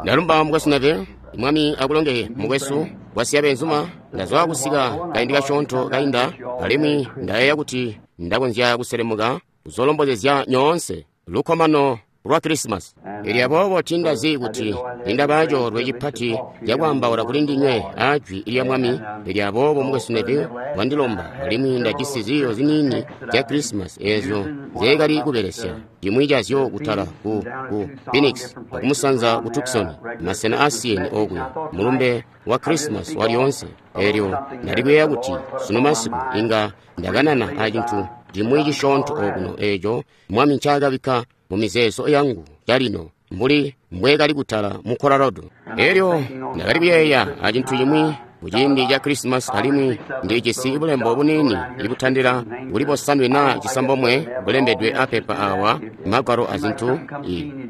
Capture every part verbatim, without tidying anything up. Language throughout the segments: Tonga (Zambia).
Ndalumba mukwesu Neville. Mwami akulongeye mukwesu wasiya beenzuma. Ndazwa kusika kaindi kasyoonto kainda, alimwi ndayeeya kuti ndakonzya kuselemuka kuzolombozezya nyoonse lukkomano lwa Krisimasi. Elyo aboobo tindazi kuti nindaba coolwe cipati cakwaambaula kuli ndinywe a jwi lya Mwami. Elyo aboobo mukwesu Neville wandilomba, alimwi ndajisi ziiyo ziniini zya Krisimasi eezyo nzeekali kubelesya, cimwi cazyo kutala ku, ku Phoenix akumusanza ku Tucson, masena aasiyene okuya, mulumbe wa Krisimasi walyoonse. Elyo ndali kuyeeya kuti sunu masiku inga ndakanana acintu cimwi cisyoonto okuno eeco Mwami ncaakabikka mu mizeezo yangu calino, mbuli mbweekali kutala mu Colorado. Elyo ndakali kuyeeya acintu cimwi kuciindi ca Krisimasi, alimwi ndijisi bulembo buniini ibutandila kuli bosanwe naa cisambomwe bulembedwe apepa awa, magwalo azintu.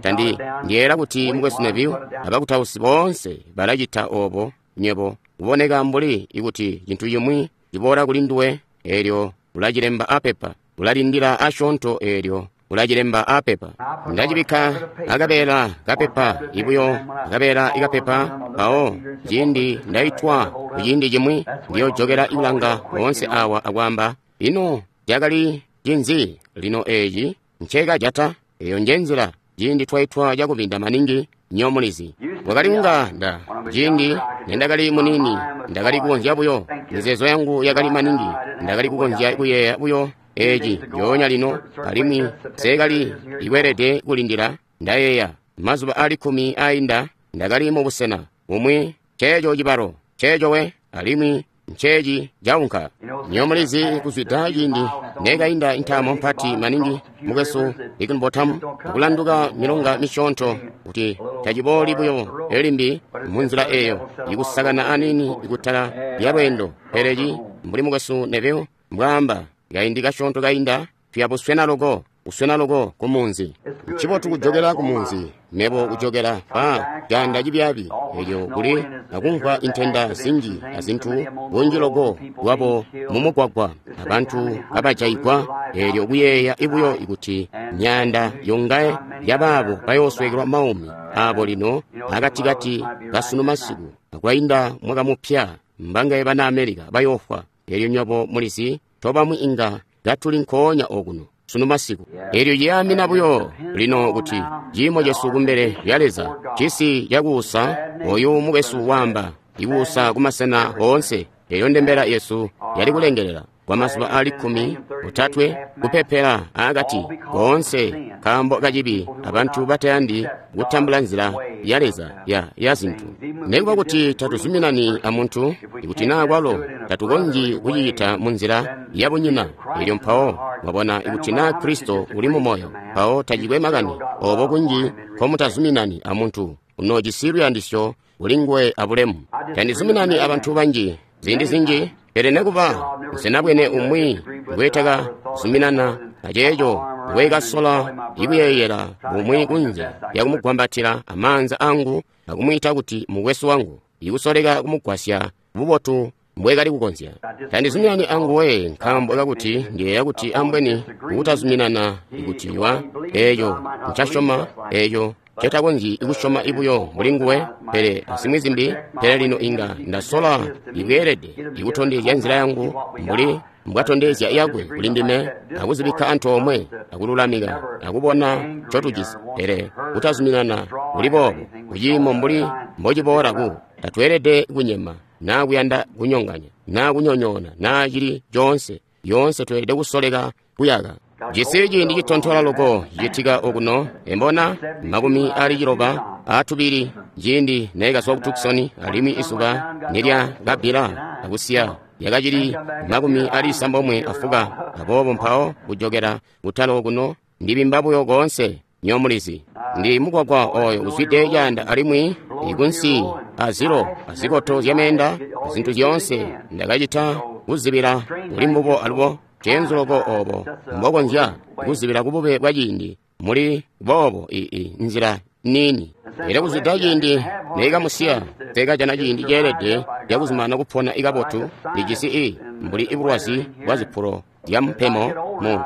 Tandi ndiyeera kuti mukwesu Neville abakutausi boonse balacita obo. Nywebo kuboneka mbuli ikuti cintu cimwi ciboola kuli nduwe, elyo ulacilemba apepa, ulalindila asyoonto, elyo ulacilemba apepa. Ndacibikka akabeela kapepa ibuyo, akabeela ikapepa, mpawo ciindi ndaitwa kuciindi cimwi ndiyojokela kulanga boonse awa akwaamba, ino cakali cinzi lino eeci ncekajata? Eyo njenzila ciindi twaitwa cakubinda maningi. Nyomulizi wakali kunga nda ciindi nendakali muniini ndakali kukonzya buyo, mizeezo yangu yakali maningi, ndakali kukonzya kuyeeya buyo eeci njoonya lino, alimwi nseekali ikweelede kulindila. Ndayeeya mazuba ali kkumi ainda ndakali mubusena bumwi, nceeco cibalo nceeco we, alimwi nceeci caunka. Nyomulizi kuzwida ciindi nekainda intaamo mpati maningi mukwesu Higginbotham akulanduka milonga misyoonto, kuti tacibooli buyo elimbi munzila eyo ikusakana aniini kutala lya lweendo. Pele ci mbuli mukwesu Neville mbwaamba kaindi kasyoonto kainda, tuya buswena loko, kuswena loko ku munzi. Ncibotu kujokela ku munzi, mebo kujokela pa caanda cibyaabi elyo kuli akumvwa intenda zinji azintu bunji loko lwabo mumugwagwa, abantu kabajaigwa. Elyo kuyeeya ibuyo ikuti myaanda yongaye yabaabo bayoosweekelwa maumi abo lino akatikati kasunu masiku, akwainda mwaka mupya, mbangaye bana Amerika bayoofwa. Elyo nywebo mulizi tobamwi inga katuli nkoonya okuno sunu masiku. Elyo ciyaamina buyo lino kuti ciimo cesu kumbele lya Leza, cisi cakuusa, oyu mukwesu waamba ikuusa kumasena oonse. Eyo ndembela yesu yali kulengelela kwa mazuba ali kkumi otatwe, kupepela akati koonse nkaambo kacibi abantu batayandi kutambula nzila ya Leza ya, ya zintu. Nekuba kuti tatuzuminani amuntu, ikuti naa kwalo tatukonzyi kucicita munzila yabunyina. Elyo mpawo mwabona ikuti naa Kristo uli mumoyo, mpawo tacikwe makani obo kunji nkomutazuminani amuntu, unoojisi luyandisyo kulinguwe abulemu. Tandizuminani abantu banji ziindi zinji, pele nekuba nsenabwene umwi ngwetakazuminana aceeco ngwekasola ikuyeeyela bumwi kunze lyakumugwambatila amaanza angu akumwiita kuti mukwesu wangu, ikusoleka kumugwasya bubotu mbwekali kukonzya. Tandizuminani anguwe nkaambo kakuti ndiyeeya kuti ambweni kutazuminana ikuti wa eeco ncasyoma eeco ncetakonzyi kusyoma ibuyo mbuli nguwe, pele azimwi zimbi. Pele lino inga ndasola ibweelede ikutondezya nzila yangu mbuli mbwatondezya yakwe kuli ndime, akuzibikka antoomwe akululamika akubona ncotujisi. Pele kutazuminana kuli boobo kuciimo mbuli mbociboola ku tatweelede kunyema naa kuyanda kunyonganya naa kunyonyoona naa cili coonse. Yoonse tweelede kusoleka kuyaka. Jisi ciindi citontola loko cicitika okuno, embona makumi ali ciloba atubili ciindi neekazwa ku Tucson, alimwi izuba nilyakabbila akusiya yakacili makumi ali isambomwe afuka. Aboobo mpawo kujokela kutala okuno ndibimba buyo koonse. Nyomulizi ndi mugwagwa oyo uzwide caanda, alimwi ikunsi azilo azikoto zyameenda zintu zyoonse ndakacita kuzibila kuli mbubo. Alubo cenzu loko obo mbokonzya kuzibila kubube bwa ciindi muli boobo ii nzila nini. Elyo kuzwida ciindi neekamusiya nseekajana ciindi ceelede cakuzumana kupona ikabotu. Ndijisi i mbuli ibulwazi bwa zipulo zya mpemo mu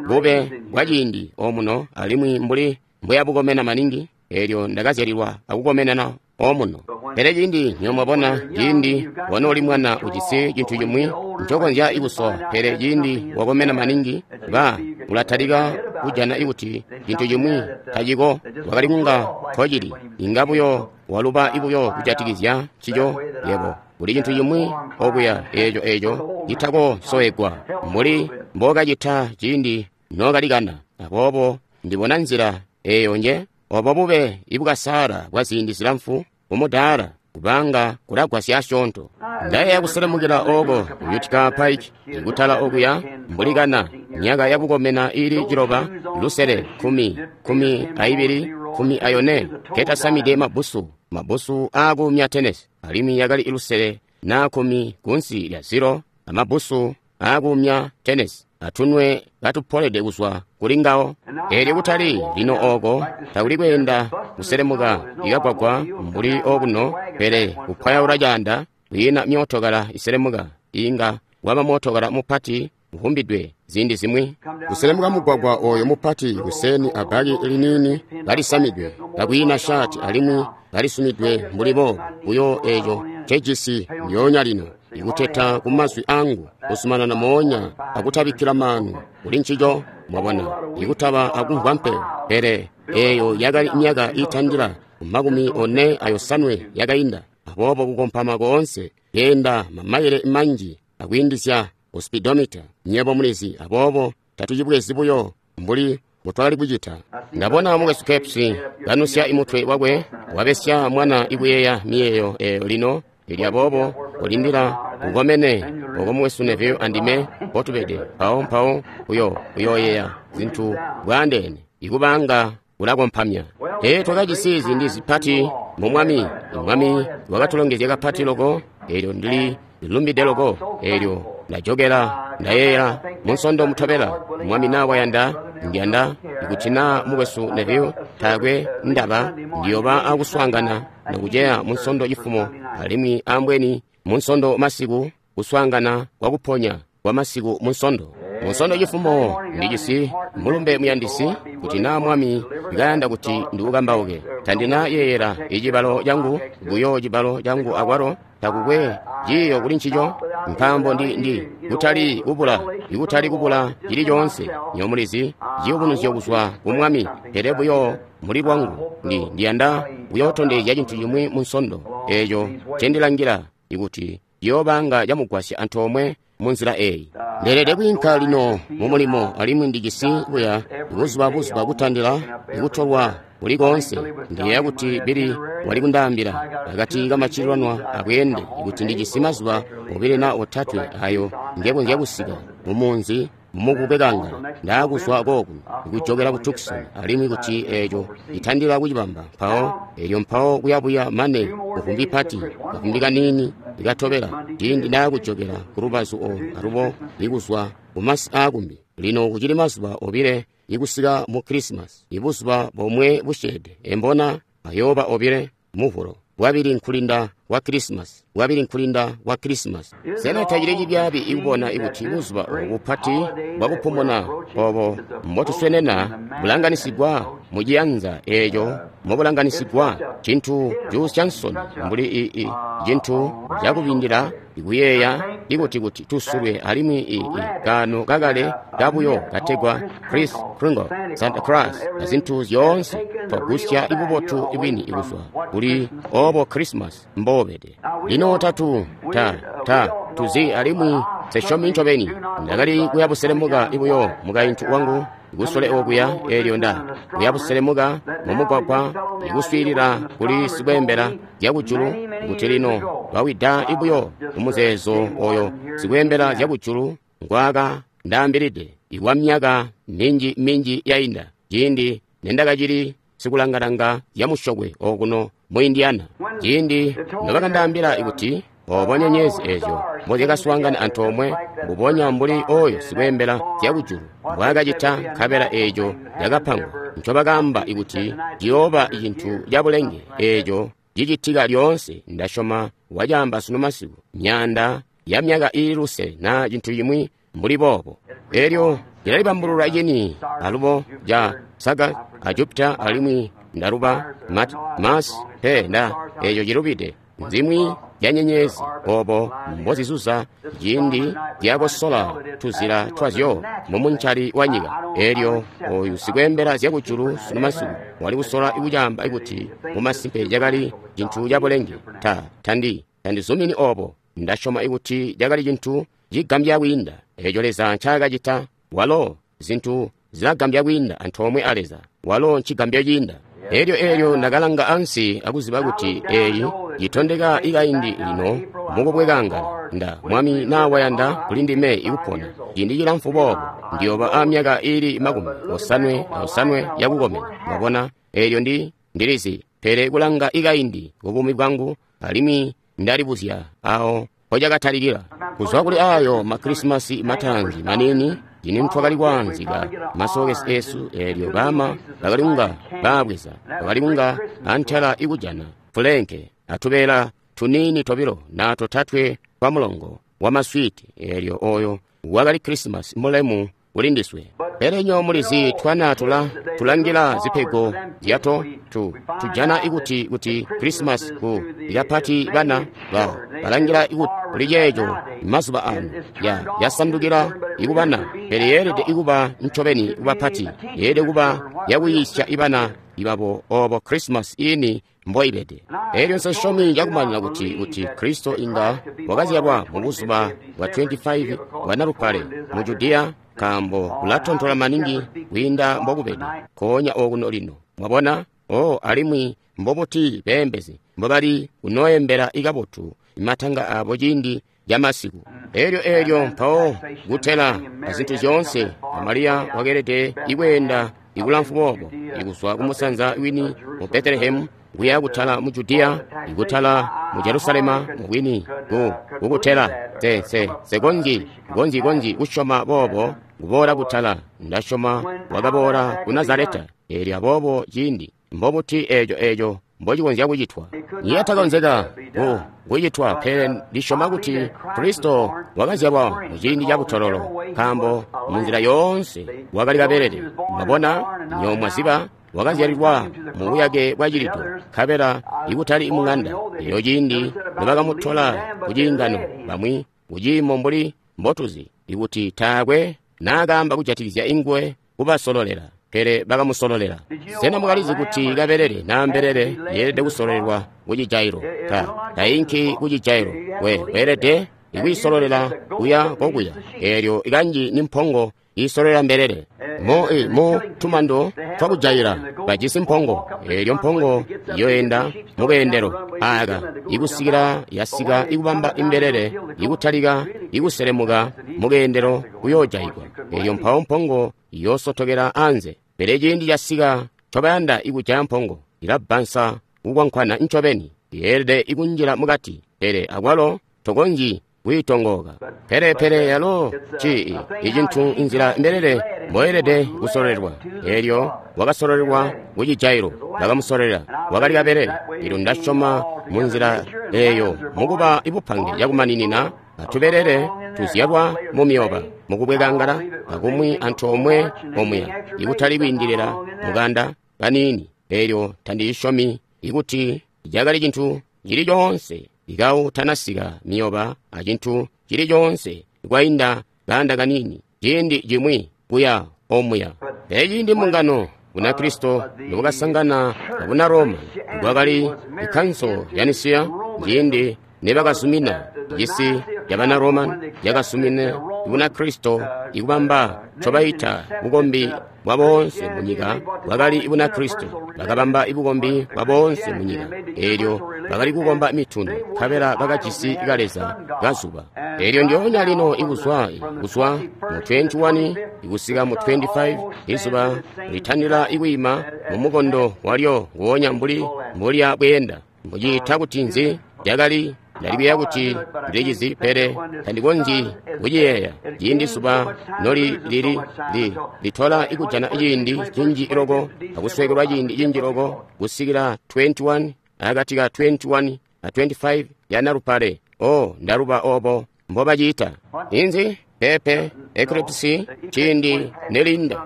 bube bwa ciindi omuno, alimwi mbuli mbweyabukomena maningi. Elyo ndakazyalilwa akukomenana omuno. Pele ciindi nyo mwabona, ciindi wanooli mwana ujisi cintu cimwi ncokonzya ikusowa, pele ciindi wakomena maningi, ba ulatalika kujana ikuti cintu cimwi taciko wakali kunga nkocili, inga buyo waluba ibuyo kujatikizya ncico yebo. Kuli cintu cimwi okuya eco eco citako sowegwa mbuli mbokacita ciindi nokalikana. Aboobo ndibona nzila eyo nje obo bube ibukasala bwa ziindi zilamfu umudaala kubanga kulagwasya asyoonto. Ndayeeya kuselemukila oko Utica Pike ikutala okuya mbuli kana myaka yakukomena ili ciloba lusele kumi kumi aibili kumi ayone ketasamide mabusu mabusu aakumya tenesi alimwi yakali ilusele na kumi kunsi lya ziro amabusu aakumya tenesi atunwe katupolede kuzwa kuli ngawo. Elyo kutali lino oko takuli kweenda kuselemuka ikagwagwa mbuli okuno, pele kupwayaula caanda kwiina myootokala iselemuka inga waba mootokala mupati uvumbidwe ziindi zimwi kuselemuka mugwagwa oyo mupati kuseni abaki liniini kalisamidwe kakwiina shati alimwi kalisumidwe mbuli boobo buyo eco ncejisi lyoonya lino ikuteta ku mazwi angu kusumanana moonya akutabikkila maanu kuli ncico mwabona ikutaba akumvwa mpeyo. Pele eyo yakali myaka itandila makumi one ayosanwe yakainda. Aboobo kukompama koonse keenda mamayile manji akwiindizya ku speedometer nyebo mulizi. Aboobo tatucibwezi buyo mbuli mbutwakali kucita. Ndabona mukwesu Kepsi kanusya imutwe wakwe wabesya mwana ikuyeeya miyeeyo eyo lino. Elyo aboobo kulindila ukomene oko mukwesu Neville andime mpotubede mpawo mpawo uyo uyoyeeya zintu bwaandeene ikubanga ulakompamya. Ee twakajisi ziindi zipati mu Mwami. Mwami wakatulongezya kapati loko. Elyo ndili lumbide loko. Elyo ndajokera ndayeeyera munsondo mutobela Mwami na wayanda ndiyanda ikuti na mukwesu Neville taakwe ndaba ndiyoba akuswaangana nakuceya munsondo cifumo alimwi ambweni munsondo masiku kuswaangana kwakuponya kwa masiku munsondo. Munsondo cifumo ndijisi mulumbe muyandisi kuti na Mwami ndikayanda kuti ndiukambauke. Tandina yeeyera icibalo cangu buyo cibalo cangu akwalo takukwe ciiyo kuli ncico nkaambo ndi ndi kutali kubula ikutali kubula cili coonse nyomulizi ciyubunuzyo kuzwa ku Mwami, pele buyo muli lwangu ndi ndiyanda kuyootondezya cintu cimwi munsondo eco ncendilangila ikuti ciyoobanga camugwasya antoomwe munzila eyi. Ndeelede kwiinka lino mu mulimo alimwi ndijisi buya buzuba buzuba kutandila ikutolwa kuli koonse. Ndiyeeya kuti Billy wali kundaambila akati kamacilanwa akweende ikuti ndijisi mazuba obile na otatwe ayo ngekonzya kusika mumunzi mukubekanga ndaakuzwa kookuno ikujokera ku Tucson alimwi kuti eco itandila kucibamba mpawo elyo mpawo kuyabuya mane kuvumbi pati kavumbi kaniini ikatobela ciindi ndaakujokera ku lubazu olu alubo ikuzwa kumasi aakumbi. Lino kucili mazuba obile ikusika mu Krisimasi, ibuzuba bomwe busyeede embona ayooba obile muvulo bwabili nkulinda kwa Krisimasi, bwabili nkulinda kwa Krisimasi. Sena tacili cibyaabi ikubona ikuti buzuba obu bupati bwakupumuna obo mbotuswenena bulanganisigwa muciyanza eco mobulanganisigwa cintu cuusya nsoni mbuli ii cintu cakubindila ikuyeeya ikuti kuti tusulwe alimwi ii kano kakale kabuyo kategwa Chris Kringle, Santa Claus azintu zyoonse twagusya ibubotu ibwini ikuzwa kuli obo Christmas mbobede. Lino tatu ta ta tuzi alimwi sesyomi ncobeni. Ndakali kuyabuselemuka ibuyo mukaintu wangu ikusole okuya elyo nda kuyabuselemuka mumugwagwa ikuswiilila kuli sikweembela zyakujulu kuti lino twawida ibuyo mumuzeezo oyo sikweembela zyakujulu ngwaka ndaambilide ikwa myaka minji minji yainda ciindi nendakacili sikulangalanga zyamusyokwe okuno mu Indiana. Ciindi nobakandaambila ikuti obo nyenyezi ezyo mbozyakaswaangana antoomwe mbubonya mbuli oyo sikweembela zyakujulu mbwaakacita nkabela eeco yakapangwa ncobakaamba ikuti ciyooba cintu cabulenge eeco cicitika lyoonse. Ndasyoma wacaamba sunu masiku myaanda ya myaka iili lusele na cintu cimwi mbuli boobo. Elyo cilalibambulula cini alubo ca Saga a Jupiter alimwi Ndaluba mat mas pe nda eco cilubide. Nzimwi zya nyenyezi obo mbozizuza ciindi zyakosola tuzila twazyo mumuncali wa nyika. Elyo oyu sikweembela zyakujulu sunu masiku wali kusola kucaamba kuti mumasimpe cakali cintu cabulenge. Ta tandi tandizumini obo. Ndasyoma kuti cakali cintu cigambya kwiinda eco Leza ncaakacita. Walo zintu zilagambya kwiinda antoomwe a Leza. Walo ncigambyo ciinda. Elyo elyo ndakalanga ansi akuziba kuti eyi yitondeka ikaindi lino mukubwekangala. Nda Mwami na wayanda kuli ndime ikupona ciindi cilamfu boobo, ndiyoba a myaka ili makumi osanwe na osanwe yakukomena. Mwabona, elyo ndi ndilizi, pele kulanga ikaindi kubumi bwangu, alimwi ndalibuzya awo mpocakatalikila. Kuzwa kuli ayo makrisimasi matanzi manini cini twakali kwaanzika masokesi esu, elyo bama bakali kunga baabweza, bakali kunga antela ikujana fulenke atubeela tunini tobilo na totatwe twa mulongo wa maswiti. Elyo oyo wakali Krisimasi mulemu kuli ndiswe. Pele nyo mulizi twana tula tulangila zipego zyato tu tujana ikuti kuti Krisimasi ku ikapati bana ba balangila ikuti kuli ceeco mazuba ano ya yasandukila ikubana, pele yeelede ikuba ncobeni kubapati, yeelede kuba yakuyiisya ibana ibabo obo Krisimasi ini mboibede. Elyo nsesyomi cakumanina kuti kuti Kristo inga wakazyalwa mu buzuba bwa twenty-five bwa Nalupale mu Judiya, nkaambo kulatontola maningi kwiinda mbokubede nkoonya okuno lino. Mwabona? Oh, alimwi mbobuti beembezi mbobali kunoembela ikabotu matanga abo ciindi ca masiku. Elyo elyo mpawo kutela azintu zyoonse, Mariya wakeelede ikweenda ikulamfu boobo ikuzwa kumusanza wini mu Betelehemu kuya kutala mu Judiya, ikutala mu Jerusalema mubwini ku kukutela. Se se sekonji konji konji kusyoma boobo kuboola kutala. Ndasyoma wakaboola ku Nazareta. Elyo aboobo ciindi mbobuti eco eco mbocikonzya kucitwa? Niyatakonzeka ku kucitwa, pele ndisyoma kuti Kristo wakazyalwa mu ciindi ca butololo, nkaambo munzila yoonse wakali kabelele. Mwabona, nyo mwaziba wakazyalilwa mu buyake bwa cilido, nkabela ikutali mung'anda. Elyo ciindi nobakamutola ku ciingano, bamwi kuciimo mbuli mbotuzi ikuti taakwe naakaamba kujatikizya ingwe kubasololela, pele bakamusololela. Sena mwakalizi kuti kabelele na mbelele yeelede kusololelwa ku cijailo? Ta tainki ku cijailo. We weelede ikuyisololela kuya kokuya. Elyo ikanji ni mpongo isololela mbelele. Mo e mo tumando twakujaila bajisi mpongo. Elyo mpongo yoenda mukeendelo aka ikusikila yasika ikubamba imbelele ikutalika ikuselemuka mukeendelo kuyojaigwa. Elyo mpawo mpongo yosotokela anze. Pele ciindi casika ncobayanda ikujaya mpongo ilabbansa kukwankwana ncobeni, yeelede ikunjila mukati, pele akwalo tokonzyi kuyitongoka. Pele pele yalo ci icintu inzila mbelele mboyelede kusololelwa. Elyo wakasololelwa ku cijailo, bakamusolela, wakali kabelele. Elyo ndasyoma munzila eyo mukuba ibupange yakumaninina atubelele tuzyalwa mu miyoba mukubwekangala akumwi antoomwe omuya, ikutali kwiindilila mukanda kaniini. Elyo tandiyisyomi ikuti cakali cintu cili coonse ikau tanasika miyoba acintu cili coonse kwainda kanda kanini ciindi cimwi kuya omuya. Pele ciindi mbungano Bunakristo nobakasangana abuna Roma, kwakali ikanso ya Nisiya ciindi nebakazumina cisi cabana Roma yakazumina Bunakristo ikubamba ncobaita bukombi bwa boonse munyika. Bwakali Bunakristo, bakabamba ibukombi bwa boonse munyika. Elyo bakali kukomba mituni, nkabela bakajisi kaleza kazuba. Elyo ndyoonya lino ikuzwa kuzwa mu twenty-one ikusika mu twenty-five, izuba litanila ikwiima mu mukondo walyo nguwonya mbuli mbulya bweenda. Mbuciita kuti nzi? Yakali ndalikuya kuti ndilicizi, pele tandikonzyi kuciyeeya. Ciindi zuba noli lili li litola ikujana ciindi cinji loko akusweekelwa ciindi cinji loko kusikila twenty-one akati ka twenty-one a twenty-five ya Nalupale. Oh, ndaluba obo mbobaciita inzi pepe eclipse ciindi nelinda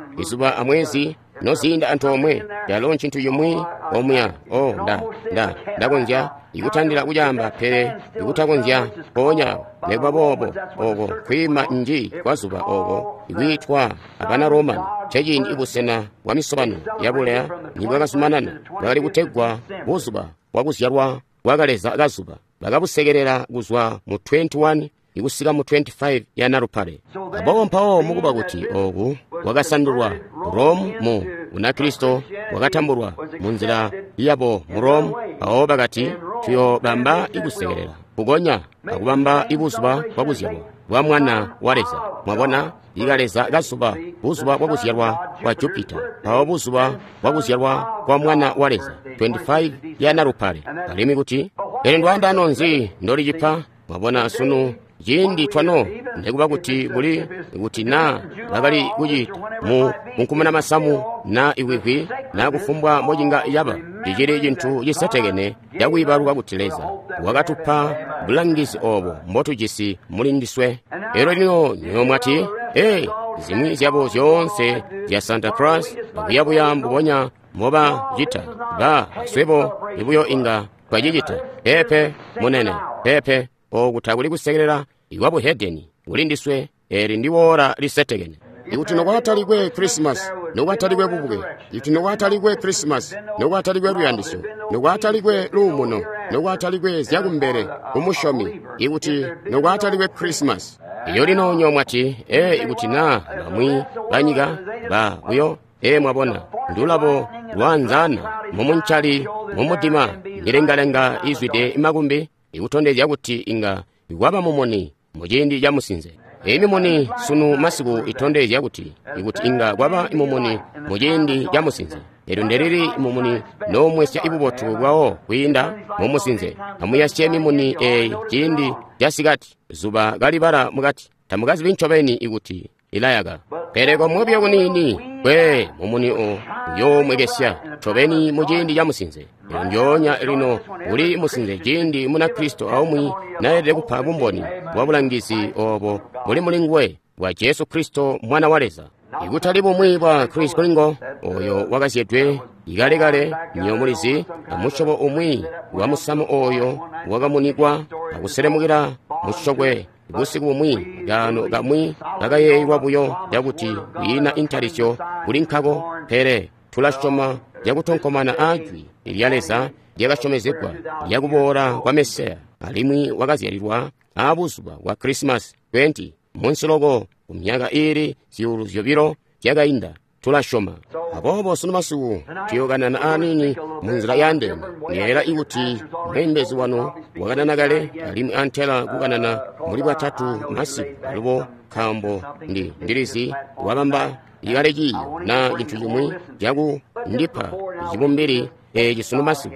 izuba amwezi noziinda antoomwe, calo ncintu cimwi omuya. Oh, Nda, Nda, Ndakonzya ikutandila kucaamba, pele ikutakonzya mpoonya awo. Nekuba boobo, oko kwiima nji kwa zuba oko ikwiitwa abana Roman, nceciindi ibusena bwa misobano yabuleya nibwakazumanana, bwakali kutegwa buzuba bwakuzyalwa bwa kaleza kazuba. Bakabusekelela kuzwa mu twenty-one ikusika mu twenty-five ya Nalupale. Aboobo mpawo mukuba kuti oku kwakasandulwa Rome mu Bunakristo bwakatambulwa munzila yabo mu Rome, mpawo bakati tuyobamba ikusekelela kukonya akubamba ibuzuba bwakuzyalwa bwa mwana wa Leza. Mwabona, ikaleza kazuba, buzuba bwakuzyalwa kwa Jupiter, mpawo buzuba bwakuzyalwa kwa mwana wa Leza, twenty-five ya Nalupale. Alimwi kuti pele ndwaandano nzi ndolicipa? Mwabona, sunu ciindi twano, nekuba kuti kuli kuti na bakali kucita mu kunkumuna masamu na ikwikwi na kufumbwa mocinga yaba, cicili cintu cisetekene cakwiibaluka kuti Leza wakatupa bulangizi obo mbotujisi muli ndiswe. Elyo lino nyowe mwati, ee, zimwi zyabo zyoonse zya Santa Claus akuyabuya mbubonya mboba cita, ba swebo ibuyo inga twacicita. Pepe munene, pepe. Oku takuli kusekelela ikwa buhedeni kuli ndiswe. Eli ndi wora lisetekene. Ikuti nokwatalikwe Christmas, nokwatalikwe bubuke, ikuti nokwatalikwe Christmas, nokwatalikwe luyandisyo, nokwatalikwe luumuno, nokwatalikwe zyakumbele kumusyomi, ikuti nokwatalikwe Christmas. Iyo lino nyowe mwati, ee, ikuti na bamwi banyika ba buyo, ee, mwabona, ndulabo lwanzana mumuncali mumudima, milengalenga izwide makumbi, ikutondezya kuti inga ikwaba mumuni muciindi ca musinze. Eyi mimuni sunu masiku itondezya kuti ikuti inga kwaba mumuni muciindi ca musinze. Elyo ndelili mumuni noomwesya ibubotu bwawo kwiinda mumusinze. Amuyasye mimuni eyi ciindi casikati, zuba kalibala mukati, tamukazibi ncobeni ikuti ilayaka. Pele komwe buyo kuniini kwe mumuni o uyoomwekesya ncobeni muciindi ca musinze. Elyo ndyoonya lino uli musinze ciindi Munakristo aumwi naelede kupa bumboni bwa bulangizi obo buli muli nguwe bwa Jesu Kristo mwana wa Leza. Ikutali bumwi bwa Chris Kringle oyo wakazyedwe ikalekale, nyo mulizi, amusyobo umwi wa musamu oyo wakamunikwa akuselemukila musyokwe busiku bumwi, kaano kamwi kakayeeyelwa buyo cakuti kwiina intalisyo kuli nkako, pele tulasyoma cakutonkomana ajwi lya Leza lyakasyomezegwa lyakuboola kwa Mesiya, alimwi wakazyalilwa aabuzuba bwa Christmas twenty munsi loko ku myaka iili zyuulu zyobilo zyakainda. Tulasyoma. Aboobo sunu masiku tuyokanana aniini munzila yandeene. Ndiyeeyela ikuti mweembezi wanu wakanana kale, alimwi antela kukanana muli bwatatu masiku alubo, nkaambo ndi ndilizi wabamba ikale ciiyo na cintu cimwi caku ndipa cibumbili eci sunu masiku.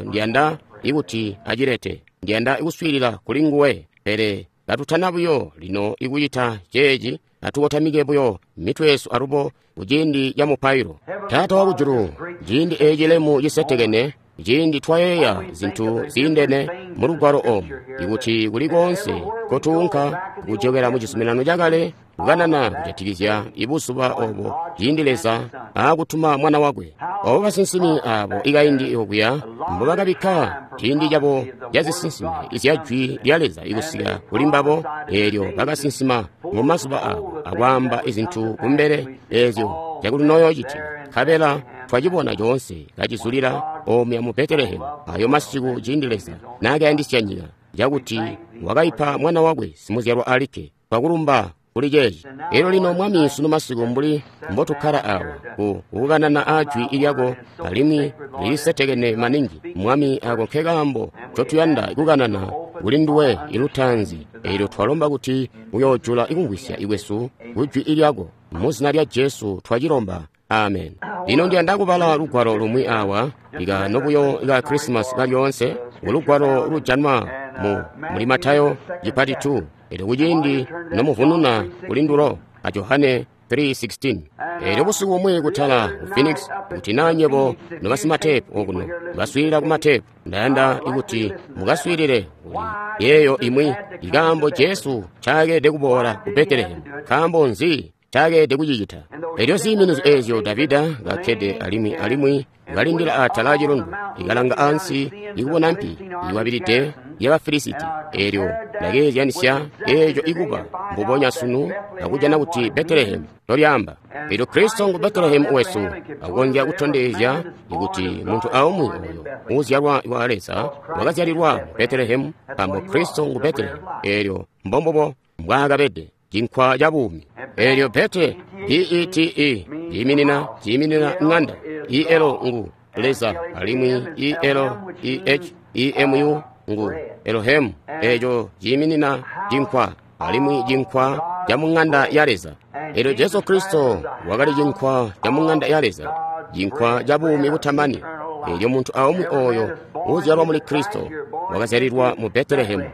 Ndiyanda ikuti acilete, ndiyanda kuswiilila kuli nguwe, pele katutana buyo lino ikucita ceeci, atukotamike buyo mitwe yesu alubo kuciindi ca mupailo. Taata wakujulu, ciindi eci lemu cisetekene, ciindi twayeeya zintu ziindene mu lugwalo omu, ikuti kuli koonse kotuunka kujokela mu cizuminano cakale kukanana kujatikizya ibuzuba obo ciindi Leza aakutuma mwana wakwe. Obo basinsimi abo ikaindi okuya mbobakabikka ciindi cabo ca zisinsime izya jwi lya Leza ikusika kuli mbabo, eelyo bakasinsima mu mazuba abo akwaamba izintu kumbele eezyo cakuti noyoocitika. Nkabela twacibona coonse kacizulila omuya mu Betelehemu ayo masiku ciindi Leza naakayandisya nyika cakuti wakaipa mwana wakwe simuzyalwa alikke. Twakulumba kuli ceeci. Elyo lino Mwami, sunu masiku mbuli mbotukkala awa ku kukanana ajwi lyako, alimwi lilisetekene maningi Mwami, ako nke kaambo ncotuyanda kukanana kuli nduwe ilutaanzi. Elyo twalomba kuti uyoojula ikumvwisya ikwesu kujwi lyako. Muzina lya Jesu twacilomba, amen. Lino ndiyanda kubala lugwalo lumwi awa ikaano buyo ka Christmas kalyoonse, ulugwalo lujanwa mu muli Matayo chipati two, elyo kuciindi nomuvununa kuli ndulo a Johane three sixteen. Elyo busiku bumwi kutala ku Phoenix, kuti naa nyebo nobasimatepu okuno baswiilila ku matepu, ndayanda ikuti mukaswiilile kuli yeeyo imwi ikaambo Jesu ncaakeleede kuboola ku Betelehemu. Nkaambo nzi ncakeelede kucicita. Elyo ziiminizyo eezyo Davida kakkede alimwi alimwi kalindila atala acilundu, ikalanga ansi ikubona mpi iwabilide ya Bafilisiti. Elyo ndakeezyanisya eeco ikuba mbubonya sunu akujana kuti Betelehemu tolyaamba. Elyo Kristo ngu Betelehemu wesu, akonzya kutondezya kuti muntu aumwi oyo uuzyalwa wa Leza wakazyalilwa mu Betelehemu, nkaambo Kristo ngu Betelehemu. Elyo mbombubo mbwaakabede cinkwa ca buumi. Elyo Bete, B E T E, ciiminina ciiminina ng'anda. E L ngu Leza, alimwi E L E H E M U ngu Elohim. Eco ciiminina cinkwa, alimwi cinkwa ca mu ng'anda ya Leza. Elyo Jesu Kristo wakali cinkwa ca mu ng'anda ya Leza, cinkwa ca buumi butamani. Elyo muntu aumwi oyo uuzyalwa muli Kristo wakazyalilwa mu Betelehemu,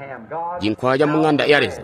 cinkwa ca mu ng'anda ya Leza.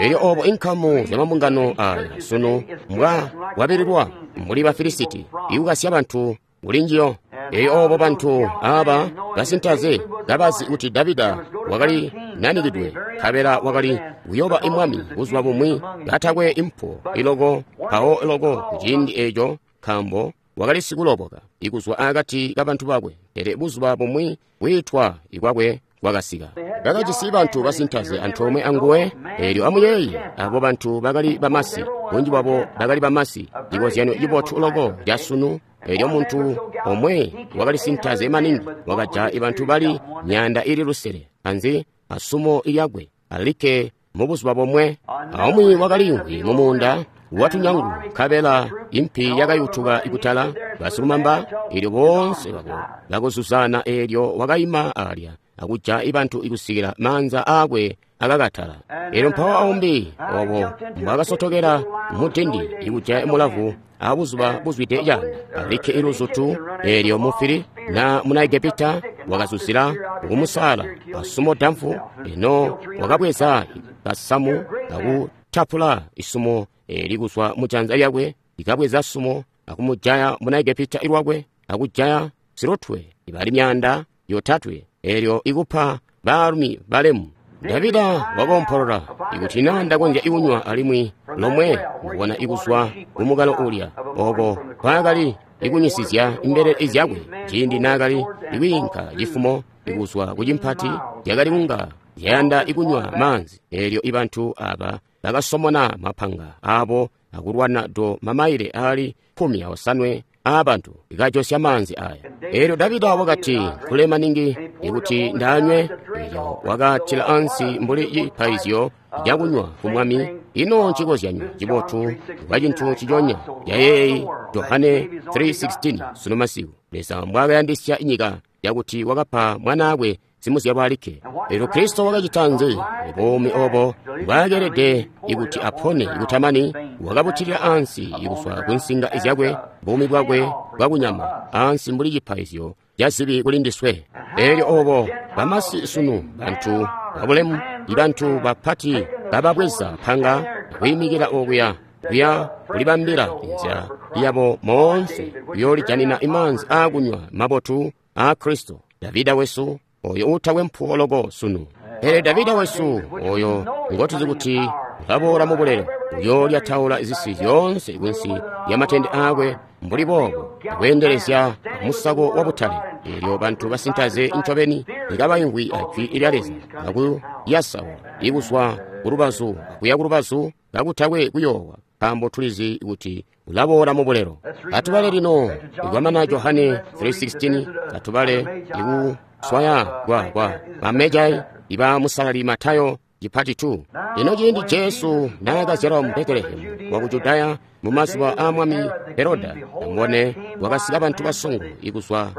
Elyo obo inkamu zya mabungano aya sunu mbwa wabililwa mbuli Bafilisiti ikukasya bantu kuli njiyo. Elyo obo bantu aba basintaze kabazi kuti Davida wakali nanikidwe, nkabela wakali kuyoba imwami buzuba bumwi katakwe impo iloko mpawo iloko kuciindi eco, nkaambo wakali sikuloboka ikuzwa akati kabantu bakwe. Pele buzuba bumwi kwiitwa ikwakwe kwakasika. Bakajisi bantu basintaze antoomwe anguwe. Elyo amuyeeye, abo bantu bakali bamasi, bunji bwabo bakali bamasi, cikozyanyo cibotu loko ca sunu. Elyo muntu omwe wakali sintaze maningi wakaja ibantu bali myaanda ili lusele anzi asumo lyakwe alikke mu buzuba bomwe. Aumwi wakaliimvwi mu muunda watunyangu, nkabela impi yakayutuka ikutala basilumamba. Elyo boonse babo bakuzuzana. Elyo wakaima alya akuja ibantu ikusikila maanza aakwe akakatala. Elyo mpawo aumbi obo mbwakasotokela mutindi ikuja mulavu abuzuba buzwide canda alikke iluzutu. Elyo mufili na muna Egepita wakazuzila kumusala asumo damfu. Eno wakabweza kasamu akutapula isumo elikuzwa mujanza lyakwe, likabweza sumo akumujaya muna Egepita ilwakwe, akujaya silutwe ibali myanda yotatwe. Elyo ikupa baalumi balemu. Davida wakompolola, ikuti na ndakonzya ikunywa alimwi lomwe kubona ikuzwa kumukalo ulya oko kwaakali ikunyisizya imbelele zyakwe ciindi naakali ikwiinka cifumo ikuzwa kucimpati, yakali kunga yayanda ikunywa maanzi. Elyo ibantu aba bakasomona mapanga abo akulwana do mamaile aali kkumi aosanwe aabantu ikajosya maanzi aya. Elyo Davida wakati, kule maningi ikuti ndanywe. Elyo wakatila ansi mbuli cipaizyo cakunywa ku Mwami. Ino ncikozyanyo cibotu kwa cintu ciconya cayeeyi Johane three sixteen sunu masiku, Leza mbwaakayandisya nyika yakuti wakapa mwanaakwe simuzyalwa alikke. Elyo Kristo wakacita nzi? Buumi obo mbwaakelede ikuti apone ikutamani, wakabutilira ansi ikuzwa ku nsinga zyakwe, buumi bwakwe bwakunyama ansi mbuli cipaizyo ca zibi kuli ndiswe. Elyo obo bamasi sunu, bantu babulemu, ibantu bapati bababweza panga kwiimikila okuya kuya kulibambila inzila yabo moonse kuyoolijanina imaanzi aakunywa mabotu aa Kristo. Davida wesu oyo uutakwe mpuwo loko sunu. Pele Davida wesu oyo ngotuzi kuti ulaboola mu bulelo, uyoolyataula zisi zyoonse kunsi lyamatende aakwe mbuli boobo, akweendelezya musako wa butale. Elyo bantu basintaze ncobeni ikabaimvwi ajwi lya Leza akuyasawa ikuzwa kulubazu akuya kulubazu kakutakwe kuyoowa, nkaambo tulizi kuti ulaboola mu bulelo. Atubale lino ikwamana Johane three sixteen, atubale ikuswaya kwa kwa bamejai iba musalali Matayo chipati two. Lino ciindi Jesu naakazyalwa mu Betelehemu waku Judaya mu mazuba aa mwami Heroda, amubone kwakasika bantu basongo ikuzwa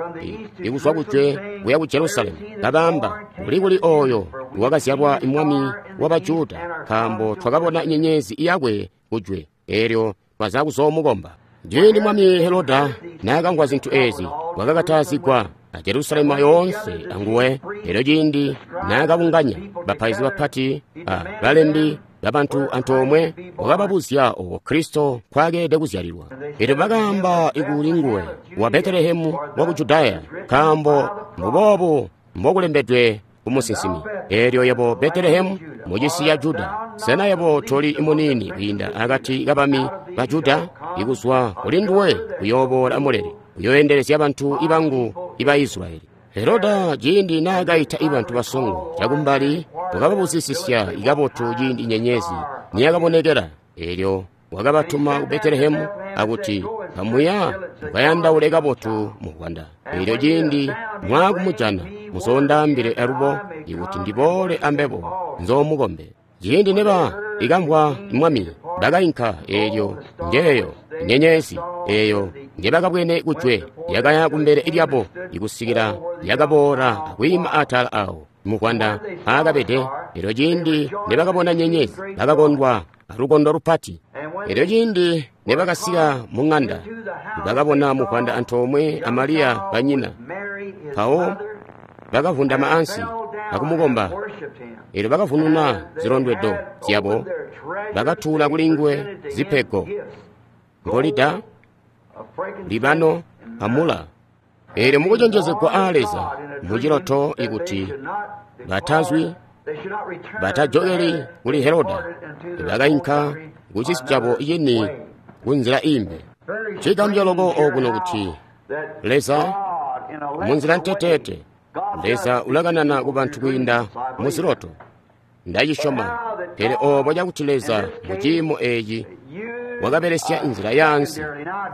ikuzwa kujwe kuya ku Jerusalemu, kabaamba, kuli kuli oyo wakazyalwa mwami wa Bajuda, nkaambo twakabona nyenyezi yakwe kujwe, elyo twaza kuzoomukomba. Ciindi mwami Heroda naakamvwa zintu ezi, wakakatazigwa a Jerusalemu yoonse anguwe. Elyo ciindi naakabunganya bapaizi bapati a balembi babantu antoomwe, wakababuzya obo Kristo nkwaakelede kuzyalilwa. Elyo bakaamba ikuli nguwe, wa Betelehemu waku Judaya, nkaambo mbuboobu mbokulembedwe kumusinsimi, elyo yebo Betelehemu mucisi ya Juda, Sena yebo toli muniini kwiinda akati kabami ba Juda? Ikuzwa kulinduwe kuyooboola muleli, uyooendelezya bantu ibangu iba Israyeli. Heroda ciindi naakaita ibantu basongo cakumbali wakababuzisisya ikabotu ciindi nyenyezi niyakabonekela. Eelyo wakabatuma ku Betelehemu akuti, kamuya mukayandaule kabotu muvwanda. Eelyo ciindi mwaakumujana muzoondaambile alubo ikuti ndiboole ambebo nzoomukombe. Ciindi neba ikamvwa mwami bakainka, eelyo njeeyo nyenyezi eeyo njebakabwene kujwe yakaya kumbele lyabo ikusikila yakaboola akwiima atala awo muvwanda aakabede. Eelyo ciindi nebakabona nyenyezi bakakondwa alukondo lupati. Eelyo ciindi nebakasika mu ŋanda bakabona muvwanda antoomwe a Mariya banyina, mpawo bakavundama ansi akumukomba. Eelyo bakavununa zilondwedo zyabo bakatuula kulinguwe zipego, ngolida, libano amula. Eelyo mukucenjezegwa aa Leza muciloto ikuti batazwi batajokeli kuli Heroda, bakainka kucisi cabo cini kunzila imbi. Cigambya loko okuno kuti Leza munzila nteteete, Leza ulakanana kubantu kwiinda muziloto. Ndacisyoma, pele oobo cakuti Leza muciimo eeci wakabelesya nzila yaansi.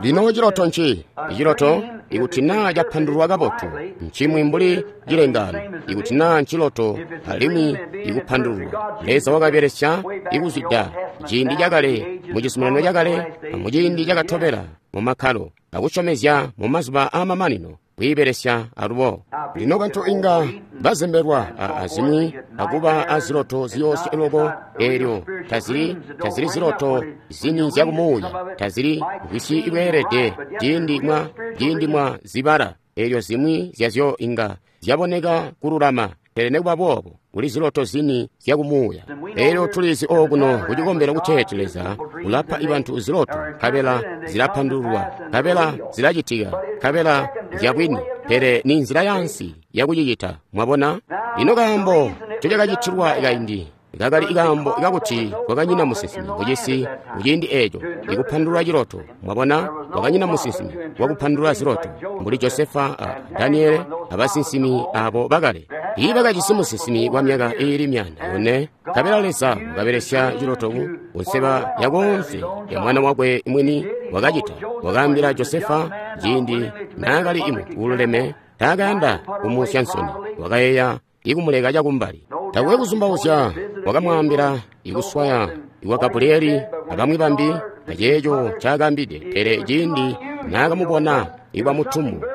Lino ciloto nci? Iciloto ikuti naa capandululwa kabotu ncimwi mbuli cilengaano, ikuti naa nciloto alimwi ikupandululwa. Leza wakabelesya ikuzwida ciindi cakale mucizuminano cakale amuciindi cakatobela mumakkalo akusyomezya mumazuba aamamanino kwiibelesya alubo. Lino bantu inga bazembelwa azimwi akuba aziloto ziyoosya loko. Eelyo tazili tazili ziloto zini zyakumuuya, tazili ngwisyi ibweelede ciindi mwa ciindi mwa zibala. Eelyo zimwi zyazyo inga zyaboneka kululama, pele nekuba boobo kuli ziloto zini zyakumuuya. Eelyo tulizi okuno kucikombelo kuteeti Leza ulapa ibantu ziloto, nkabela zilapandululwa, nkabela zilacitika, nkabela nzyabwini, pele ni nzila yansi yakucicita. Mwabona? Lino kaambo ncocakacitilwa kaindi kakali ikaambo kakuti kwakanyina musinsimi kucisi kuciindi eeco ikupandulula ciloto. Mwabona, kwakanyina musinsimi wakupandulula ziloto mbuli Josefa a Daniele abasinsimi abo bakale. Tiibakajisi musinsimi wa myaka iili myanda yone, nkabela Leza wakabelesya ciloto kunseba yakoonse ya mwana wakwe mwini. Wakacita wakaambila Josefa ciindi naakali imuntu uululeme, taakayanda kumusya nsoni, wakayeeya ikumuleka cakumbali. Takwe kuzumbauzya wakamwaambila ikuswaya iwa Gabrieli abamwi bambi aceeco ncaakaambide. Pele ciindi naakamubona iwa mutumbu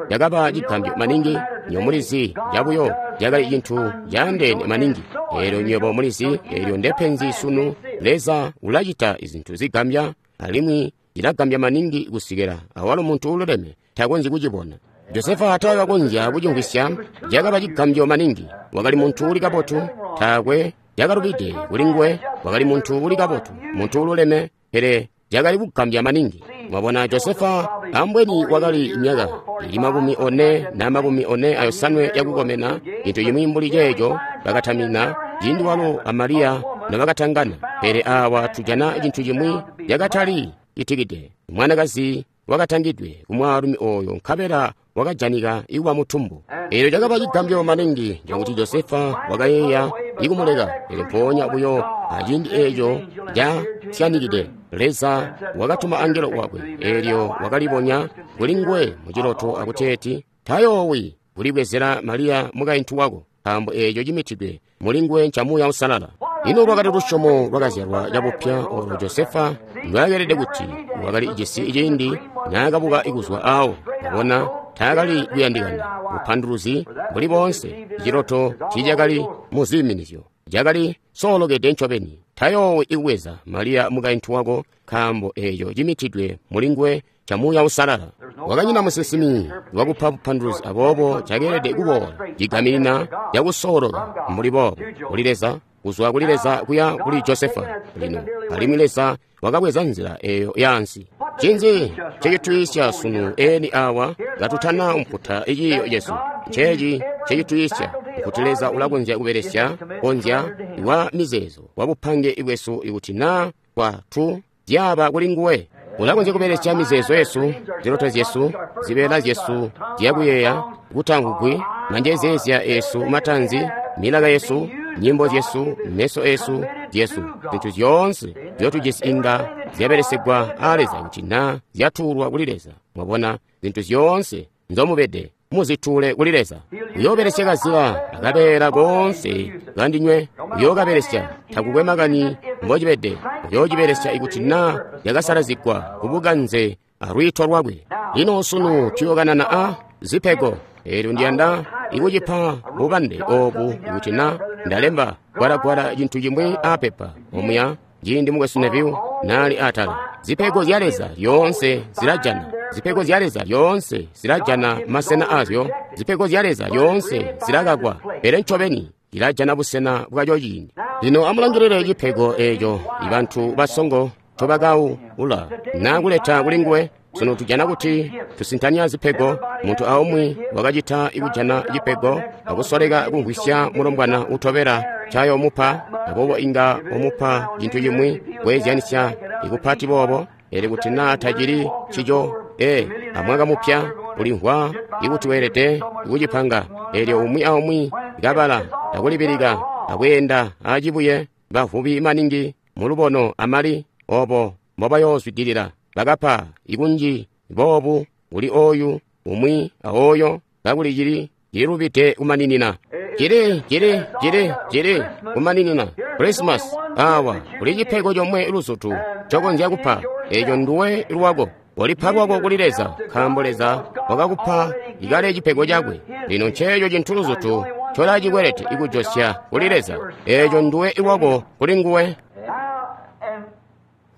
cakaba cigambyo maningi. Nywebo mulizi, cabuyo cakali cintu caandeene maningi. Eelyo nywebo mulizi, eelyo ndepenzi sunu. Leza ulacita izintu zigambya, alimwi cilagambya maningi kusikila awalo muntu uululeme takonzyi kucibona. Josefa taakakonzya kucimvwisya, cakaba cigambyo maningi. Wakali muntu uli kabotu, taakwe cakalubide kulinguwe. Wakali muntu uli kabotu, muntu uululeme, pele cakali kugambya maningi. Mwabona, Josefa ambweni wakali myaka ili makumi one na makumi one ayosanwe yakukomena, cintu cimwi mbuli ceeco bakatamina ciindi walo a Mariya nobakatangana. Pele awa tujana cintu cimwi cakatali citikide. Mwanakazi wakatangidwe kumwaalumi ooyo, nkabela wakajanika ikuba mutumbu. Eelyo cakaba cigambyo maningi cakuti Josefa wakayeeya ikumuleka. Pele mpoonya buyo aciindi eeco casyanikide, Leza wakatuma angelo wakwe. Eelyo wakalibonya kulinguwe muciloto akuteeti, tayoowi kulibwezela Mariya mukaintu wako, nkaambo eeco cimitidwe mulinguwe nca Muuya Uusalala. Ino lwakali lusyomo lwakazyalwa cabupya oolo Josefa ndwaakeelede kuti wakali jisi ciindi naakabuka kuzwa aawo. Mwabona, taakali kuyandikana bupanduluzi mbuli boonse. Ciloto tiicakali muziiminizyo, cakali soolokede ncobeni. Tayoowi ikubweza Mariya mukaintu wako, nkaambo eeco cimitidwe mulinguwe ca Muuya Uusalala. Wakanyina musinsimi wakupa bupanduluzi, aboobo cakeelede kuboola cigaminina cakusooloka mbuli boobo kuli Leza, kuzwa kuli Leza kuya kuli Josefa. Lino alimwi Leza wakabweza nzila eeyo yaansi. Ncinzi ncecitwiisya sunu eni awa katutana mputa iciiyo cesu? Nceeci ncecitwiisya kuti Leza ulakonzya kubelesya konzya wa mizeezo wa bupange bwesu ikuti naa kwatu zyaba kuli nguwe. Ulakonzya kubelesya mizeezo yesu, ziloto zyesu, zibeela zyesu zyakuyeeya, kutamvugwi, manjezeezya esu matanzi, milaka yesu, nyimbo zyesu, meso esu, zyesu, zintu zyoonse zyotujisi inga zyabelesegwa a Leza kuti naa zyatuulwa kuli Leza. Mwabona, zintu zyoonse nzomubede muzituule kuli Leza. Uyoobelesya kazila akabeela koonse kandinywe, uyookabelesya takukwe makani mbocibede, uyoocibelesya ikuti naa yakasalazigwa kubukanze alwiito lwakwe. Lino sunu tuyookanana a zipego. Eelyo ndiyanda ikucipa bubambe oobu ikuti naa ndalemba gwalagwala cintu cimwi apepa omuya ciindi mukwesu Neville naali atala. Zipego zya Leza lyoonse zilajana. Zipego zya Leza lyoonse zilajana masena azyo. Zipego zya Leza lyoonse zilakakwa, pele ncobeni zilajana busena bwaco ciindi. Lino amulangilile cipego eeco ibantu basongo ncobakaula naa kuleta kuli nguwe. Sunu tujana kuti tusintanya zipego. Muntu aumwi wakacita ikujana cipego akusoleka kumvwisya mulombwana utobela ncayomupa, aboobo inga umupa cintu cimwi kweezyanisya ikupati boobo. Eelyo kuti naa tacili ncico, ee, amwaka mupya ulimvwa ikuti weelede kucipanga. Eelyo umwi aumwi kabala akulibilika akweenda acibuye, bavubi maningi mulubono amali obo mbobayoozwidilila. Bakapa ikunji boobu kuli oyu umwi aoyo kakuli cili cililubide kumaninina. Cili cili cili cili kumaninina. Christmas awa kuli cipego comwe luzutu ncokonzya kupa, eeco nduwe lwako. Walipa lwako kuli Leza, nkaambo Leza wakakupa ikale cipego cakwe. Lino nceeco cintu luzutu ncolacikwelete ikujosya kuli Leza, eeco nduwe lwako kuli nguwe.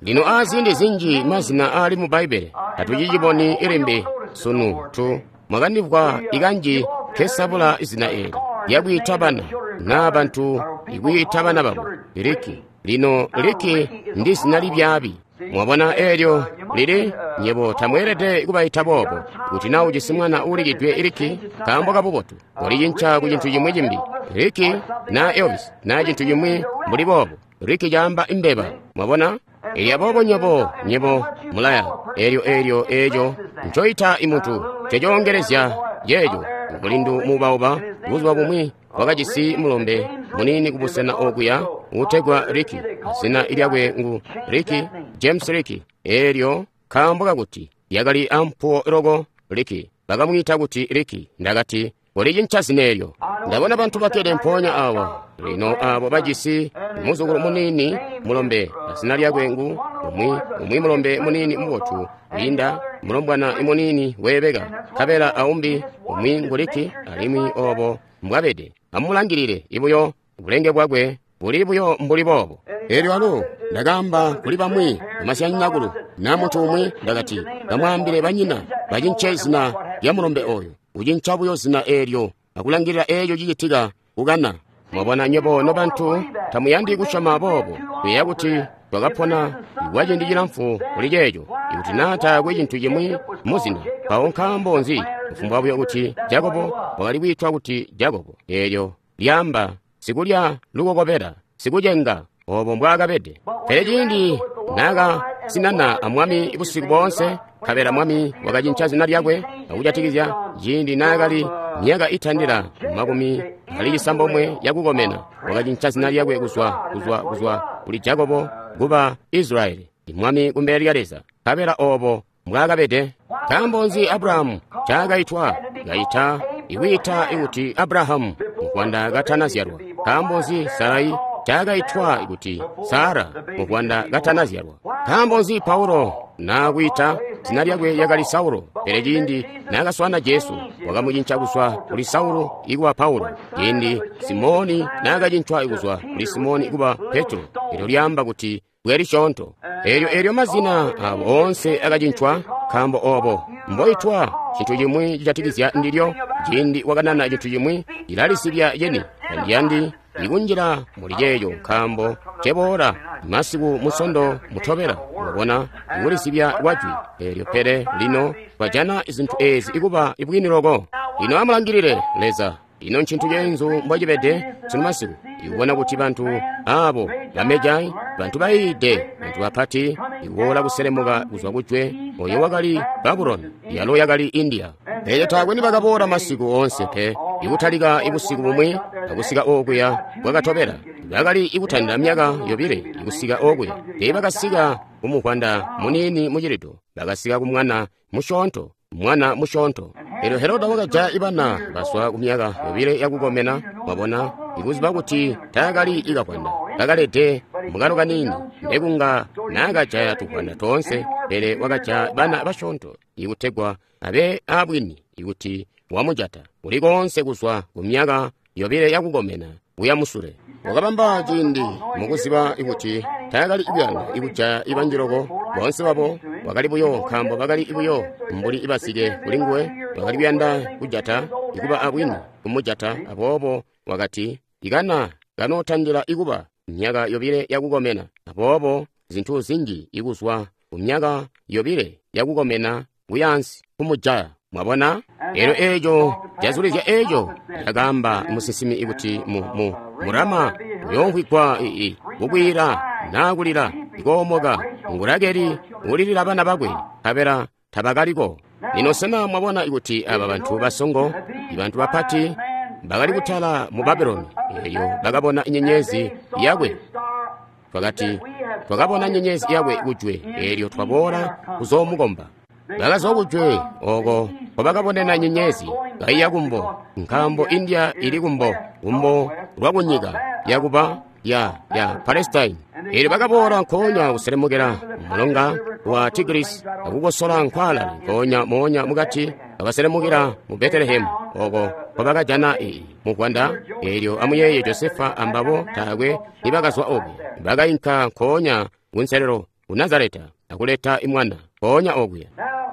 Lino aziindi zinji mazina aali mu Bbaibbele tatuciciboni ilimbi sunu tu mwakandimvwa ikanji nkesabula izina eeli lyakwiita bana naa bantu ikwiita bana babo Liki. Lino Liki ndi zina libyaabi. Mwabona eelyo lili nyebo tamweelede kubaita boobo. Kuti naa ujisi mwana uulikidwe Liki nkaambo kabubotu, walicinca ku cintu cimwi cimbi. Liki naa Elvis naa cintu cimwi mbuli boobo. Liki caamba imbeba. Mwabona? Eelyo aboobo nyebo nyebo mulaya eelyo eelyo eeco ncoita imuntu ncecoongelezya ceeco. Mulindu muubauba buzuba bumwi wakajisi mulombe muniini kubusena okuya uutegwa Ricky. Zina lyakwe ngu Ricky, James Ricky. Eelyo nkaambo kakuti lyakali ampuwo loko Ricky, bakamwiita kuti Ricky. Ndakati walicinca zina eelyo. Ndabona bantu bakkede mpoonya awa lino aabo bajisi muzukulu muniini mulombe, zina lyakwe ngu umwi umwi mulombe muniini mubotu wiinda mulombwana muniini weebeka, nkabela aumbi umwi ngu Ricky, alimwi obo mbwabede. Amulangilile ibuyo bulenge bwakwe buli buyo mbuli boobo. Eelyo alo ndakaamba kuli bamwi bamasyanyinakulu na muntu umwi, ndakati bamwaambile banyina bacince zina lya mulombe oyo. Ucinca buyo zina eelyo akulangilila eeco cicitika kukana. Mwabona nywebo nobantu tamuyandi kusyoma boobo, kuyeeya kuti twakapona kwa ciindi cilamfu kuli ceeco. Ikuti naa taakwe cintu cimwi muzina, mpawo nkaambo nzi? Kufumbwa buyo kuti Jakobo wakali kwiitwa kuti Jakobo, eelyo lyaamba sikulya lukokobela, sikucenga, obo mbwaakabede. Pele ciindi naakasinana amwami busiku boonse, nkabela mwami wakacinca zina lyakwe akujatikizya ciindi naakali myaka itandila makumi ali cisambomwe yakukomena, wakacinca zina lyakwe kuzwa kuzwa kuzwa kuli Jakobo kuba Israyeli, mwami kumbele lya Leza. Nkabela obo mbwaakabede. Nkaambo nzi Abrahamu ncaakaitwa kaita ikwiita ikuti Abrahamu muvwanda katanazyalwa? Nkaambo nzi Sarai ncaakaitwa kuti Sara muvwanda katanazyalwa? Nkaambo nzi Paulo naakwiita zina lyakwe lyakali Saulo, pele ciindi naakaswaana Jesu wakamucinca kuzwa kuli Saulo ikuba Paulo? Ciindi Simoni naakacincwa kuzwa kuli Simoni kuba Petro, eelyo lyaamba kuti bwe lisyoonto. Eelyo eelyo mazina aabo oonse akacincwa, nkaambo obo mboitwa cintu cimwi cijatikizya ndilyo. Ciindi wakanana cintu cimwi cilalisibya ceni, tandiyandi ikunjila muli ceeco nkaambo ceboola masiku Musondo mutobela, mwabona, kulizibya kwa jwi eelyo. Pele lino twajana zintu ezi ikuba ibwini loko. Lino amulangilile Leza. Ino ncintu ceenzu mbocibede sunu masiku, ikubona kuti bantu abo bamejai, bantu bayiide, bantu bapati, ikuboola kuselemuka kuzwa kujwe, oyo wakali Babuloni, yalo yakali India. Pele taakwe nibakaboola masiku oonse pe, ikutalika ibusiku bumwi akusika okuya bwakatobela. Bakali ikutandila myaka yobile ikusika okuya. Teebakasika kumuvwanda muniini mucilido, bakasika kumwana musyoonto, mwana musyoonto. Elyo Heroda wakajaya ibana bazwa kumyaka yobile yakukomena, mwabona, ikuziba kuti taakali ikavwanda kakalede mukalo kaniini, ndekunga naakajaya tuvwanda toonse, pele wakajaya bana basyoonto ikutegwa abe abwini ikuti wamujata kuli koonse kuzwa kumyaka yobile yakukomena kuya musule. Wakabamba ciindi mukuziba kuti taakali kuyanda ikujaya ibanji loko boonse babo, wakali buyo nkaambo bakali buyo mbuli ibasike kuli nguwe, bakali kuyanda kujata ikuba abwini kumujata. Aboobo wakati ikana kanootandila ikuba myaka yobile yakukomena. Aboobo zintu zinji ikuzwa kumyaka yobile yakukomena kuyaansi kumujaya. Mwabona? Elyo eeco cazulizya eeco cakaamba musinsimi ikuti mu, mu murama uyoomvwigwa ii kukwiila naa kulila ikoomoka, ngurakeli ulilila bana bakwe, nkabela tabakaliko. Lino sena mwabona ikuti aba bantu basongo, ibantu bapati bakali kutala mu Babuloni, elyo bakabona nyenyezi yakwe. Twakati twakabona nyenyezi yakwe kujwe, elyo twaboola kuzoomukomba. Bakazwa kujwe oko nkobakabonena nyenyezi kaiya kumbo, nkaambo India ili kumbo, kumbo lwa kunyika yakuba ya ya Palestine. Elyo bakaboola nkoonya kuselemukela mulonga wa Tigris akukosola nkwaalale nkoonya moonya mukati, bakaselemukela mu Betelehemu oko nkobakajana ii muvwanda. Elyo amuyeeye Josefa ambabo taakwe nibakazwa okuya, bakainka nkoonya kunselelo ku Nazareta akuleta imwana nkoonya okuya.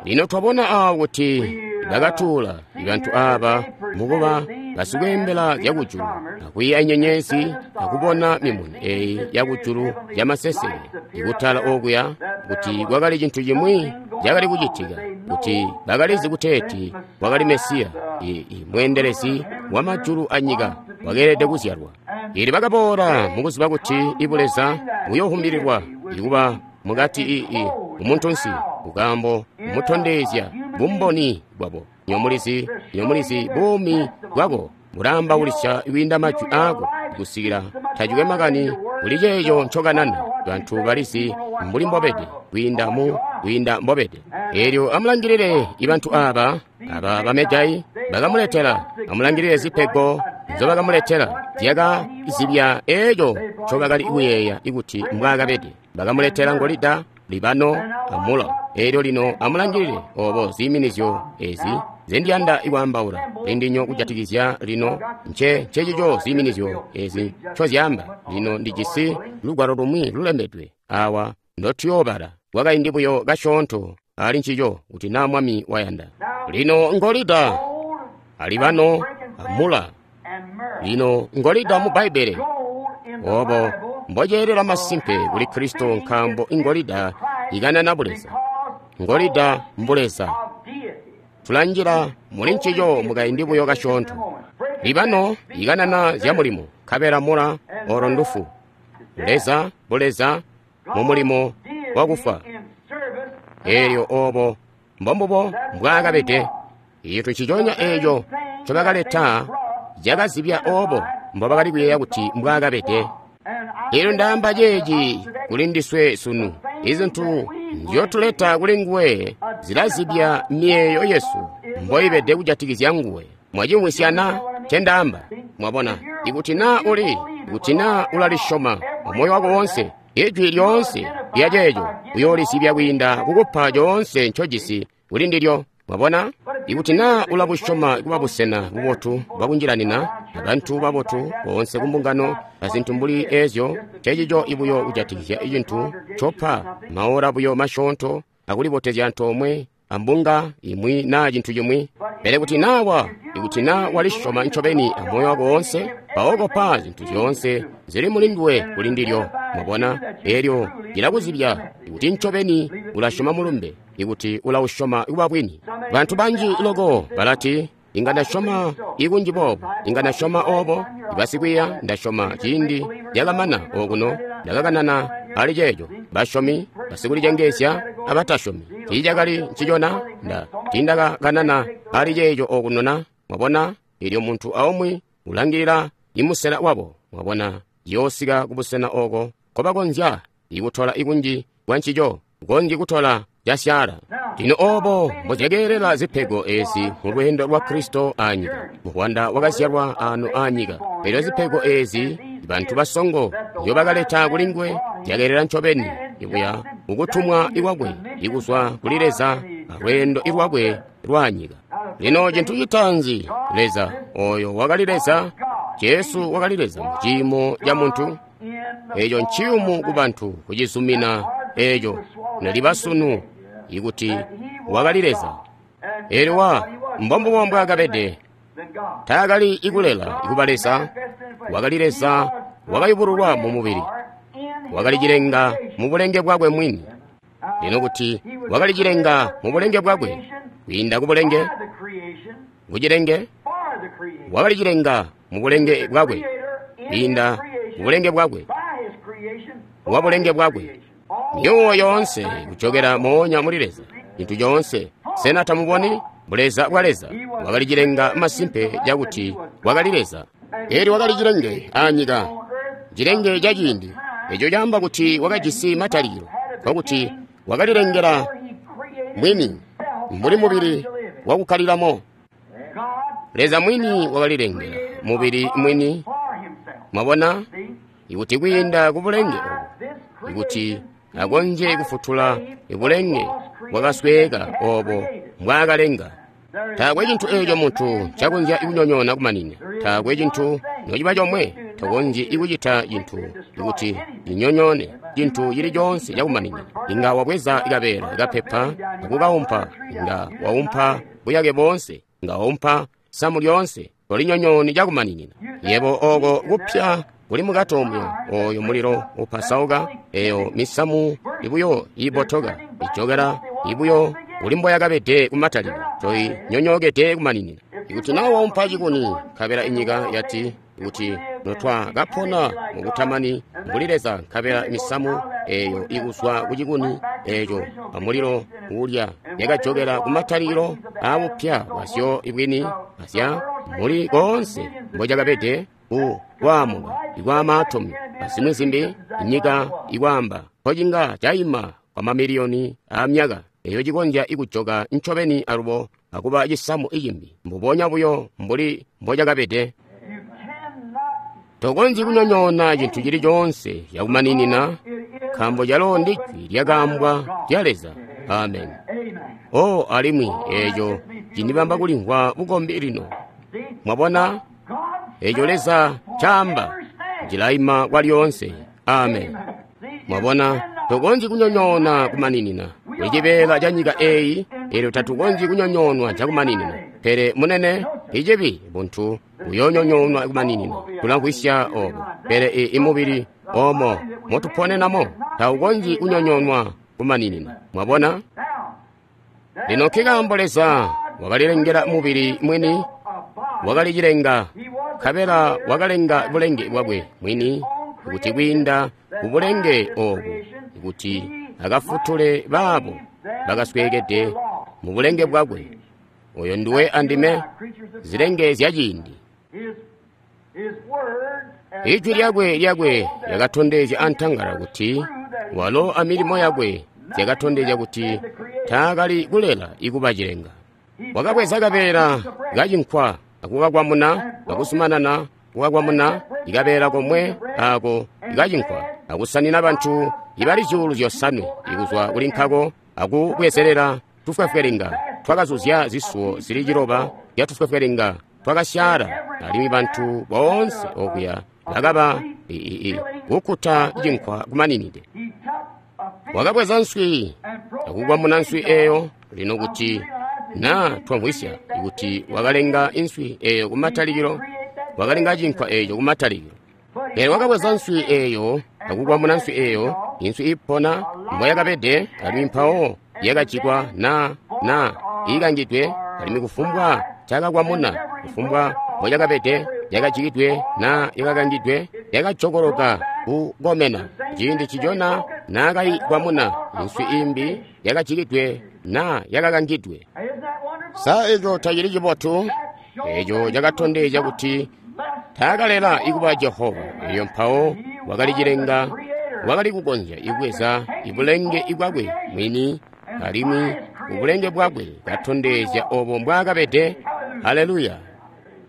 Lino twabona awo kuti bakatuula ibantu aba mukuba basikweembela zyakujulu akwiiya nyenyezi akubona mimuni eyi yakujulu yamaseseke ikutala okuya, kuti kwakali cintu cimwi cakali kucitika, kuti bakalizi kuteeti wakali Mesiya, mweendelezi wamajulu anyika wakeelede kuzyalwa. Ili bakaboola mukuziba kuti ibuleza buyoohumbililwa ikuba mukati ii umuntunsi, kukaambo kumutondezya bumboni bwabo. Nyomulizi, nyomulizi buumi bwako bulaambaulisya kwiinda majwi aako kusikila tacikwe makani kuli ceeco ncokanana. Bantu balizi mbuli mbobede kwiinda mu kwiinda mbobede. Elyo amulangilile ibantu aba, aba bamejai bakamuletela, amulangilile zipego nzobakamuletela zyakazibya eeco ncobakali kuyeeya ikuti mbwaakabede. Bakamuletela ngolida, libano, amula. Elyo lino amulangilile obo ziiminizyo ezi zendiyanda kwaambaula lindinyo kujatikizya lino nce ncecico ziiminizyo ezi ncozyaamba. Lino ndijisi lugwalo lumwi lulembedwe awa ndotuyoobala kwakaindi buyo kasyoonto ali ncico kuti naa Mwami wayanda. Lino ngolida, alibano, amula. Lino ngolida mu Bbaibbele obo mboceelela masimpe kuli Kristo, nkaambo ingolida ikanana buleza, ngolida mbuleza. Tulanjila muli ncico mukaindi buyo kasyoonto. Libano ikanana zya mulimo, nkabela mula olo ndufu. Leza buleza mu mulimo wakufa. Elyo obo mbombubo mbwaakabede. Icintu nciconya eeco ncobakaleta cakazibya obo mbobakali kuyeeya kuti mbwaakabede. Elyo ndaamba ceeci kuli ndiswe sunu. Izintu nzyotuleta kuli nguwe zilazibya miyeeyo yesu mboibede kujatikizya nguwe. Mwacimwisyana ncendaamba? Mwabona, ikuti naa uli, ikuti naa ulalisyoma amoyo wako wonse, ijwi lyoonse lya ceeco uyoolizibya kwiinda kukupa coonse ncojisi kuli ndilyo. Mwabona, ikuti naa ulabusyoma kuba busena bubotu bwakunjilanina abantu babotu boonse kumbungano azintu mbuli ezyo, ncecico ibuyo kujatikizya cintu copa maora buyo masyoonto akulibotezya antoomwe ambunga imwi naa cintu cimwi. Pele kuti naa wa, ikuti naa walisyoma ncobeni amoyo wako woonse, mpawo kopa zintu zyoonse zili muli nduwe kuli ndilyo. Mwabona? Elyo cilakuzibya ikuti ncobeni ulasyoma mulumbe, ikuti ulausyoma kuba bwini. Bantu banji loko balati, inga ndasyoma ikunji boobo, inga ndasyoma obo. Basikwiiya ndasyoma ciindi lyakamana okuno ndakakanana ali ceeco. Basyomi, basikulicengeezya abatasyomi. Tiicakali ncicona nda tiindakakanana ali ceeco okuno na. Mwabona? Elyo muntu aumwi ulangilila imusela wabo. Mwabona? Yoosika kubusena oko kobakonzya ikutola ikunji kwa ncico, konzyi kutola casyaala. Lino obo mbozyakeelela zipego ezi mu lweendo lwa Kristo aanyika. Muvwanda wakazyalwa ano aanyika. Elyo zipego ezi bantu basongo nzyobakaleta kuli nguwe zyakeelela ncobeni ikuya mukutumwa ikwakwe ikuzwa kuli Leza alweendo ilwakwe lwaanyika. Lino cintu citaanzi, Leza oyo wakali Leza, Jesu wakali Leza mu ciimo ca muntu. Eco nciyumu ku bantu kucizumina eco neliba sunu ikuti wakali Leza. Elyo wa mbombubo mbwaakabede. Taakali ikulela ikuba Leza, wakali Leza wakayubululwa mu mubili, wakali cilenga mu bulenge bwakwe mwini. Lino kuti wakali cilenga mu bulenge bwakwe, kwiinda ku bulenge, ku cilenge, wakali cilenga mu bulenge bwakwe, kwiinda ku bulenge bwakwe, wa bulenge bwakwe. Myuwo yoonse kujokela moonya muli Leza, cintu coonse. Sena tamuboni? Buleza bwa Leza wakali cilenga masimpe cakuti wakali Leza. Elyo wakali cilenge aanyika, cilenge ca ciindi. Eco caamba kuti wakajisi matalikilo, nkokuti wakalilengela mwini mbuli mubili wakukkalilamo. Leza mwini wakalilengela mubili mwini. Mwabona? Ikuti kwiinda ku bulenge obu, ikuti akonzye kufutula ibulenge bwakasweeka obo mbwaakalenga. Taakwe cintu eeco muntu ncakonzya kunyonyoona kumanina. Taakwe cintu nociba comwe. Tokonzyi kucita cintu ikuti cinyonyoone cintu cili coonse cakumanina. Inga wabweza kabeela kapepa akukaumpa, inga waumpa buyake boonse, inga waumpa samu lyoonse, tolinyonyooni cakumaninina. Yebo oko kupya kuli mukati omwe, oyo mulilo upasauka, eyo misamu ibuyo ibotoka, ijokela ibuyo uli mboyakabede kumatalikilo, toi nyonyookede kumaninina. Ikuti naa waumpa cikuni, nkabela inyika yati, kuti notwakapona mukutamani mbuli Leza, nkabela misamu eyo ikuzwa ku cikuni eco amulilo uulya yakajokela kumatalikilo aabupya bwazyo ibwini azya muli koonse mbocakabede ku kwaamuka ikwa maatomi azimwi zimbi, inyika ikwaamba nkocinga caima kwa mamiliyoni aamyaka eyo cikonzya ikujoka ncobeni alubo akuba cisamu icimbi mbubonya buyo mbuli mbocakabede. Tokonzyi kunyonyoona cintu cili coonse cakumaninina, nkaambo calo ndi jwi lyakaambwa lya Leza. Amen. O, alimwi eco cindibamba kulimvwa bukombi lino. Mwabona? Eco Leza caamba cilaima kwa lyoonse. Amen. Mwabona, tokonzyi kunyonyoona kumaninina. Kuli cibeela ca nyika eyi, elyo tatukonzyi kunyonyoonwa cakumaninina. Pele munene, icibi buntu buyoonyonyoonwa kumaninina. Tulamvwisya obo. Pele imubili omo motuponenamo taukonzyi kunyonyoonwa kumaninina. Mwabona? Lino nkikaambo Leza wakalilengela mubili mwini, wakalicilenga, nkabela wakalenga bulenge bwakwe mwini, kuti kwiinda ku bulenge obu, kuti akafutule baabo bakasweekede mu bulenge bwakwe. Oyo nduwe andime, zilenge zya ciindi. Ijwi lyakwe lyakwe lyakatondezya antangala kuti walo amilimo yakwe zyakatondezya kuti taakali kulela ikuba cilenga. Wakabweza kabeela kacinkwa akukakwamuna akuzumanana kukakwamuna ikabeela komwe ako ikacinkwa akusanina bantu ibali zyuulu zyosanwe ikuzwa kuli nkako akubwezelela tufwefwelinga twakazuzya zisuwo zili ciloba zya tufwefwelinga twakasyaala, alimwi bantu boonse okuya bakaba kukkuta cinkwa kumaninide. Wakabweza nswi akukwamuna nswi eyo, Lino kuti na twamvwisya kuti wakalenga inswi eyo kumatalikilo, wakalenga cinkwa eco kumatalikilo. Pele wakabweza nswi eyo akukwamuna nswi eyo, inswi ipona mboyakabede, alimwi mpawo yakajikwa na na ikangidwe, alimwi kufumbwa cakakwamuna, kufumbwa mboyakabede, yakajikidwe na yakakangidwe, yakajokoloka kukomena. Ciindi ncicona naakaikwamuna inswi imbi yakajikidwe na yakakangidwe. Sa eco tacili cibotu? Eco cakatondezya kuti taakalela ikuba Jehova. Elyo mpawo wakali cilenga, wakali kukonzya ibweza ibulenge bwakwe mwini, alimwi ubulenge bwakwe katondezya obo mbwaakabede. Haleluya!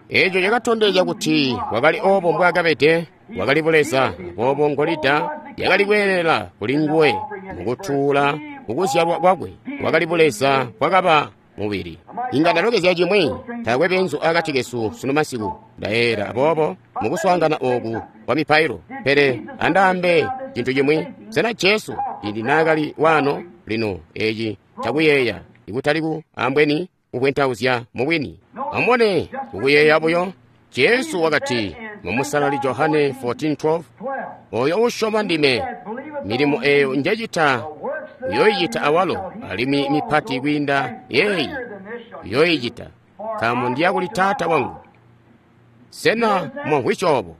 Eco cakatondezya kuti wakali obo mbwaakabede, wakali buleza. Aboobo ngolida yakali kweelela kuli nguwe mukutuula mukuzyalwa kwakwe, wakali buleza bwakaba mubili. Inga ndalokezya cimwi, taakwe beenzu akati kesu sunu masiku, ndayeera aboobo mukuswaangana oku kwa mipailo. Pele andaambe cintu cimwi, sena Jesu ciindi naakali waano? Lino eci cakuyeeya, ikutali ku ambweni kubwentauzya mubwini. Amubone, kukuyeeya buyo, Jesu wakati mu Musalali Johane fourteen twelve, oyo usyoma ndime, milimo eyo njecita uyoyicita awalo, alimwi mipati kwiinda yeeyi uyoyicita, nkaambo ndiya kuli Taata wangu. Sena mwamvwisya obo?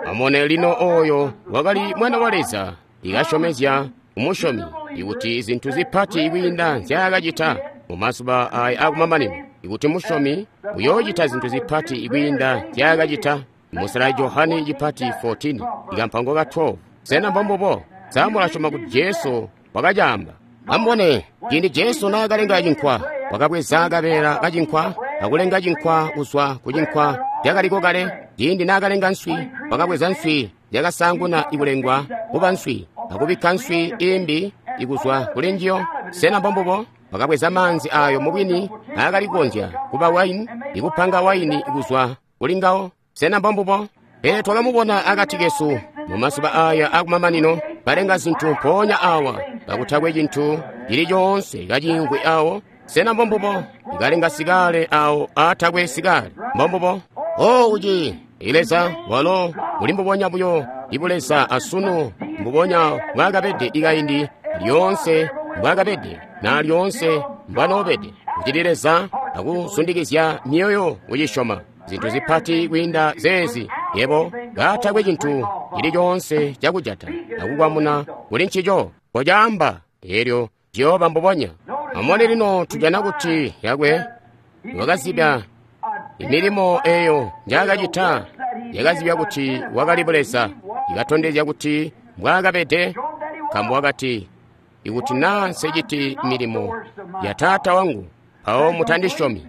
Amubone lino, oyo wakali Mwana wa Leza ikasyomezya umusyomi ikuti zintu zipati kwiinda nzyaakacita mu mazuba aya akumamanino, ikuti musyomi uyoocita zintu zipati kwiinda nzyaakacita. Musalali Johane cipati fourteen ikampango ka twelve. Sena mbombubo? Sa mulasyoma kuti Jesu wakacaamba? Amubone, ciindi Jesu naakalenga cinkwa, wakabweza kabeela kacinkwa akulenga cinkwa kuzwa ku cinkwa cakaliko kale. Ciindi naakalenga nswi, wakabweza nswi yakasaanguna ikulengwa kuba nswi akubikka nswi imbi ikuzwa kuli njiyo. Sena mbombubo? Wakabweza maanzi ayo mubwini aakali kukonzya kuba waini, ikupanga waini kuzwa kuli ngawo. Sena mbombubo? Pele twakamubona akati kesu mu mazuba aya akumamanino, balenga zintu mpoonya awa kakutakwe cintu cili coonse kaciingwe awo. Sena mbombubo? Ikalenga sikale awo aatakwe sikale. Mbombubo? O uci Leza walo muli mbubonya buyo ibuleza asunu, mbubonya bwakabede ikaindi lyoonse mbwakabede na lyoonse mbwanoobede. Ucili Leza akusundikizya mioyo kucisyoma zintu zipati kwiinda zeezi, yebo katakwe cintu cili coonse cakujata akukwamuna kuli ncico kocaamba, elyo ciyooba mbubonya. Amubone lino, tujana kuti yakwe wakazibya imilimo eyo njaakacita, yakazibya kuti wakali buleza, ikatondezya kuti mbwaakabede, nkaambo wakati, ikuti naa nseciti milimo ya Taata wangu, mpawo mutandisyomi.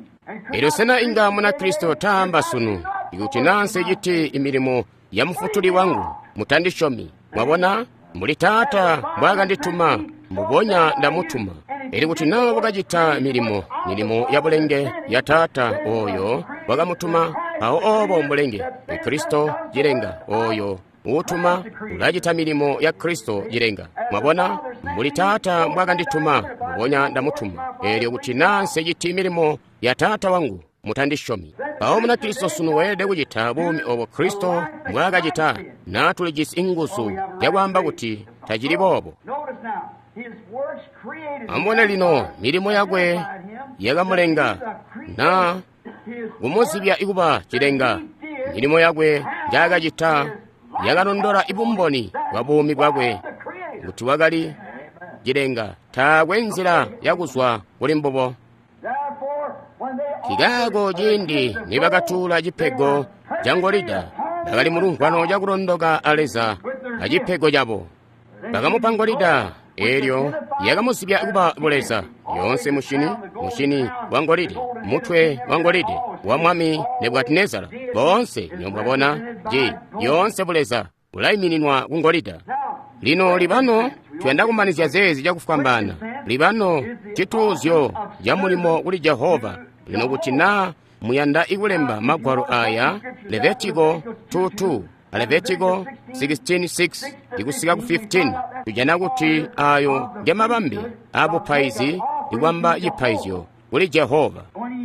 Elyo sena inga Munakristo taamba sunu, ikuti naa nseciti imilimo ya Mufutuli wangu, mutandisyomi? Mwabona, mbuli Taata mbwaakandituma, mbubonya ndamutuma. Elyo kuti naa wakacita milimo, milimo ya bulenge ya Taata oyo wakamutuma, mpawo obo mbulenge Kristo cilenga oyo uutuma ulacita milimo ya Kristo cilenga. Mwabona, mbuli Taata mbwaakandituma, mbubonya ndamutuma. Elyo kuti naa nseciti milimo ya Taata wangu, mutandisyomi. Mpawo Munakristo sunu weelede kucita buumi obo Kristo mbwaakacita, naa tulijisi inguzu yakwaamba kuti tacili boobo. Amubone lino, milimo yakwe yakamulenga na kumuzibya ikuba cilenga. Milimo yakwe njaakacita yakalondola ibumboni bwa buumi bwakwe kuti wakali cilenga. Taakwe nzila yakuzwa kuli mbubo. Kikaako ciindi nibakatuula cipego ca ngolida, bakali mulumvwano cakulondoka a Leza acipego cabo. Bakamupa ngolida, elyo yakamuzibya kuba buleza. Yoonse mushini, mushini wa ngolide, mutwe wa ngolide wa mwami Nebukadinezara, boonse nyombwabona ji yoonse buleza bulaimininwa ku ngolida. Lino libano tuyanda kumanizya zeezi cakufwambaana. Libano cituuzyo ca mulimo kuli Jehova. Lino kuti naa muyanda ikulemba magwalo aya, Levitiko two two, Levitiko sixteen six ikusika ku fifteen, tujana kuti ayo ngemabambe abupaizi kubamba cipaizyo kuli Jehova.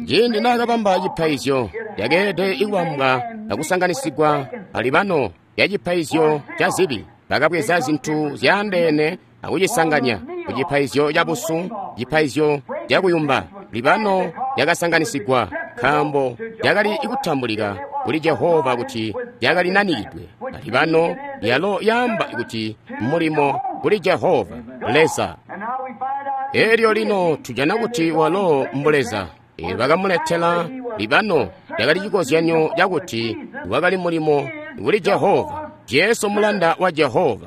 Ciindi naakabamba cipaizyo, cakeelede kubambwa akusanganisigwa alibano ya cipaizyo ca zibi. Bakabweza zintu zyaandeene akucisanganya ku cipaizyo ca busu, cipaizyo cakuyumba. Libano yakasanganisigwa nkaambo yakali kutambulika kuli Jehova kuti yakali nanikidwe. Libano yalo yaamba kuti mulimo kuli Jehova Leza. Elyo lino tujana kuti walo mbuleza. Elyo bakamuletela libano yakali cikozyanyo cakuti wakali mulimo kuli Jehova, Jesu mulanda wa Jehova.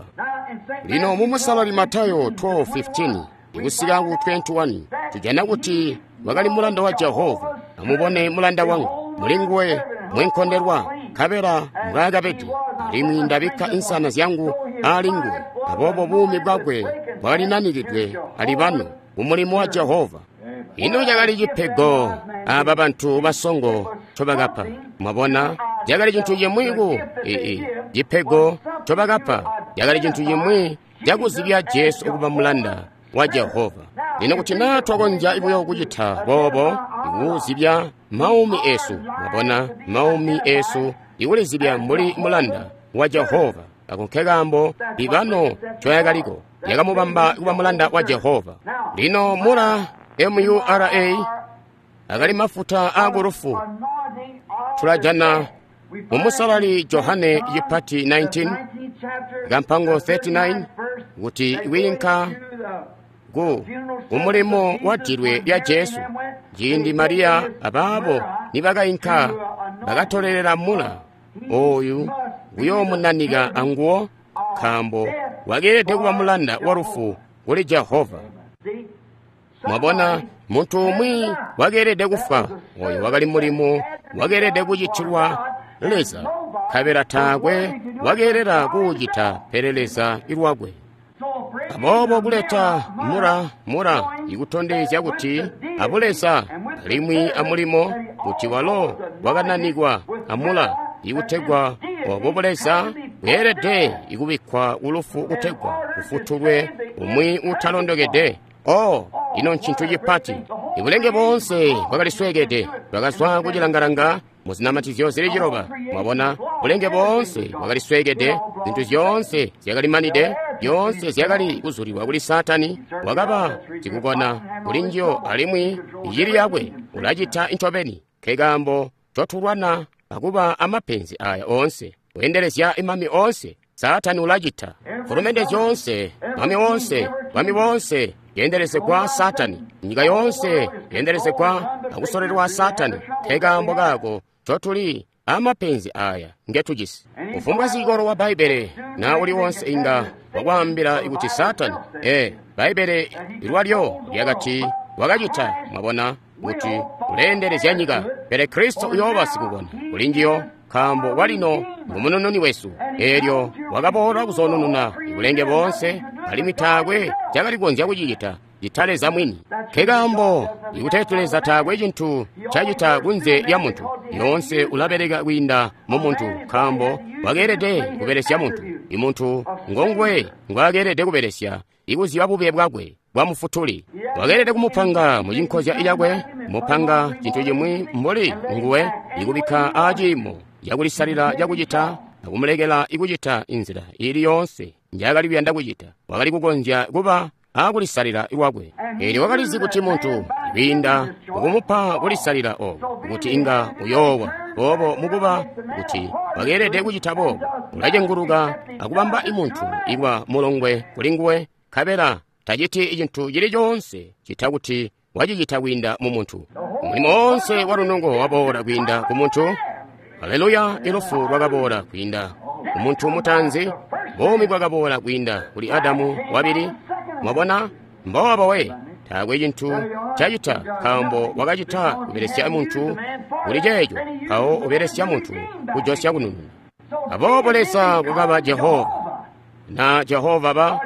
Lino mu Musalali Matayo twelve fifteen ikusika ku twenty-one tujana kuti wakali mulanda wa Jehova. Amubone mulanda wangu, mulinguwe mwenkondelwa, nkabela mbwaakabede, alimwi ndabikka insana zyangu ali nguwe. Aboobo buumi bwakwe bwakali nanikidwe alibano mumulimo wa Jehova. Ino cakali cipego aba bantu basongo ncobakapa. Mwabona, cakali cintu cimwi ku ii cipego ncobakapa cakali cintu cimwi cakuzibya Jesu kuba mulanda wa Jehova. Lino kuti naa twakonzya buyo kucita boobo, ikuzibya maumi esu, mwabona, maumi esu ikulizibya mbuli mulanda wa Jehova. Ako nkekaambo libano ncoyakaliko, yakamubamba kuba mulanda wa Jehova. Lino mura M U R A akali mafuta aakulufu. Tulajana mu Musalali Johane cipati nineteen kampango thirty-nine kuti wiinka ku kumulimo wa dilwe lya Jesu. Ciindi Mariya abaabo nibakainka bakatolelela mula oyu kuyoomunanika anguwo, nkaambo wakeelede kuba mulanda wa lufu kuli Jehova. Mwabona, muntu umwi wakeelede kufwa, oyo wakali mulimo wakeelede kucitilwa Leza, nkabela taakwe wakeelela kuucita pele Leza ilwakwe. Aboobo kuleta mura mura ikutondezya kuti abuleza alimwi amulimo kuti walo wakananikwa amula ikutegwa obo buleza bweelede ikubikkwa kulufu kutegwa kufutulwe umwi utalondokede. Oh, ino ncintu cipati. Ibulenge boonse bwakalisweekede, bwakazwa kucilangalanga mu zinamatizyo zili ciloba. Mwabona, bulenge boonse bwakalisweekede, zintu zyoonse zyakalimanide, zyoonse zyakali kuzulilwa kuli Saatani. Wakaba sikukona kuli njiyo alimwi icili yakwe ulacita ncobeni. Nkekaambo ncotulwana akuba amapenzi aya oonse, kuendelezya imami oonse. Saatani ulacita fulumende zyoonse, mami woonse, bami boonse yendelezegwa Saatani, nyika yoonse yendelezegwa akusolelwa Saatani. Nkekaambo kaako ncotuli amapenzi aya ngetujisi. Kufumbwa sikolo wa Bbaibbele na uli wonse inga wakwaambila kuti Saatani, ee, Bbaibbele lwalyo lyakati wakacita, mwabona, kuti uleendelezya nyika, pele Kristo uyooba sikukona kuli njiyo, nkaambo walino ngumunununi wesu. Eelyo wakaboola kuzoonununa ibulenge boonse, alimwi taakwe cakali kukonzya kucicita cita Leza mwini. Nkekaambo ikuteeti Leza taakwe cintu cacita kunze lya muntu, yoonse ulabeleka kwiinda mu muntu, nkaambo wakeelede kubelesya muntu. Imuntu ngonguwe ngwaakeelede kubelesya ikuzyiba bube bwakwe bwa mufutuli. Wakeelede kumupanga mu cinkozya cakwe, mupanga cintu cimwi mbuli nguwe, ikubikka aciimo cakulisalila cakucita akumulekela ikucita inzila ili yoonse njaakali kuyanda kucita. Wakali kukonzya kuba akulisalila lwakwe. Eelyo wakalizi kuti muntu kwiinda mukumupa kulisalila obo kuti inga uyoowa boobo mukuba kuti wakeelede kucita boobo, ulacenguluka akubamba imuntu ikuba mulongwe kuli nguwe, nkabela taciti cintu cili coonse cita kuti wacicita kwiinda mu muntu. Mulimo woonse wa lunungo waboola kwiinda ku muntu. Aleluya! Ilufu lwakaboola kwiinda ku muntu mutaanzi, buumi bwakaboola kwiinda kuli Adamu wabili. Mwabona, mboobo we, taakwe cintu cacita nkaambo wakacita kubelesya muntu kuli ceeco, mpawo ubelesya muntu kujosya kunununa. Aboobo Leza wakaba Jehova, na Jehova ba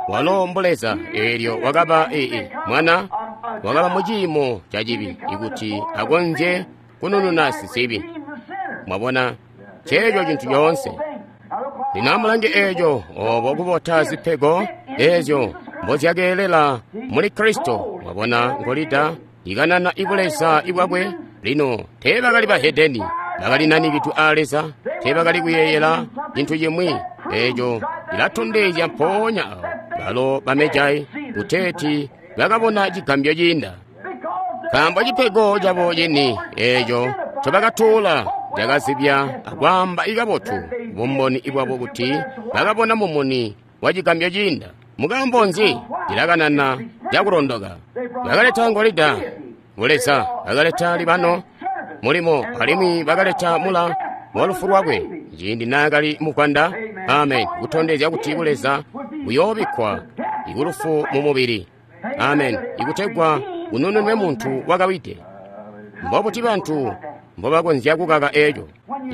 walo mbuleza. Eelyo wakaba ee mwana wakaba mu ciimo ca cibi ikuti akonzye kunununa sizibi. Mwabona, ceeco cintu coonse. Lino amulange eeco, obo kubota zipego eezyo mbozyakeelela muli Kristo. Mwabona ngolida ikanana ibuleza ibwakwe. Lino teebakali bahedeni, bakali nanikidwe a Leza, teebakali kuyeeyela cintu cimwi. Eeco cilatondezya mpoonya awo balo bamejai kuteeti bakabona cigambyo ciinda, nkaambo cipego cabo cini eeco ncobakatuula cakazibya akwaamba ikabotu bumboni bwabo kuti bakabona mumuni wa cigambyo ciinda. Mukaambo nzi? Cilakanana cakulondoka. Bakaleta ngolida buleza, bakaleta libano mulimo, alimwi bakaleta mula wa lufu lwakwe ciindi naakali mugwanda. Amen. Kutondezya kuti buleza buyoobikkwa ikulufu mu mubili. Amen. Ikutegwa unununwe muntu wakawide. Mbobuti bantu mbobakonzya kukaka eeco?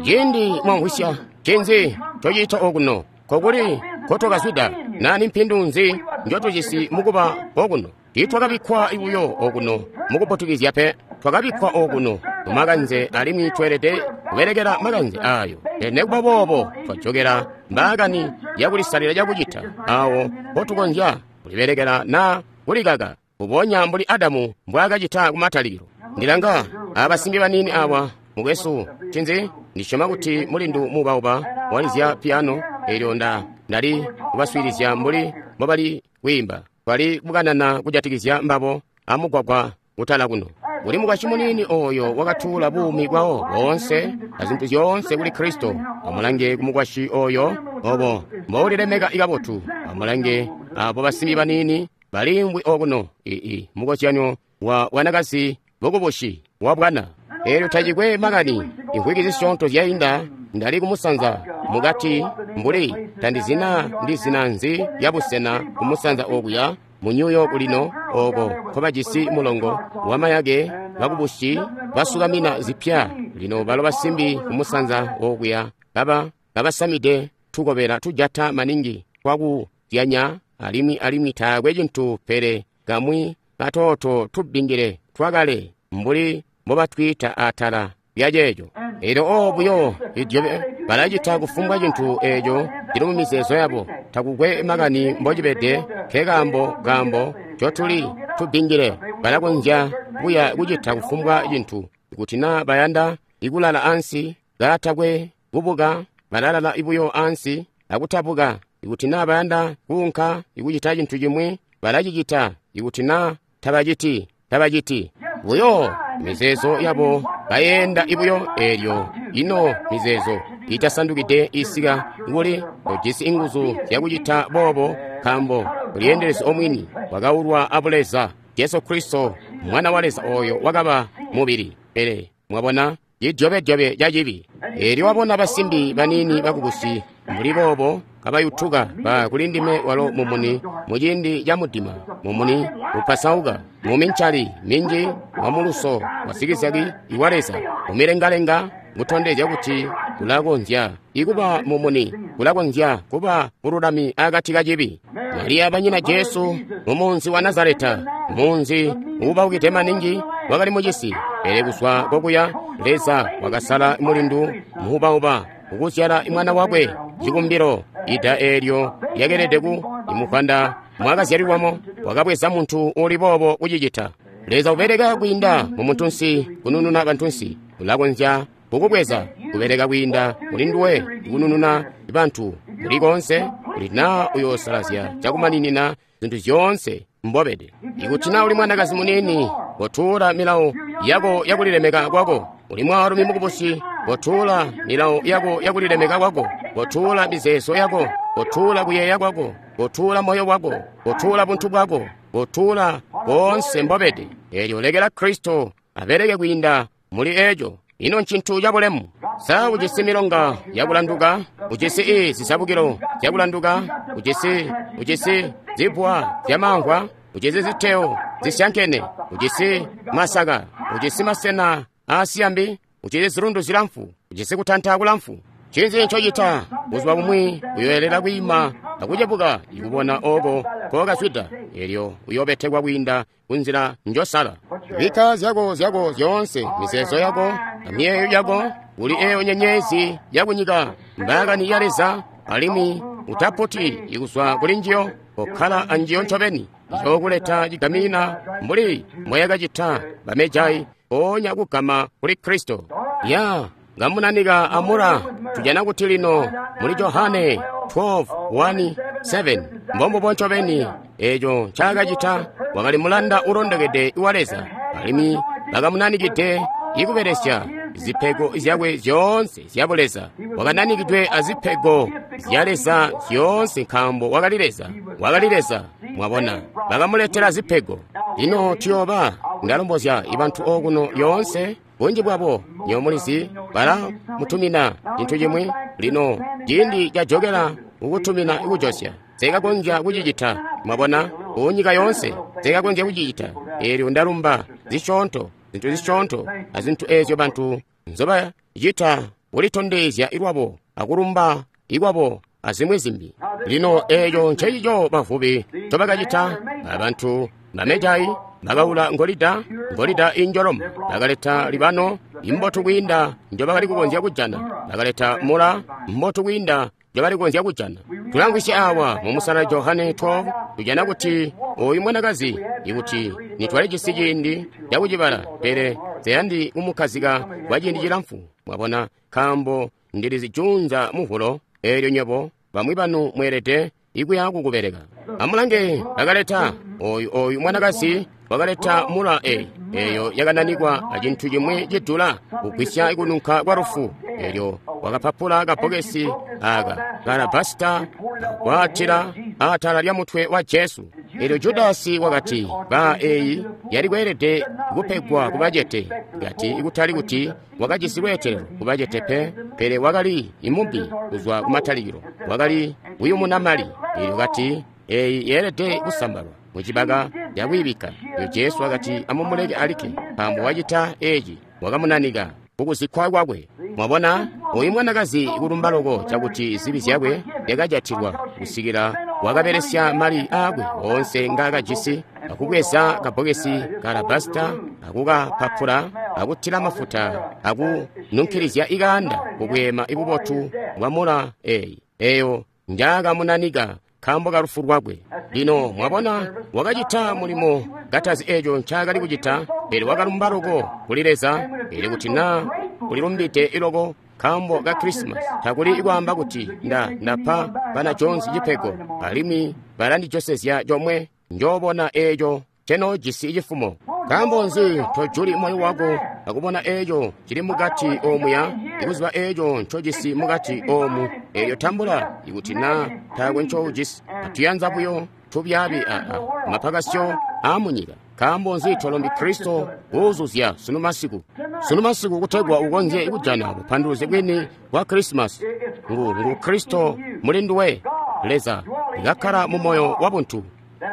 Ciindi mwamvwisya ncinzi ncociita okuno, kokuli nkotwakazwida, naa nimpindu nzi njotujisi mukuba okuno? Tiitwakabikkwa buyo okuno mukuputukizya pe, twakabikkwa okuno mumakanze, alimwi tweelede kubelekela makanze aayo. Pele nekuba boobo twajokela mbaakani yakulisalila cakucita awo mpotukonzya kulibelekela naa kulikaka, mbubonya mbuli Adamu mbwaakacita kumatalikilo. Ndilanga abasimbi baniini awa, mukwesu, ncinzi? Ndisyoma kuti mulindu muubauba walizya piano, eelyo nda ndali kubaswiilizya mbuli mbobali kwiimba. Twali kukanana kujatikizya mbabo amugwagwa kutala kuno. Kuli mukwasyi muniini ooyo wakatuula buumi bwawo boonse azintu zyoonse kuli Kristo. Amulange kumukwasyi ooyo obo mboulilemeka kabotu. Amulange abo basimbi baniini baliimvwi okuno. Ii mukozyanyo wa bwanakazi bukubusi wa bwana. Eelyo tacikwe makani, imvwiki zisyoonto zyainda ndali kumusanza mukati mbuli tandizina ndi zina nzi ya busena kumusanza okuya mu New York lino, oko nkobajisi mulongo wamayake bakubusi basukamina zipya. Lino balo basimbi kumusanza okuya baba babasamide tukobela tujata maningi twakuzyanya, alimwi alimwi taakwe cintu pele kamwi katooto tubbingile twakale mbuli mbobatwiita atala lyaceeco. Eelyo oo buyo idyobe balacita kufumbwa cintu eeco cili mu mizeezo yabo, takukwe makani mbocibede. Nkekaambo kaambo ncotuli tubbingile, balakonzya kuya kucita kufumbwa cintu. Ikuti naa bayanda ikulala ansi kaatakwe kubuka, balalala buyo ansi akutabuka. Ikuti naa bayanda kuunka ikucita cintu cimwi, balacicita. Ikuti naa tabaciti, tabaciti. Buyo mizeezo yabo bayeenda ibuyo. Eelyo ino mizeezo itasandukide isika kuli tojisi inguzu zyakucita boobo, nkaambo uliyeendelezi omwini wakaulwa abuleza Jesu Kristo, Mwana wa Leza oyo wakaba mubili. Pele mwabona cidyobedyobe ca cibi. Eelyo wabona basimbi baniini bakubusi mbuli boobo kabayutuka ba kuli ndime walo mumuni muciindi ca mudima, mumuni upasauka mumincali minji wamuluso wasikizaki iwa Leza mumilengalenga, kutondezya kuti kulakonzya ikuba mumuni, kulakonzya kuba bululami akati ka cibi. Mariya banyina Jesu mumunzi wa Nazareta, munzi uubaukide maningi wakali mucisi, pele kuzwa kokuya Leza wakasala mulindu muubauba kukuzyala mwana wakwe cikumbilo. Ida eelyo lyakelede ku imuvanda mwakazyalilwamo, wakabweza muntu uli boobo kucicita. Leza ubeleka kwiinda mu muntunsi kunununa bantunsi. Ulakonzya kukubweza kubeleka kwiinda muli nduwe kunununa bantu kuli koonse, kuti naa uyoosalazya cakumaninina zintu zyoonse mbobede. Ikuti naa uli mwanakazi muniini, kotuula milawo yako yakulilemeka kwako. Uli mwaalumi mukubusi, kotuula milawo yako yakulilemeka kwako. Kotuula mizeezo yako, kotuula kuyeeya kwako, kotuula moyo wako, kotuula buntu bwako, kotuula koonse mbobede. Eelyo lekela Kristo abeleke kwiinda muli eeco. Ino ncintu cabulemu. Sa ujisi milonga yakulanduka? Ujisi i zizabukilo zyakulanduka? Ujisi ujisi zibwa zyamamvwa? Ujisi ziteo zisyankene? Ujisi masaka? Ujisi masena aasiyambi? Ujisi zilundu zilamfu? Ujisi kutanta kulamfu? Ncinzi ncocita? Buzuba bumwi uyoelela kwiima akucebuka ikubona oko kokazwida. Eelyo uyoobetekwa kwiinda kunzila njosala. Bikka zyako zyako zyoonse, mizeezo yako amiyeeyo yako kuli eeyo nyenyezi yakunyika, mbaakani ya Leza, alimwi Utaputi kuzwa kuli njiyo, kokkala anjiyo ncobeni. Iyokuleta cigamina mbuli mbwayakacita bamejai mpoonya kugama kuli Kristo. Ya ngamunanika amura. Tujana kuti lino muli Johane twelve one seven mbombubo ncobeni eeco ncaakacita. Wakali mulanda ulondokede wa Leza, alimwi bakamunanikide ikubelesya zipego zyakwe zyoonse zya buleza. Wakananikidwe azipego zya Leza zyoonse nkaambo wakali Leza, wakali Leza. Mwabona, bakamuletela zipego. Lino tuyooba, ndalombozya ibantu okuno yoonse, bunji bwabo nyomulizi bala mutumina cintu cimwi. Lino ciindi cajokela kukutumina kujosya, sekakonzya kucicita. Mwabona, kunyika yoonse sekakonzya kucicita. Eelyo ndalumba zisyoonto, zintu zisyoonto azintu eezyo bantu nzobacita kulitondezya lwabo akulumba ikwabo azimwi zimbi. Lino eeco ncencico bavubi ncobakacita. Abantu bamejai bakaula ngolida, ngolida injoloma, bakaleta libano imbotu kwiinda njobakali kukonzya kujana, bakaleta mula mbotu kwiinda njobali kukonzya kujana. Tulamvwisya awa mu musala Johane twelve, tujana kuti oyu mwanakazi, ikuti nitwalijisi ciindi cakucibala, pele seyandi kumukkazika kwa ciindi cilamfu. Mwabona, nkaambo ndilizi junza muvulo, eelyo nywebo bamwi banu mweelede ikuya kukubeleka. Amulange, bakaleta oyu oyu mwanakazi wakaleta mula e eyo yakananikwa acintu cimwi cidula kugwisya kununka kwa lufu. Eelyo wakapapula kabokesi aka kalabasita akwaatila atala lya mutwe wa Jesu. Eelyo Judasi wakati, ba eyi yali kweelede kupegwa kubacete, kati ikutali kuti wakajisi lweetelelo kubacete pe, pele wakali imubbi kuzwa kumatalikilo, wakali kuyumuna mali. Eelyo kati eyi yeelede kusambalwa mucibaka cakwiibika. Eelyo Jesu wakati, amumuleke alikke, nkaambo wacita eeci wakamunanika kukuzikkwa kwakwe. Mwabona, oyu mwanakazi kulumba loko cakuti zibi zyakwe zyakajatilwa kusikila wakabelesya mali aakwe oonse ngaakajisi, akubweza kabokesi ka alabasita, akukapapula, akutila mafuta, akununkilizya ikaanda kubweema ibubotu bwa mula eyi eyo njaakamunanika nkaambo ka lufu lwakwe. Lino mwabona, wakacita mulimo katazi eeco ncaakali kucita, pele wakalumba loko kuli Leza. Pele kuti naa ulilumbide iloko nkaambo ka Krisimasi, takuli kwaamba kuti nda ndapa bana Jones cipego alimwi balandijosezya comwe, njoobona eeco ncenoojisi cifumo. Nkaambo nzi tojuli moyo wako akubona eeco cili mukati omuya, ikuziba eeco ncojisi mukati omu? Eelyo tambula, ikuti naa taakwe ncoujisi. Atuyanza buyo tubyaabi aa mapakasyo aamunyika. Nkaambo nzi tolombi Kristo kuuzuzya sunu masiku? Sunu masiku kutegwa ukonzye kujana bupanduluzi bwini bwa Krisimasi. Ngu, ngu Kristo muli nduwe, Leza ikakkala mu moyo wa buntu.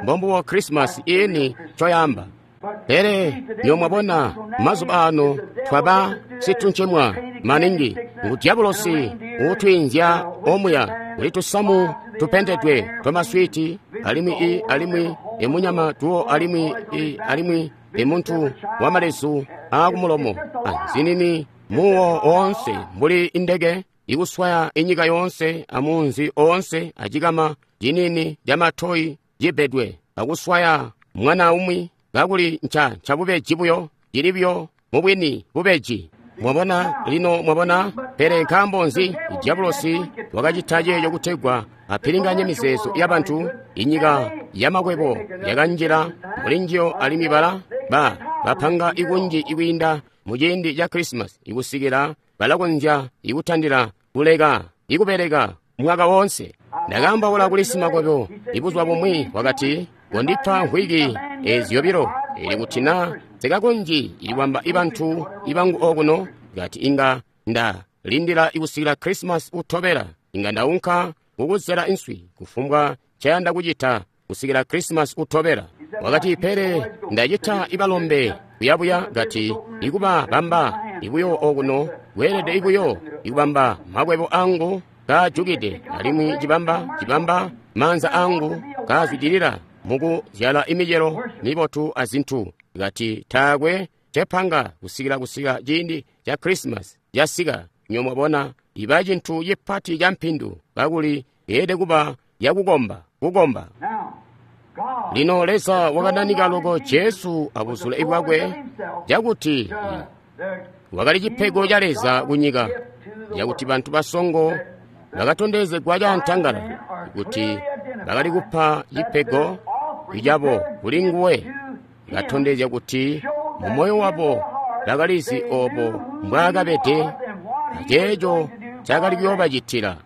Mbombubo Krisimasi iini ncoyaamba. Pele nyo mwabona mazuba ano twaba situncemwa maningi. Ngu diabolosi uutwiinzya omuya kuli tusamu tupendedwe twamaswiti, alimwi i alimwi imunyama tuwo, alimwi i alimwi imuntu wamalezu aakumulomo, anzinini muwo oonse mbuli indeke ikuswaya inyika yoonse amunzi oonse acikama cinini camatoyi cibedwe akuswaya mwana umwi, kakuli nca ncabubeji buyo, cili buyo mubwini bubeji. Mwabona lino, mwabona. Pele nkaambo nzi diabolosi wakacita ceeco? Kutegwa apilinganye mizeezo yabantu. Inyika yamakwebo yakanjila muli njiyo, alimwi bala ba bapanga ikunji ikwiinda muciindi ca Krisimasi ikusikila balakonzya ikutandila kuleka ikubeleka mwaka woonse. Ndakaambaula kuli simakwebo ibuzuba bumwi, wakati, kondipa mvwiki ezi zyobilo, ili kuti naa sikakonzyi ikubamba ibantu ibangu okuno, kati inga nda lindila ikusikila Krisimasi utobela, inga ndaunka kukuzela inswi kufumbwa ncayanda kucita kusikila Krisimasi utobela. Wakati, pele ndacita ibalombe kuyabuya, kati ikuba bamba ibuyo okuno kweelede ibuyo ikubamba makwebo angu kaajukide, alimwi cibamba cibamba maanza angu kaazwidilila mukuzyala imicelo mibotu azintu. Kati taakwe cepanga kusikila kusika ciindi ca Krisimasi casika. Nyo mwabona, iba cintu cipati ca mpindu kakuli Yeelede kuba yakukomba, kukomba. Lino Leza wakananika loko Jesu abuzule bwakwe cakuti wakali cipego ca Leza kunyika, cakuti bantu basongo bakatondezegwa caantangalala kuti bakali kupa cipego cabo kuli nguwe, katondezya kuti mu moyo wabo bakalizi obo mbwaakabede aceeco cakali kuyoobacitila.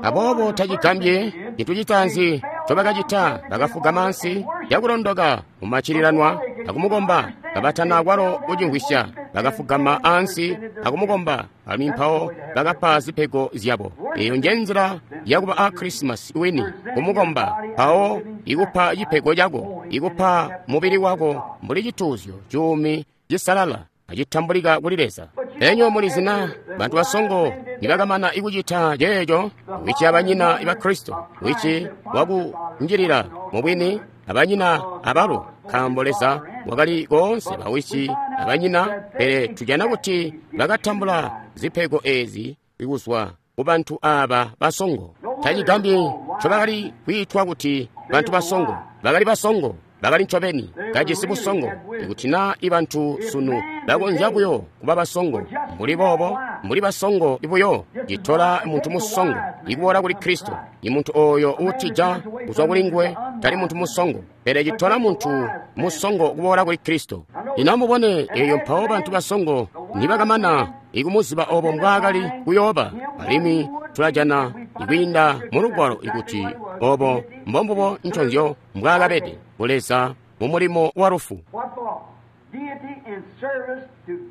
Aboobo tacigambye cintu citaanzi ncobakacita, bakafugama ansi cakulondoka mumaccililanwa akumukomba kabatana akwalo kucimvwisya. Bakafugama ansi akumukomba, alimwi mpawo bakapa zipego zyabo. Eyo nje nzila yakuba a Krisimasi wini, kumukomba, mpawo ikupa cipego cako, ikupa mubili wako mbuli cituuzyo cuumi cisalala acitambulika kuli Leza. Enyo mulizi na bantu basongo nibakamana ikucita ceeco, wici abanyina ba Kristo, wici wakunjilila mubwini abanyina abalo, nkaambo Leza wakali koonse bawici abanyina. Pele tujana kuti bakatambula zipego ezi kuzwa kubantu aba basongo. Tacigambyi ncobakali kwiitwa kuti bantu basongo. Bakali basongo, bakali ncobeni kajisi busongo. Ikuti na ibantu sunu bakonzya buyo kuba basongo mbuli boobo, mbuli basongo buyo, citola muntu musongo ikuboola kuli Kristo. Imuntu oyo uutija kuzwa kuli nguwe tali muntu musongo, pele citola muntu musongo kuboola kuli Kristo. Lino amubone eyo mpawo bantu basongo nibakamana ikumuziba obo mbwaakali kuyooba, alimwi tulajana ikwiinda mu Lugwalo ikuti obo mbombubo nconzyo mbwaakabede kuleza mu mulimo wa lufu.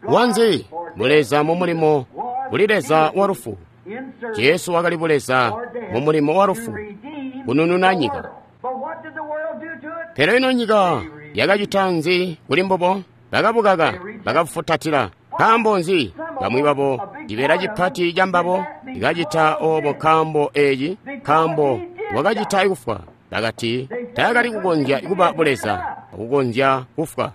Wanzi buleza mu mulimo kuli Leza wa lufu. Jesu wakali buleza mu mulimo wa lufu kunununa nyika. Pele ino nyika yakacita nzi kuli mbubo? Bakabukaka, bakabufutatila. Nkaambo nzi? Bamwi babo cibeela cipati cambabo ikacita obo nkaambo eeci, nkaambo wakacita kufwa. Bakati taakali kukonzya kuba buleza akukonzya kufwa.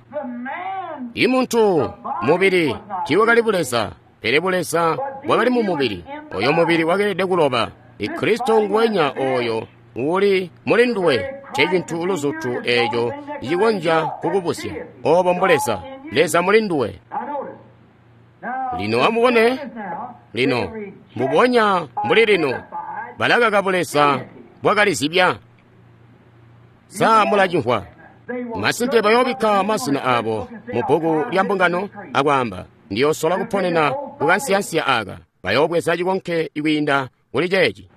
Imuntu mubili tiiwakali buleza, pele buleza bwakali mu mubili. Oyo mubili wakeelede kuloba. Kristo nguwenya oyo uli muli nduwe ncecintu luzutu eeco cikonzya kukubusya. Obo mbuleza, Leza muli nduwe. Lino amubone, lino mbubonya mbuli lino balakaka buleza bwakalizibya. Sa mulacimvwa? Masimpe bayoobikka mazina abo mu bbuku lya mbungano akwaamba, ndiyosola kuponena kukansiyansiya aka. Bayoobweza cikonke kwiinda kuli ceeci.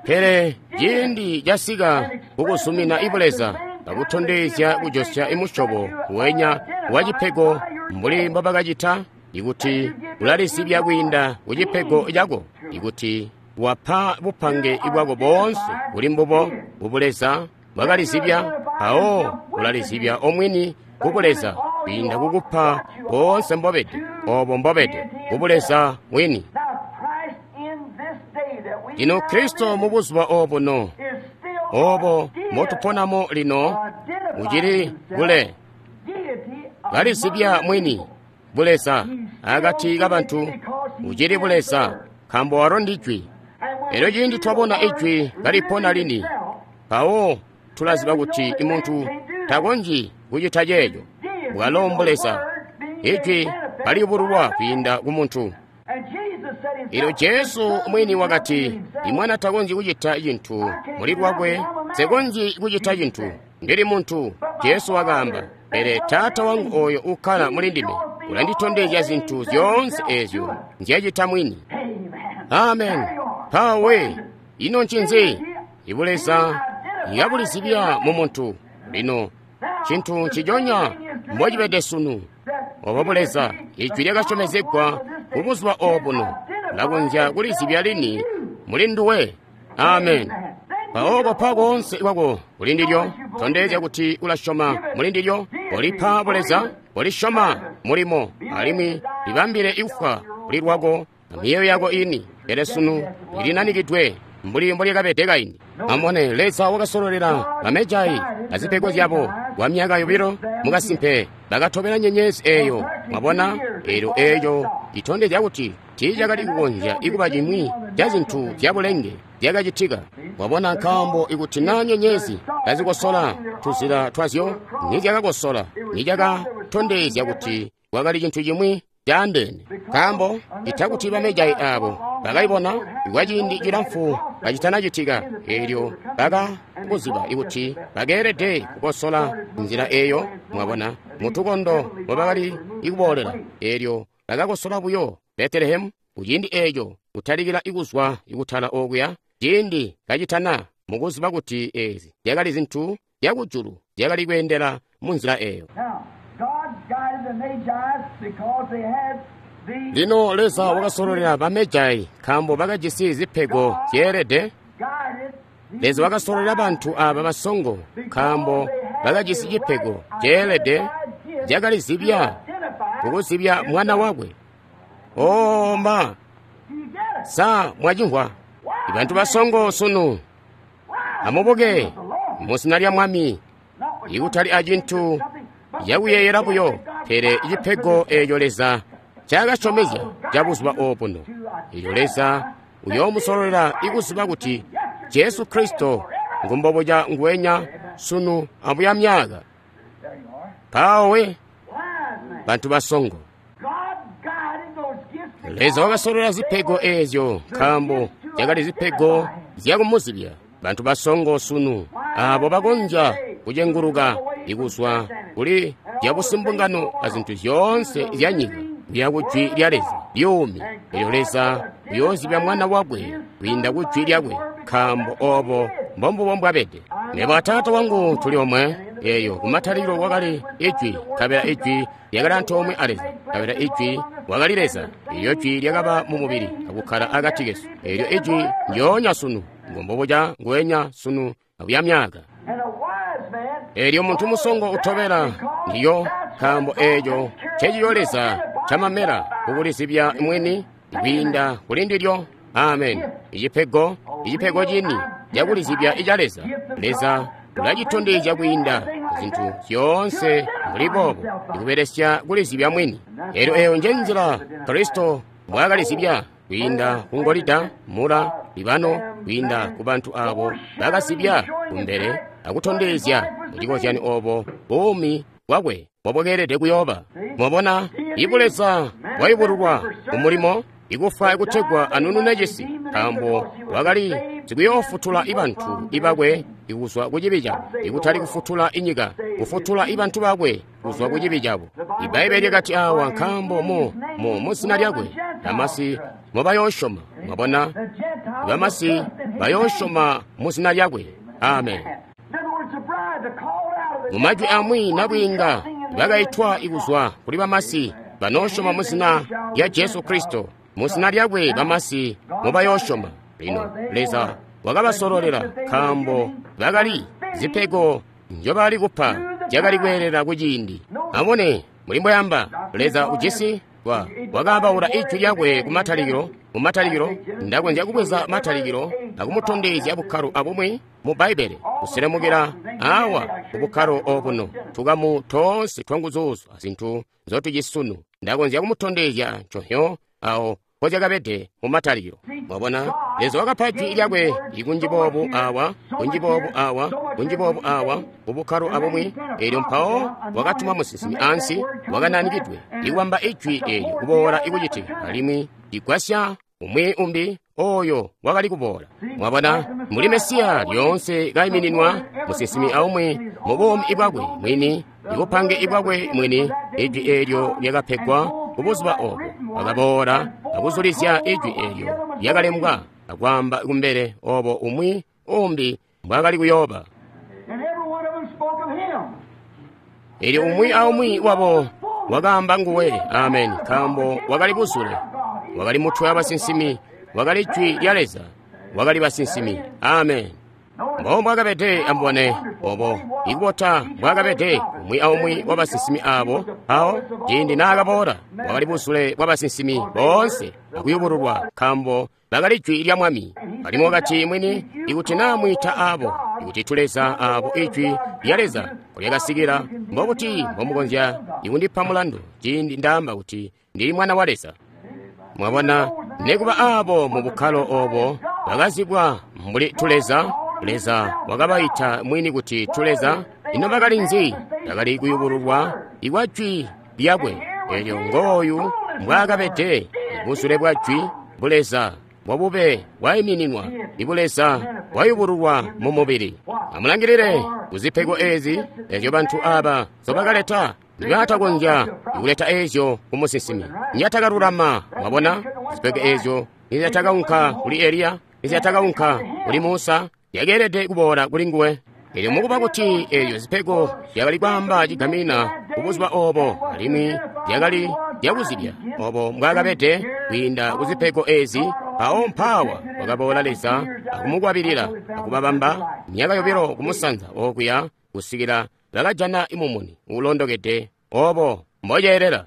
Pele ciindi casika kukuzumina ibuleza bakutondezya kujosya imusyobo wenya wa cipego mbuli mbobakacita, ikuti ulalizibya kwiinda ku cipego cako, ikuti wapa bupange bwako boonse kuli mbubo kubuleza bwakalizibya, mpawo ulalizibya omwini kubuleza kwiinda kukupa boonse mbobede, obo mbobede kubuleza wini. Lino Kristo mu buzuba obuno obo motuponamo lino ucili kule kalizibya mwini buleza akati kabantu, ucili buleza nkaambo walo ndi Jwi. Elyo ciindi twabona Ijwi kalipona lini, mpawo tulaziba kuti imuntu takonzyi kucita ceeco. Bwalo mbuleza, Ijwi kaliyubululwa kwiinda ku muntu. Elyo Jesu mwini wakati, imwana takonzyi kucita cintu muli lwakwe, nsekonzyi kucita cintu, ndili muntu. Jesu wakaamba, pele Taata wangu oyo ukkala muli ndime ulanditondezya zintu zyoonse ezyo nzyacita mwini. Amen. Mpawe ino ncinzi? Ibuleza yabulizibya mu muntu. Lino cintu nciconya mbocibede sunu. Obo buleza, Ijwi lyakasyomezegwa ku buzuba obuno, lakonzya kulizibya lini muli nduwe. Amen. Mpawo kopa koonse kwako kuli ndilyo, tondezya kuti ulasyoma muli ndilyo, kolipa buleza, kolisyoma mulimo, alimwi libambile ikufwa kuli lwako amiyeyo yako ini. Pele sunu ilinanikidwe mbuli mbolyakabede kaindi. Amubone, Leza wakasololela bamejai azipego zyabo kwa myaka yobilo mukasimpe bakatobela nyenyezi eyo. Mwabona, elyo eyo itondezya kuti Tiicakali kukonzya ikuba cimwi ca zintu zyabulenge zyakacitika. Wabona, nkaambo ikuti na nyenyezi kazikosola tuzila twazyo, nizyakakosola, nizyakatondezya kuti kwakali cintu cimwi caandeene. Nkaambo itakuti bamejai aabo bakayibona kwa ciindi cilamfu kacitanacitika, eelyo bakakuziba ikuti bakeelede kukosola nzila eeyo, mwabona, mutukondo mobakali ikuboolela. Eelyo bakakosola buyo Betelehemu kuciindi eeco, kutalikila ikuzwa ikutala okuya ciindi kacitana, mukuziba kuti eezi zyakali zintu zyakujulu zyakali kweendela mu nzila eeyo. Lino Leza wakasololela bamejai nkaambo bakajisi zipego zyeelede. Leza wakasololela bantu aaba basongo nkaambo bakajisi cipego ceelede cakalizibya kukuzibya mwana wakwe. Oh ma, sa mwacimvwa? Ibantu basongo sunu, amubuke muzina lya Mwami, ikutali acintu cakuyeeyela buyo, pele cipego eeco Leza cakasyomezya ca buzuba obuno. Eelyo Leza uyoomusololela ikuziba kuti Jesu Kristo ngumbobuca nguwenya sunu abuya myaka. Mpawo bantu basongo, Leza wakasololela zipego eezyo nkaambo zyakali zipego zyakumuzibya. Bantu basongo sunu aabo bakonzya kucenguluka ikuzwa kuli zyabusimbungano azintu zyoonse zyanyika kuya ku jwi lya Leza lyuumi. Eelyo Leza uyoozibya mwana wakwe kwiinda ku jwi lyakwe, nkaambo oobo mbombubo mbwabede. Mebo a Taata wangu tuli omwe. Eeyo kumatalikilo kwakali Ijwi, nkabela Ijwi lyakali antoomwe a Leza, nkabela Ijwi wakali Leza. Eelyo Jwi lyakaba mu mubili akukkala akati kesu. Eelyo Ijwi ndyoonya sunu, ngombobuca nguwenya sunu akuya myaka. Eelyo muntu musongo utobela ndiyo, nkaambo eeco nceciyo Leza camamela kukulizibya mwini kwiinda kuli ndilyo. Amen. Icipego, icipego cini cakulizibya ica Leza. Leza ulacitondezya kwiinda zintu zyoonse mbuli boobo, ikubelesya kulizibya mwini. Eelyo eeyo nje nzila Kristo mbwaakalizibya kwiinda ku ngolida, mula, libano, kwiinda ku bantu aabo bakazibya kumbele akutondezya mucikozyanyo oobo buumi bwakwe mbobwakeelede kuyooba. Mwabona, ibuleza bwayubululwa kumulimo ikufa ikutegwa anunune cisi, nkaambo wakali sikuyoofutula ibantu ibakwe ikuzwa ku cibi cabo, ikutali kufutula inyika, kufutula ibantu bakwe kuzwa ku cibi cabo. Ibbaibbele lyakati awa, nkaambo mu mu muzina lyakwe bamasi mobayoosyoma. Mwabona, bamasi bayoosyoma muzina lyakwe. Amen. Mumajwi amwi nabwiinga bakaitwa ikuzwa kuli bamasi banoosyoma muzina lya Jesu Kristo. Muzina lyakwe bamasi mobayoosyoma. Lino Leza wakabasololela nkaambo bakali zipego nzyobali kupa zyakali kweelela kuciindi. Amubone muli mbwayamba Leza ujisi wa wakaambaula ijwi lyakwe kumatalikilo. Mumatalikilo ndakonzya kubweza matalikilo akumutondezya bukkalo abumwi mu Bbaibbele kuselemukila awa kubukkalo obuno tukamu toonse twanguzuuzu azintu nzotujisi sunu. Ndakonzya kumutondezya nconhyo awo mpozyakabede mumatalikilo. Mwabona, Leza wakapa jwi lyakwe ikunji boobu awa, kunji boobu awa, kunji boobu awa, kubukkalo abumwi. Eelyo mpawo wakatuma musinsimi ansi wakananikidwe ikubamba ijwi eelyo kuboola ikucitika, alimwi ligwasya umwi umbi oyo wakali kuboola. Mwabona, muli Mesiya lyoonse kaimininwa musinsimi aumwi mu buumi bwakwe mwini, ibupange ibwakwe mwini. Ijwi eelyo lyakapegwa kubuzuba obo, wakaboola akuzulizya ijwi eelyo lyakalembwa akwaamba kumbele obo umwi umbi mbwaakali kuyooba. Eelyo umwi aumwi wabo wakaamba nguwe. Amen. Nkaambo wakali buzule, wakali mutwe wabasinsimi, wakali jwi lya Leza, wakali basinsimi. Amen. Mbo mbwakabede, amubone obo ikubota mbwakabede umwi aumwi wabasinsimi aabo. Awo ciindi naakaboola wakali buzule bwabasinsimi boonse akuyubululwa, nkaambo bakali jwi lya Mwami. Alimwi wakati mwini, ikuti naa mwiita aabo ikuti tuleza aabo ijwi lya Leza lyakasikila, mbobuti mbomukonzya ikundipa mulandu ciindi ndaamba kuti ndili mwana wa Leza? Mwabona, nekuba abo mu bukkalo obo bakazibwa mbuli tuleza, Leza wakabaita mwini kuti tuleza. Ino bakali nzi? Bakali kuyubululwa ikwa jwi lyakwe. Elyo ngooyu mbwaakabede ibuzule bwa jwi buleza bwabube bwaimininwa ibuleza bwayubululwa mu mubili. Amulangilile kuzipego ezi ezyo bantu aba nzobakaleta. Nibatakonzya kuleta ezyo ku musinsimi nyatakalulama. Mwabona, zipego ezyo nizyatakaunka kuli Eliya, nizyatakaunka kuli Musa, zyakeelede kuboola kuli nguwe. Elyo mukuba kuti ezyo zipego zyakali kwaamba cigamina kubuzuba obo, alimwi zyakali zyakuzibya obo mbwaakabede kwiinda kuzipego ezi, mpawo mpaawa wakaboola Leza akumukwabilila akubabamba myaka yobilo kumusanza okuya kusikila bakajana imumuni uulondokede obo mboceelela.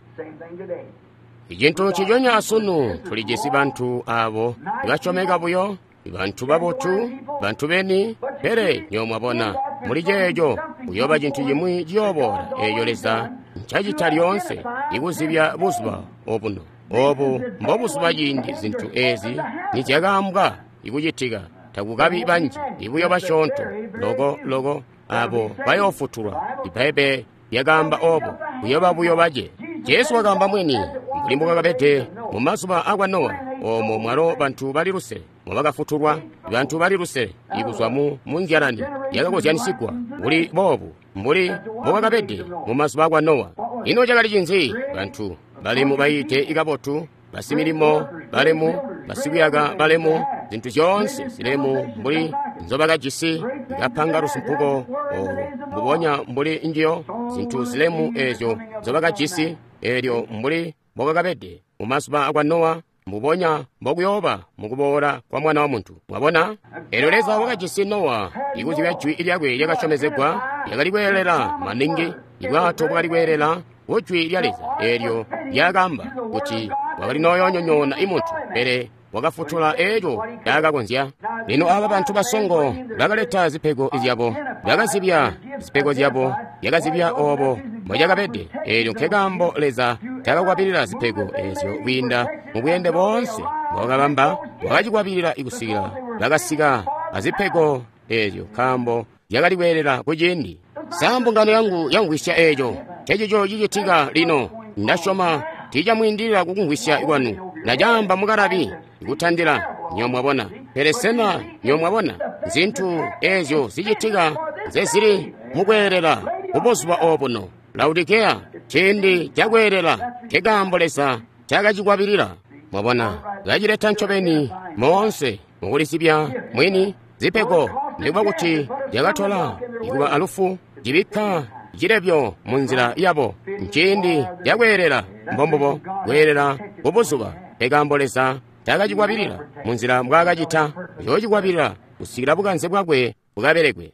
Icintu nciconya asunu, tulijisi bantu abo basyomeka buyo, bantu babotu, bantu beni, pele nyo mwabona muli ceeco kuyooba cintu cimwi ciyooboola eeco Leza ncacita lyoonse ikuzibya buzuba obuno. Obu mbobuzuba ciindi zintu ezi nizyakaambwa ikucitika. Takukabi banji, ibuyo basyoonto loko loko abo bayoofutulwa. Ibbaibbele lyakaamba obo, kuyoba buyo bace. Jesu wakaamba mwini mbuli mbwakabede mu mazuba akwa Nowa, oomo mwalo bantu bali lusele mwabakafutulwa, bantu bali lusele ikuzwa mu munzyalani yakakozyanisigwa kuli boobu mbuli mbwakabede mu mazuba akwa Nowa. Ino cakali cinzi? Bantu balemu bayiite ikabotu, basimilimo balemu, basikuyaka balemu, zintu zyoonse zilemu mbuli nzobakajisi, ikapanga lusumpuko olu mbubonya mbuli njiyo, zintu zilemu ezyo nzobakajisi, elyo mbuli mbokakabede mu mazuba akwa Nowa, mbubonya mbokuyooba mukuboola kwa Mwana wa Muntu. Mwabona, elyo Leza wakajisi Nowa ikuzibya jwi lyakwe lyakasyomezegwa, lyakali kweelela maningi, ibwato bwakali kweelela ku jwi lya Leza eelyo lyakaamba kuti wakali nooyoonyonyoona imuntu, pele wakafutula eeco caakakonzya. Lino aba bantu basongo bakaleta zipego zyabo, bakazibya zipego zyabo, yakazibya obo mbocakabede. Eelyo nkekaambo Leza taakakwabilila zipego ezyo kwiinda mu bweende boonse mbwakabamba, wakacikwabilila ikusikila bakasika azipego ezyo, nkaambo zyakali kweelela kuciindi. Sa mbungano yangu yamvwisya eeco? Ncecico cicitika lino. Ndasyoma tiicamwiindilila kukumvwisya kwanu. Ndacaamba mukalabi kutandila nyo mwabona. Pele sena nyo mwabona zintu ezyo zicitika nzezili mukweelela kubuzuba obuno? Laodikeya, ciindi cakweelela, nkekaambo Leza cakacikwabilila. Mwabona, kacileta ncobeni moonse mukulisibya mwini zipego, nikuba kuti zyakatola ikuba alufu, cibikka cilebyo munzila yabo. Nciindi cakweelela, mbombubo kweelela kubuzuba. Nkekaambo Leza taakacikwabilila munzila mbwaakacita, uyoocikwabilila kusikila bukanze bwakwe bukabelekwe.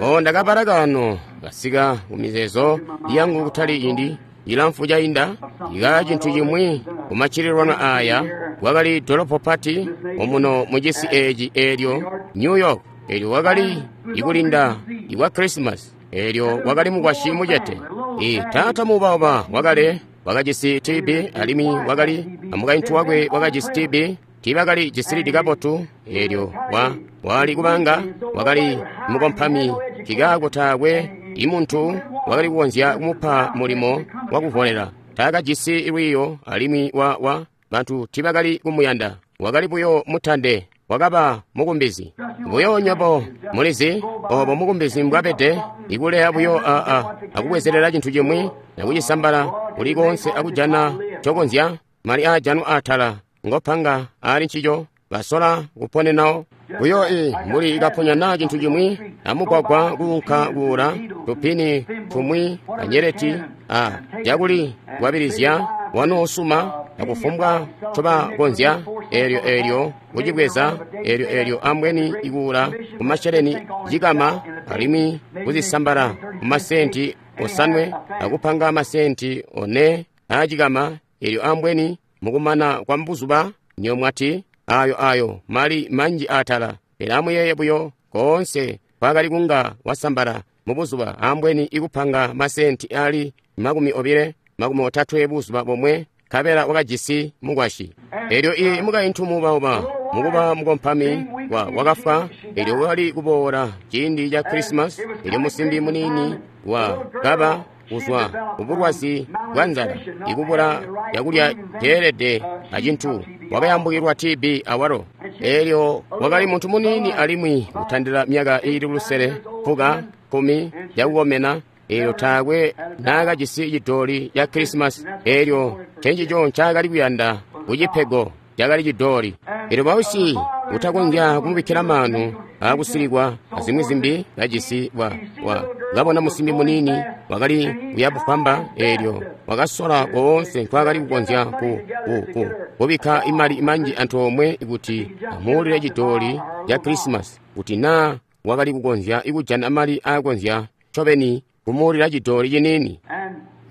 O, ndakabala kaano kasika kumizeezo yangu kutali ciindi cilamfu cainda, ika cintu cimwi kumaccililwano aya. Kwakali dolopo pati omuno mucisi eeci eelyo New York, eelyo wakali ikulinda ikwa Christmas, eelyo wakali mukwasyi mucete. I taata muubauba wakale wakajisi T B, alimwi wakali amukaintu wakwe wakajisi T B, tiibakali jisilidi kabotu. Eelyo wa wali kubanga wakali mukompami, kikaako taakwe imuntu wakali kukonzya kumupa mulimo wakuvolela. Taakajisi lwiiyo, alimwi wa wa bantu tiibakali kumuyanda. Wakali buyo mutande, wakaba mukumbizi. Buyo nywebo mulizi obo mukumbizi mbwabede, ikuleya buyo a a akubwezelela cintu cimwi nakucisambala kuli koonse akujana cokonzya mali aajanwa atala ngopanga aali ncico basola kuponenawo. Buyo i mbuli ikaponya naa cintu cimwi amugwagwa kuunka kuula tupini tumwi anyeleti a cakuli kwabilizya wanoosuma akufumbwa ncobakonzya, eelyo eelyo kucibweza, eelyo eelyo ambweni ikuula kumasheleni cikama, alimwi kuzisambala kumasenti osanwe akupanga masenti one aacikama, eelyo ambweni mukumana kwa mbuzuba nyo mwati ayo ayo mali manji atala. Pele amuyeeye buyo koonse kwakali kunga wasambala mubuzuba, ambweni ikupanga masenti ali makumi obile makumi otatwe buzuba bomwe, nkabela wakajisi mukwasyi. Elyo i mukaintu muubauba, mukuba mukompami, wa wakafwa. Elyo wakali kuboola ciindi ca Krisimasi. Elyo musimbi muniini wa kaba kuzwa kubulwazi bwa nzala, ikubula cakulya ceelede acintu, wakayambukilwa T B awalo. Elyo wakali muntu muniini alimwi kutandila myaka iili lusele, fuka, kkumi yakukomena. Elyo taakwe naakajisi cidooli ca Krisimasi. Elyo ncencico ncaakali kuyanda kucipego, cakali cidooli. Elyo bausyi utakonzya kumubikkila maanu akusilikwa azimwi zimbi kajisi wa, wa kabona musimbi muniini wakali kuyabufwamba. Elyo wakasola koonse nkwaakali kukonzya ku, ku, ku, kubikka imali manji antoomwe kuti amuulile cidooli ca Krisimasi, kuti naa wakali kukonzya kujana mali aakonzya ncobeni kumuulila cidooli ciniini.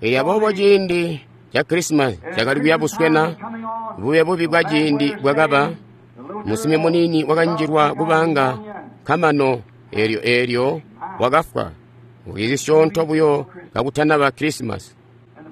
Elyo aboobo ciindi ca Krisimasi cakali kuyabuswena, bube bubi bwa ciindi bwakaba, musimbi muniini wakanjilwa kubanga kamano. Elyo elyo wakafwa zisyoonto buyo kakutanaba Krisimasi.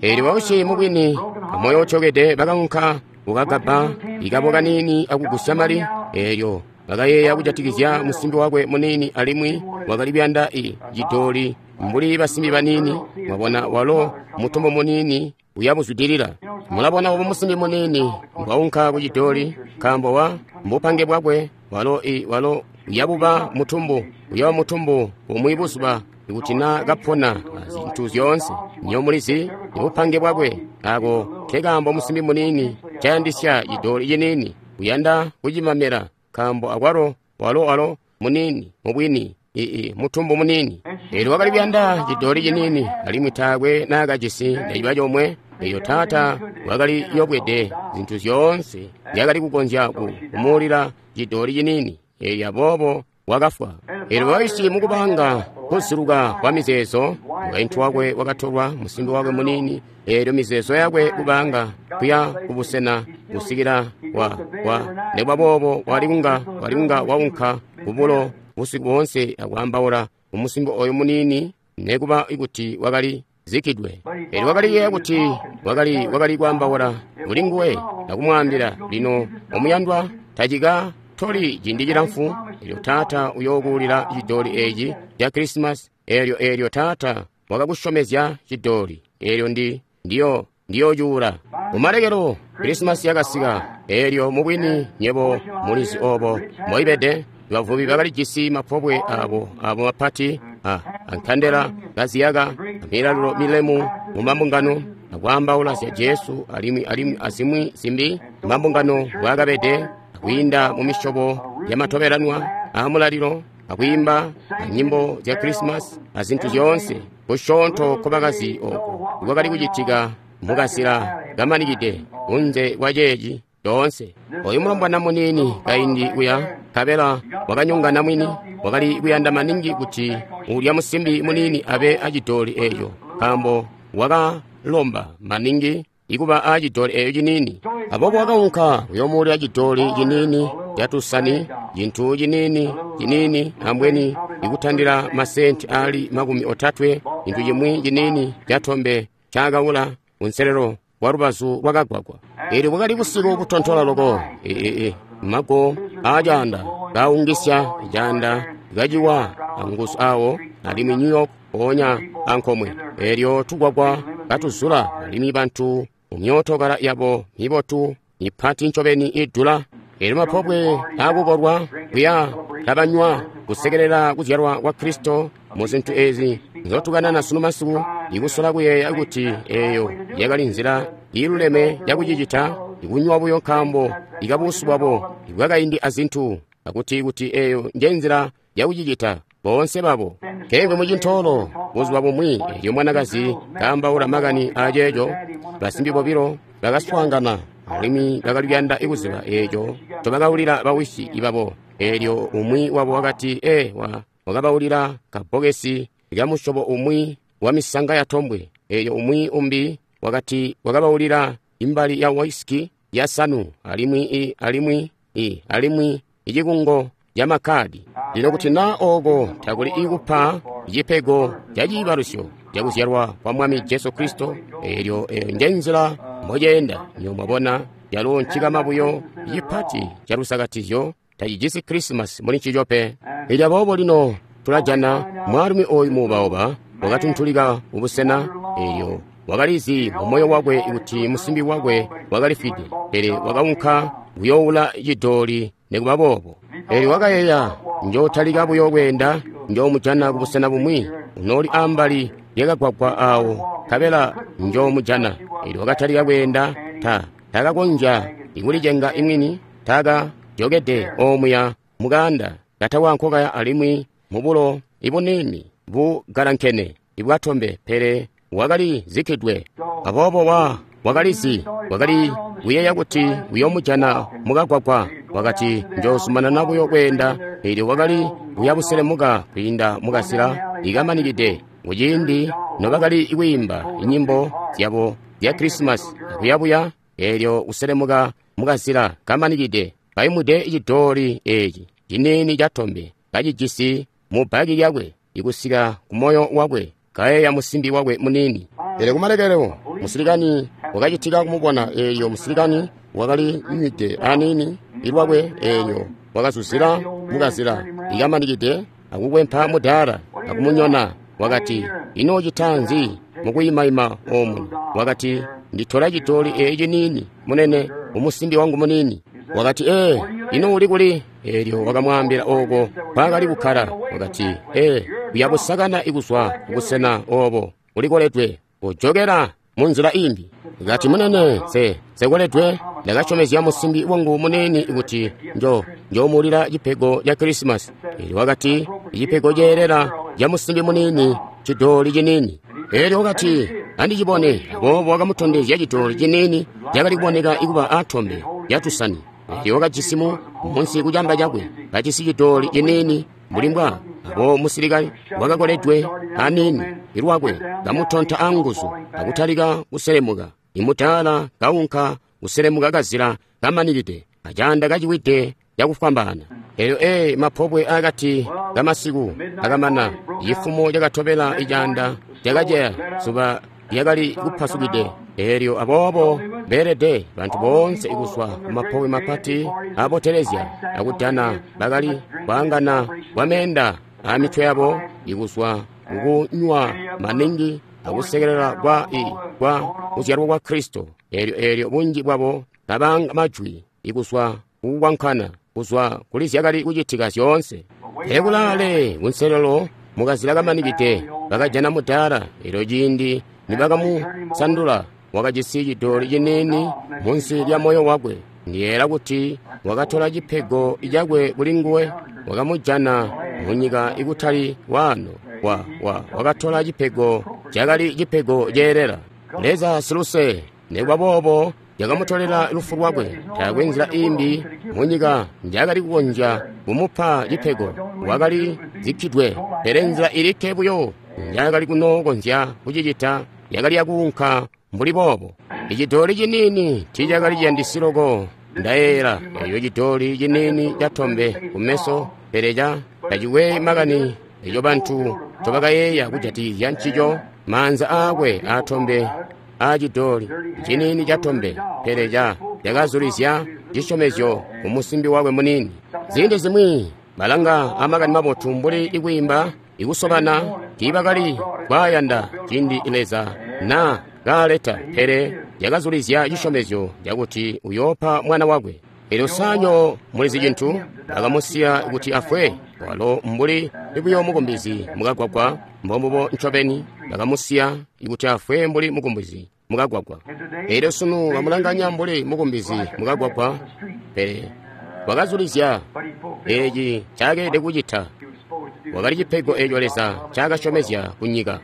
Elyo bausyi mubwini amoyo utyokede bakaunka kukagaba ikabo kaniini akugusya mali. Elyo bakayeeya kujatikizya musimbi wakwe muniini, alimwi wakali kuyanda i cidooli mbuli basimbi baniini. Mwabona, walo mutumbu muniini uyabuzwidilila. Mulabona obo musimbi muniini mbwaunka ku cidooli, nkaambo wa mbupange bwakwe, walo i walo uyabuba mutumbu, uyaba mutumbu bumwi buzuba ikuti na kapona zintu zyoonse. Nyo mulizi bupange bwakwe. Ako nkekaambo musimbi muniini cayandisya cidooli ciniini, uyanda kucimamela, nkaambo akwalo walo walo muniini mubwini ii mutumbu muniini. Elyo wakali kuyanda cidooli ciniini, alimwi taakwe naakajisi neciba comwe. Elyo taata wakali yobwede zintu zyoonse zyakali kukonzya kumuulila cidooli ciniini. Elyo aboobo wakafwa. Elyo bausyi mukubanga kuziluka kwa mizeezo, mukaintu wakwe wakatolwa, musimbi wakwe muniini. Elyo mizeezo yakwe kubanga kuya kubusena kusikila wa wa nekuba boobo wali kunga wali kunga waunka kubulo busiku boonse akwaambaula kumusimbi oyo muniini, nekuba kuti wakali zikidwe. Elyo wakali kuyeeya kuti wakali wakali kwaambaula kuli nguwe akumwaambila, lino omuyandwa, tacika toli ciindi cilamfu. Elyo taata uyookuulila cidooli eci ca Krisimasi. Elyo elyo taata wakakusyomezya cidooli. Elyo ndi ndiyo ndiyocuula. Kumalekelo Krisimasi yakasika. Elyo mubwini nyebo mulizi obo moibede. Bavubi bakalijisi mapobwe abo abo mapati a ankandela kaziyaka amilalilo milemu mu mambungano akwaambaula zya Jesu alimwi alimwi azimwi zimbi mambungano bwakabede, akwiinda mu misyobo yamatobelanwa aamulalilo, akwiimba anyimbo zya Krisimasi azintu zyoonse kusyoonto nkobakazi oko kwakali kucitika mukazila kamanikide kunze kwa ceeci coonse. Oyu mulombwana muniini kaindi kuya, nkabela wakanyongana mwini, wakali kuyanda maningi kuti ulya musimbi muniini abe acidooli eeco, nkaambo wakalomba maningi ikuba acidooli eeco ciniini. Aboobo wakaunka kuyoomuulila cidooli ciniini catusani, cintu ciniini ciniini ambweni ikutandila masenti aali makumi otatwe, cintu cimwi ciniini catombe cakaula kunselelo wa lubazu lwakagwagwa. Elyo bwakali busiku butontola loko, ee mago aacaanda kaungisya caanda kaciwa anguzu awo, alimwi New York mpoonya ankomwe. Elyo tugwagwa katuzula, alimwi bantu mumyootokala yabo mibotu mipati ncobeni idula. Elyo mapobwe aakukolwa kuya kabanywa kusekelela kuzyalwa kwa Kristo mu zintu ezi nzotukanana sunu masiku, ikusola kuyeeya kuti eyo yakali nzila iiluleme yakucicita, ikunywa buyo nkaambo ikabusu bwabo ibwakaindi azintu, akuti kuti eyo njenzila yakucicita boonse babo. Kengwe mucintoolo buzuba bumwi, elyo mwanakazi kaambaula makani aceeco, basimbi bobilo bakaswaangana alimwi bakali kuyanda kuziba eeco ncobakaulila bawisyi babo. Elyo umwi wabo wakati, e wa wakabaulila kabbokesi kamusyobo umwi wa misanga ya tombwe. Elyo umwi umbi wakati wakabaulila imbali ya whisky ya sanu, alimwi i alimwi i alimwi icikungo ca makadi. Lino kuti naa ooko takuli ikupa cipego ca ciibalusyo cakuzyalwa kwa Mwami Jesu Kristo. Eelyo eyo nje nzila mboceenda. Nyo mwabona, calo ncikama buyo cipati ca lusakatizyo, tacijisi Krisimasi muli ncico pe. Elyo aboobo lino tulajana mwaalumi oyu muubauba wakatuntulika mubusena, eelyo wakalizi mu moyo wakwe kuti musimbi wakwe wakalifwide, pele wakaunka kuyoowula cidooli nikuba boobo. Eelyo wakayeeya, njootalika buyo kweenda, njoomujana kubusena bumwi, unooli ambali lyakagwagwa awo, nkabela njoomujana. Eelyo wakatalika kweenda, ta takakonzya ikulicenga imwini, taka jokede omuya mukanda katawankokaya alimwi mubulo ibuniini bugalankene ibwatombe, pele wakali zikkidwe. Aboobo wa wakalizi, wakali kuyeeya kuti uyoomujana mukagwagwa. Wakati, njoozumanana buyo kweenda. Eelyo wakali kuyabuselemuka kwiinda mukazila ikamanikide, kuciindi nobakali kwiimba inyimbo zyabo zya Krisimasi akuyabuya. Eelyo kuselemuka mukazila kamanikide, kaimude cidooli eeci ciniini catombe kacijisi mu bbaki lyakwe ikusika ku moyo wakwe, kayeeya musimbi wakwe muniini. Pele kumalekelo musilikani wakacitika kumubona. Eelyo musilikani wakali nywide aniini ilwakwe, eelyo wakazuzila mukazila ikamanikide akukwempa mudaala akumunyona. Wakati, ino ucita nzi mukuyimayima omuno? Wakati, nditola cidooli eeci ciniini, munene, umusimbi wangu muniini. Wakati, ee, ino uli kuli? Eelyo wakamwaambila ooko mpaakali kukkala. Wakati, ee, uyabusakana ikuzwa kubusena obo ulikoledwe, ujokela mu nzila imbi. Kati, munene, nse nsekoledwe, ndakasyomezya musimbi wangu muniini kuti njo njomuulila cipego ca Krisimasi. Eelyo wakati, icipego ceelela ca musimbi muniini, cidooli ciniini. Eelyo wakati, andicibone. Aboobo wakamutondezya cidooli ciniini cakali kuboneka ikuba atombe lyatusani. Eelyo wakajisi mu munsi kucamba cakwe, kajisi cidooli ciniini mbuli mbwa. Abo musilikani wakakoledwe aniini ilwakwe, kamutonta anguzu akutalika kuselemuka. Imutaala kaunka kuselemuka kazila kamanikide, acaanda kaciwide cakufwambaana. Eelyo ee mapobwe akati kamasiku akamana, cifumo cakatobela icaanda cakaceya, zuba lyakali kupasukide. Eelyo aboobo beelede bantu boonse kuzwa kumapobwe mapati abotelezya akudana bakali kwaangana kwameenda amitwe yabo ikuzwa kukunywa maningi akusekelela kwa i kwa kuzyalwa kwa Kristo. Eelyo eelyo bunji bwabo kabanga majwi ikuzwa kukwankana kuzwa kuli zyakali kucitika zyoonse. Pele kulaale kunselelo mukazila kamanikide bakajana mudaala. Eelyo ciindi nibakamusandula, wakajisi cidooli ciniini munsi lya moyo wakwe. Ndiyeera kuti wakatola cipego cakwe kuli nguwe, wakamujana munyika ikutali waano. Wa, wa, wakatola cipego cakali cipego ceelela. Leza siluse, nikuba boobo yakamutolela lufu lwakwe. Taakwe nzila imbi munyika njakali kukonzya kumupa cipego, wakali zikkidwe. Pele nzila ilikke buyo njakali kunookonzya kucicita yakali yakuunka mbuli boobo. Icidooli ciniini tiicakali ciyandisi loko, ndayeeyela eyo cidooli ciniini catombe kumeso, pele ca tacikwe makani eco bantu ncobakayeeya kujatikizya ncico. Maanza aakwe aatombe aacidooli ciniini catombe, pele ca cakazulizya cisyomezyo ku musimbi wakwe muniini. Ziindi zimwi balanga amakani mabotu mbuli ikwiimba ikusobana tiibakali kwaayanda ciindi Leza na kaaleta, pele yakazulizya cisyomezyo cakuti uyoopa mwana wakwe. Eelyo sanyo mulizi cintu, bakamusiya kuti afwe, walo mbuli buyo mukumbizi mukagwagwa. Mbombubo ncobeni, bakamusiya kuti afwe mbuli mukumbizi mukagwagwa. Eelyo sunu bamulanganya mbuli mukumbizi mukagwagwa, pele wakazulizya eeci ncakeelede kucita. Wakali cipego eeco Leza ncaakasyomezya kunyika.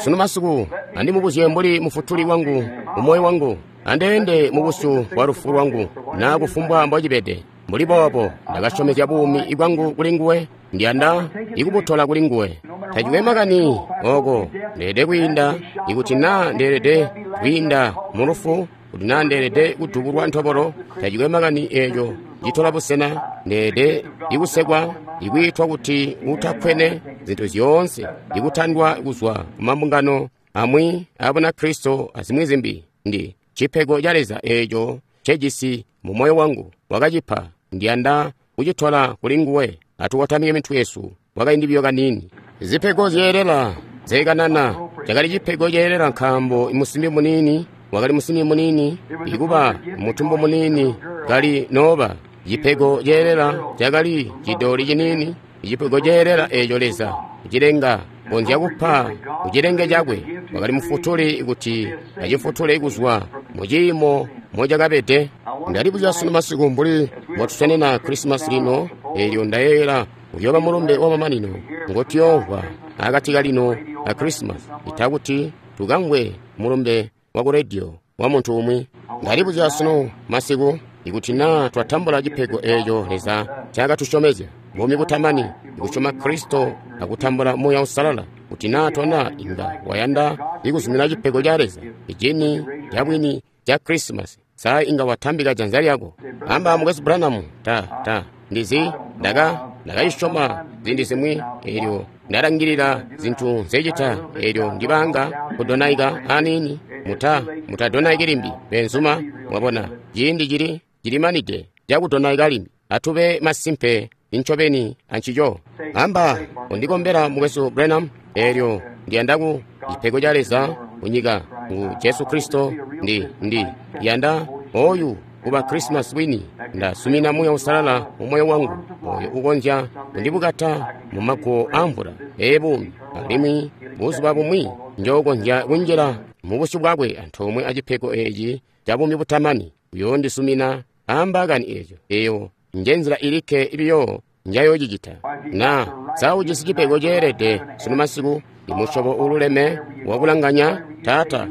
Sunu masiku andimubuzye mbuli mufutuli wangu mumoyo wangu, andeende mubusyu bwa lufu lwangu, naa kufumbwa mbocibede. Mbuli boobo ndakasyomezya buumi bwangu kuli nguwe, ndiyanda ikubutola kuli nguwe. Tacikwe makani oko ndeelede kwiinda, ikuti naa ndeelede kwiinda mu lufu, kuti naa ndeelede kudubulwa ntobolo, tacikwe makani eeco citola busena. Ndeede ikusekwa, ikwiitwa kuti utakkwene, zintu zyoonse, ikutandwa kuzwa ku mambungano amwi a Bunakristo azimwi zimbi. Ndi cipego ca Leza eeco ncejisi mu moyo wangu, wakacipa. Ndiyanda kucitola kuli nguwe. Atukotamike mitwe yesu kwakaindi biyo kaniini. Zipego zyeelela zekanana cakali cipego ceelela nkaambo musimbi muniini wakali musimbi muniini, ikuba mutumbu muniini kali noba. Cipego ceelela cakali cidoli ciniini. Cipego ceelela eeco Leza kucilenga konzya kupa kucilenge cakwe wakali mufutuli kuti acifutule kuzwa mu ciimo mocakabede. Ndalibuzya sunu masiku mbuli mbotusenena Krisimasi lino, eelyo ndayeeyela uyooba mulumbe wamamanino ngotuyoomvwa akati kalino a Krisimasi, ita kuti tukamvwe mulumbe wa ku rediyo wa muntu umwi. Ndalibuzya sunu masiku ikuti naa twatambula cipego eeco Leza ncaakatusyomezya, buumi butamani, ikusyoma Kristo akutambula Muuya Uusalala. Kuti naa tona inga wayanda ikuzumina cipego ca Leza, icini cabwini ca Krisimasi, sa inga watambika janza lyako. Amba mukwesu Branham, ta ta ndizi ndaka ndakayisyoma ziindi zimwi, eelyo ndalangilila zintu nzecita, eelyo ndibanga kudonaika aniini. Muta mutadonaiki limbi benzuma, mwabona ciindi cili cilimanide cakudonaika limbi. Atube masimpe incobeni ancico. Amba undikombela mukwesu Branham, eelyo ndiyanda ku cipego ca Leza kunyika ngu Jesu Kristo. Ndi ndi yanda oyu kuba Krisimasi wini. Ndasumina Muuya Uusalala mu moyo wangu, oyo ukonzya kundibukata mu maguwo amvula eebuumi, alimwi buzuba bumwi njookonzya kunjila mu busyu bwakwe antoomwe acipego eeci ca buumi butamani. Uyoondisumina ambaakani eeco. Eeyo njenzila ilikke biyo njayoocicita. Na sa ujisi cipego ceelede sunu masiku, imusyobo uululeme wakulanganya, Taata,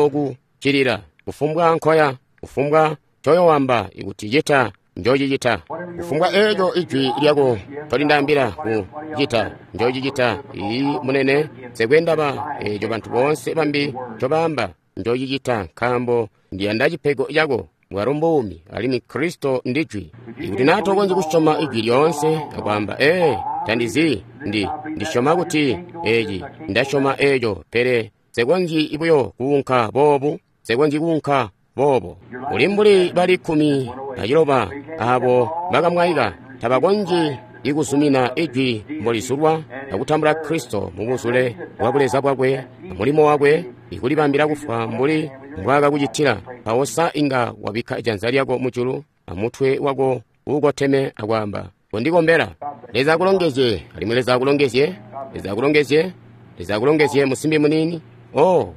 njookuccilila kufumbwa nkoya, kufumbwa ncoyoowamba ikuti cita, njoocicita. Kufumbwa eeco ijwi lyako ncolindaambila kucita, njoocicita. Iiyi munene, nsekwe ndaba eeco bantu boonse bambi ncobaamba, njoocicita, nkaambo ndiyanda cipego cako. Bwalo mbuumi, alimwi Kristo ndijwi. Ikuti naa tokonzyi kusyoma ijwi lyoonse akwaamba, ee, tandizi, ndi ndisyoma kuti eeci, ndasyoma eeco, pele nsekonzyi buyo kuunka boobu, nsekonzyi kuunka boobo. Uli mbuli bali kkumi na ciloba abo bakamwaika, tabakonzyi ikuzumina ijwi mbolizulwa akutambula Kristo mu buzule bwa buleza bwakwe amulimo wakwe, ikulibambila kufwa mbuli mbwaakakucitila. Mpawo sa inga wabikka janza lyako mujulu amutwe wako uukoteme akwaamba, kondikombela. Leza akulongezye, alimwi Leza akulongezye, Leza akulongezye, Leza akulongezye musimbi muniini. Oh,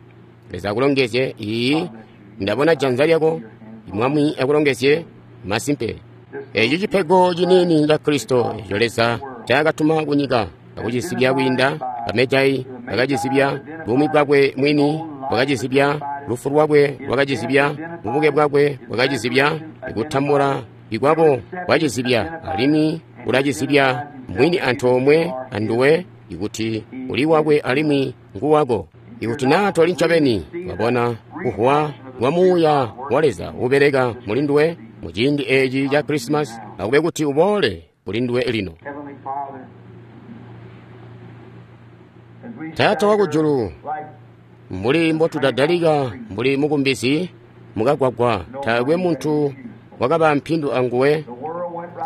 Leza akulongezye. Iiyi, ndabona janza lyako. Mwami akulongezye. Masimpe, eeci cipego ciniini ca Kristo eco Leza ncaakatuma kunyika akucizibya kwiinda bamejai bakacizibya, buumi bwakwe mwini bwakacizibya, lufu lwakwe lwakacizibya, bubuke bwakwe bwakacizibya, ikutambula ikwabo kwacizibya, alimwi ulacizibya mwini antoomwe anduwe ikuti uli wakwe alimwi nguwako. Ikuti naa toli ncobeni wabona kuhuwa kwa Muuya wa Leza ubeleka muli nduwe mu ciindi eeci ca Krisimasi, akube kuti uboole kuli nduwe lino. Taata wakujulu, mbuli mbotudadalika mbuli mukumbizi mukagwagwa, taakwe muntu wakaba mpindu anguwe.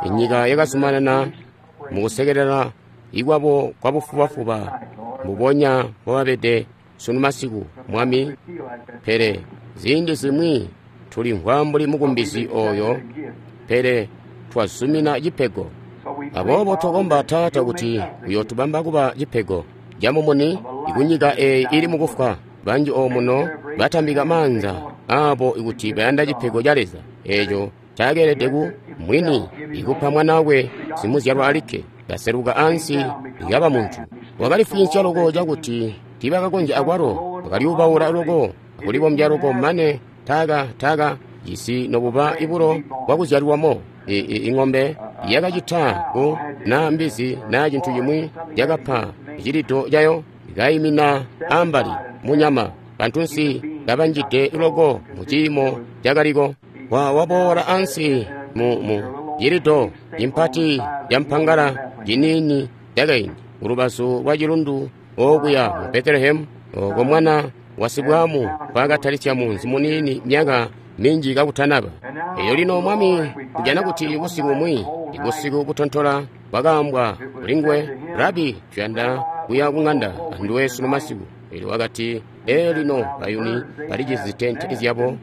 Inyika yakazumanana mukusekelela ikwabo kwa bufubafuba mbubonya mbobabede sunu masiku, Mwami. Pele ziindi zimwi tulimvwa mbuli mukumbizi oyo, pele twazumina cipego. Aboobo twakomba Taata kuti uyootubamba kuba cipego camumuni ikunyika eeyi ili mukufwa. Banji omuno batambika maanza aabo ikuti bayanda cipego ca Leza eeco caakeelede ku mwini ikupa mwana wakwe simuzyalwa alikke, kaseluka ansi ikaba muntu. Wakalifwiinsya loko cakuti tiibakakonzya akwalo, wakalyubaula loko akulibombya loko mane taaka taaka jisi nobuba ibulo bwakuzyalwamo. Ing'ombe yakacita ku naa mbizi naa cintu cimwi yakapa cilido cayo ikayimina ambali munyama. Bantunsi kabanjide loko mu ciimo cakaliko. Wa waboola ansi mu mu cilido impati yampangala ciniini cakaindi kulubazu lwa cilundu okuya mu Betelehemu, oko mwana wa sibwamu nkwaakatalisya munzi muniini myaka minji kakutanaba. Elyo lino Mwami, kujana kuti busiku bumwi, ibusiku butontola, bwakaambwa kuli nguwe, Rabi, tuyanda kuya ku ng'anda anduwe sunu masiku. Elyo wakati, ee lino bayuni balijisi zitente zyabo,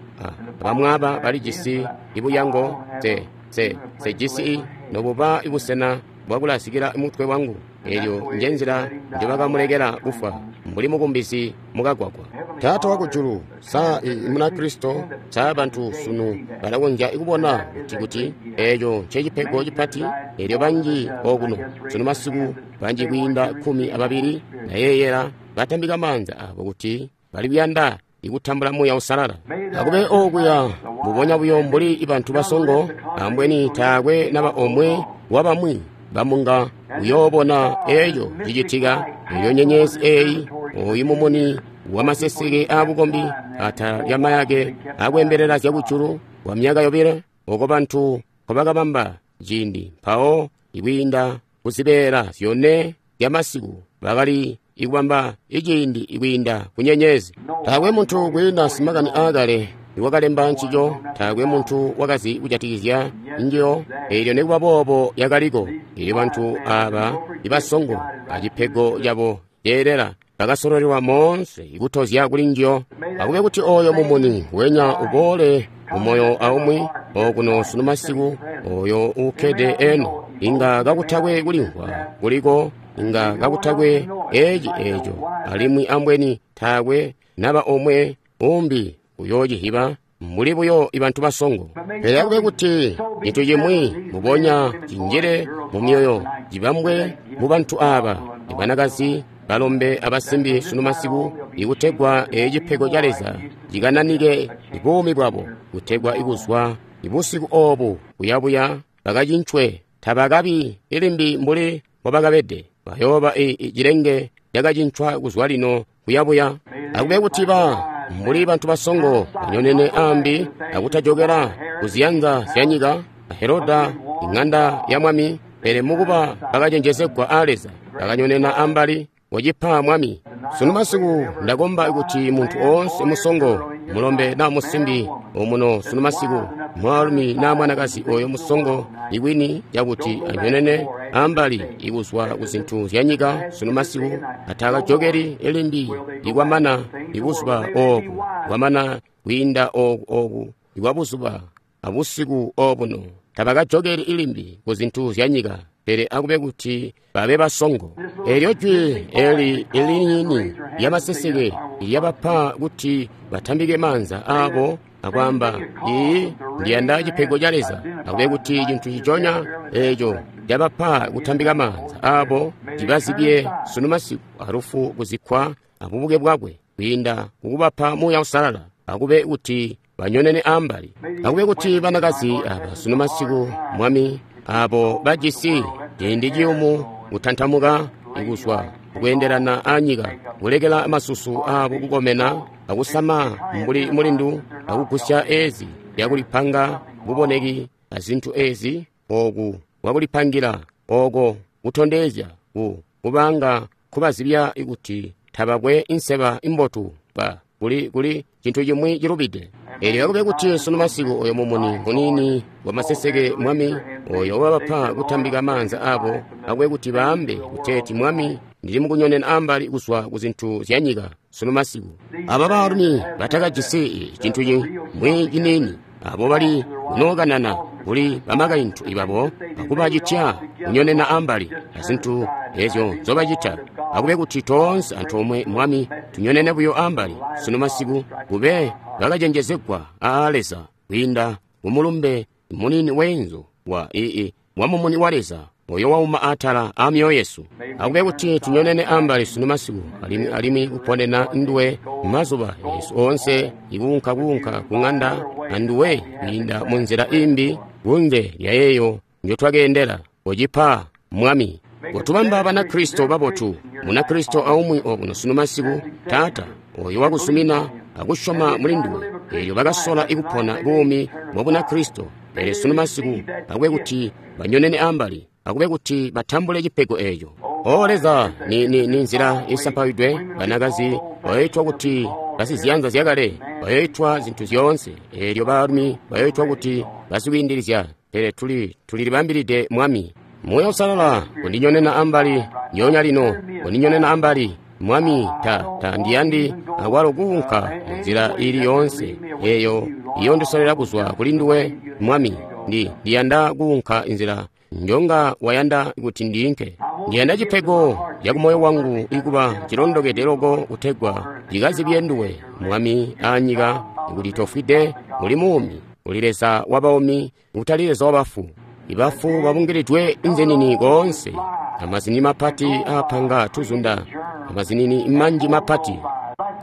abamwaaba balijisi ibuyango, se se sejisi nobuba ibusena bwakulasikila mutwe wangu. Elyo nje nzila njobakamulekela kufwa mbuli mukumbizi mukagwagwa. Taata wakujulu, sa i Munakristo, sa bantu sunu balakonzya kubona kuti kuti eeco ncecipego cipati. Elyo banji okuno sunu masiku, banji kwiinda kkumi ababili nayeeyela batambika maanza abo kuti bali kuyanda ikutambula Muuya Uusalala. Akube okuya mbubonya buyo mbuli bantu basongo, ambweni taakwe naba omwe wabamwi bamunga uyoobona eeco cicitika. Elyo nyenyezi eeyi, oyu mumuni wamaseseke aabukombi atala lyamayake akwembelela zyakujulu kwa myaka yobile, oko bantu nkobakabamba ciindi mpawo ikwiinda kuzibeela zyone zyamasiku bakali ikubamba iciindi ikwiinda ku nyenyezi. Taakwe muntu kwiinda simakani aakale iwakalemba ncico, taakwe muntu wakazi kujatikizya njiyo, eelyo nikuba boobo yakaliko. Elyo bantu aaba ibasongo acipego cabo ceelela bakasololelwa moonse ikutozya kuli njiyo. Akube kuti oyo mumuni wenya uboole mumoyo aumwi okuno sunu masiku, oyo uukkede eno, inga kakutakwe kulimvwa kuliko, inga kakutakwe eci eco, alimwi ambweni taakwe naba omwe umbi uyoocihiba mbuli buyo ibantu basongo. Pele akube kuti cintu cimwi mubonya cinjile mu myoyo cibambwe mu bantu aaba, ibanakazi, balombe abasimbi sunu masiku, ikutegwa ecipego ca Leza cikananike buumi bwabo, kutegwa ikuzwa ibusiku obu buyabuya bakacincwe, tabakabi ilimbi mbuli mbobakabede, bayooba cilenge cakacincwa kuzwa lino kuyabuya. Akube kuti ba mbuli bantu basongo banyonene ambi akutajokela kuziyanza zyanyika, Heroda ing'anda ya mwami, pele mukuba bakacenjezegwa a Leza, bakanyonena ambali wacipa mwami. Sunu masiku ndakomba kuti muntu oonse musongo, mulombe na musimbi omuno sunu masiku, mwaalumi na mwanakazi oyo musongo ikwini yakuti anyonene ambali ikuzwa kuzintu zyanyika sunu masiku, atakajokeli ilimbi ikwamana ibuzuba obu, kwamana kwiinda oku oku ikwabuzuba abusiku obuno, tabakajokeli ilimbi kuzintu zyanyika, pele akube kuti babe basongo. Elyo jwi eli iliniini lyamaseseke lyabapa kuti batambike maanza aabo akwaamba, ii ndiyanda cipego ca Leza. Akube kuti cintu ciconya eco cabapa kutambika maanza aabo cibazibye sunu masiku alufu kuzikkwa abubuke bwakwe kwiinda kukubapa Muuya Uusalala. Akube kuti banyonene ambali. Akube kuti banakazi aba sunu masiku, Mwami, abo bajisi ciindi ciyumu kutantamuka ikuzwa kweendelana anyika, kulekela masusu abo kukomena akusama mbuli mulindu, akugusya ezi lyakulipanga buboneki azintu ezi oku wakulipangila oko kutondezya ku kubanga kubazibya kuti tabakwe inseba imbotu ba kuli kuli cintu cimwi cilubide. Elyo akube kuti sunu masiku oyo mumuni munini wamaseseke, Mwami, oyo wabapa kutambika maanza abo, akube kuti baambe kuteeti, Mwami, ndili mukunyonena ambali kuzwa kuzintu zyanyika sunu masiku. Aba baalumi batakajisi cintu cimwi ciniini, abo bali kunookanana kuli bamakaintu ibabo akubacitya kunyonena ambali azintu ezyo nzobacita. Akube kuti toonse antoomwe, Mwami, tunyonene buyo ambali sunu masiku, kube bakacenjezegwa aa Leza kwiinda kumulumbe munini wenzu wa ii wa mumuni wa Leza oyo wauma atala a myoyo yesu. Akube kuti tunyonene ambali sunu masiku, alimwi alimwi kuponena nduwe mazuba yesu oonse, ikuunka kuunka ku ng'anda anduwe kwiinda mu nzila imbi kunze lya yeeyo njotwakeendela. Kocipa, Mwami, kotubamba Banakristo babotu, Munakristo aumwi okuno sunu masiku, Taata, oyo wakusumina akusyoma muli nduwe, eelyo bakasola ikupona buumi bwa Bunakristo, Pele sunu masiku akube kuti banyonene ambali, akube kuti batambule cipego eco. O Leza, ni, ni, ni nzila isampawidwe, banakazi bayoitwa kuti basiziyanza zyakale, bayoitwa zintu zyoonse, eelyo baalumi bayoitwa kuti basikwiindilizya. Pele tuli tulilibambilide Mwami. Muuya Uusalala kundinyonena ambali nyonya lino, kundinyonena ambali Mwami. Ta ta ndiyandi akwalo kuunka nzila ili yoonse eyo iyondisolela kuzwa kuli nduwe Mwami. Ndi ndiyanda kuunka inzila njonga wayanda kuti ndiinke. Ndiyanda cipego ca kumoyo wangu ikuba cilondokede loko kutegwa cikazibye nduwe Mwami anyika, kuti tofwide uli muumi, uli Leza wabaumi, utali Leza wabafu. Ibafu babungilidwe nzenini koonse, amazinini mapati aapanga tuzunda, amazinini manji mapati.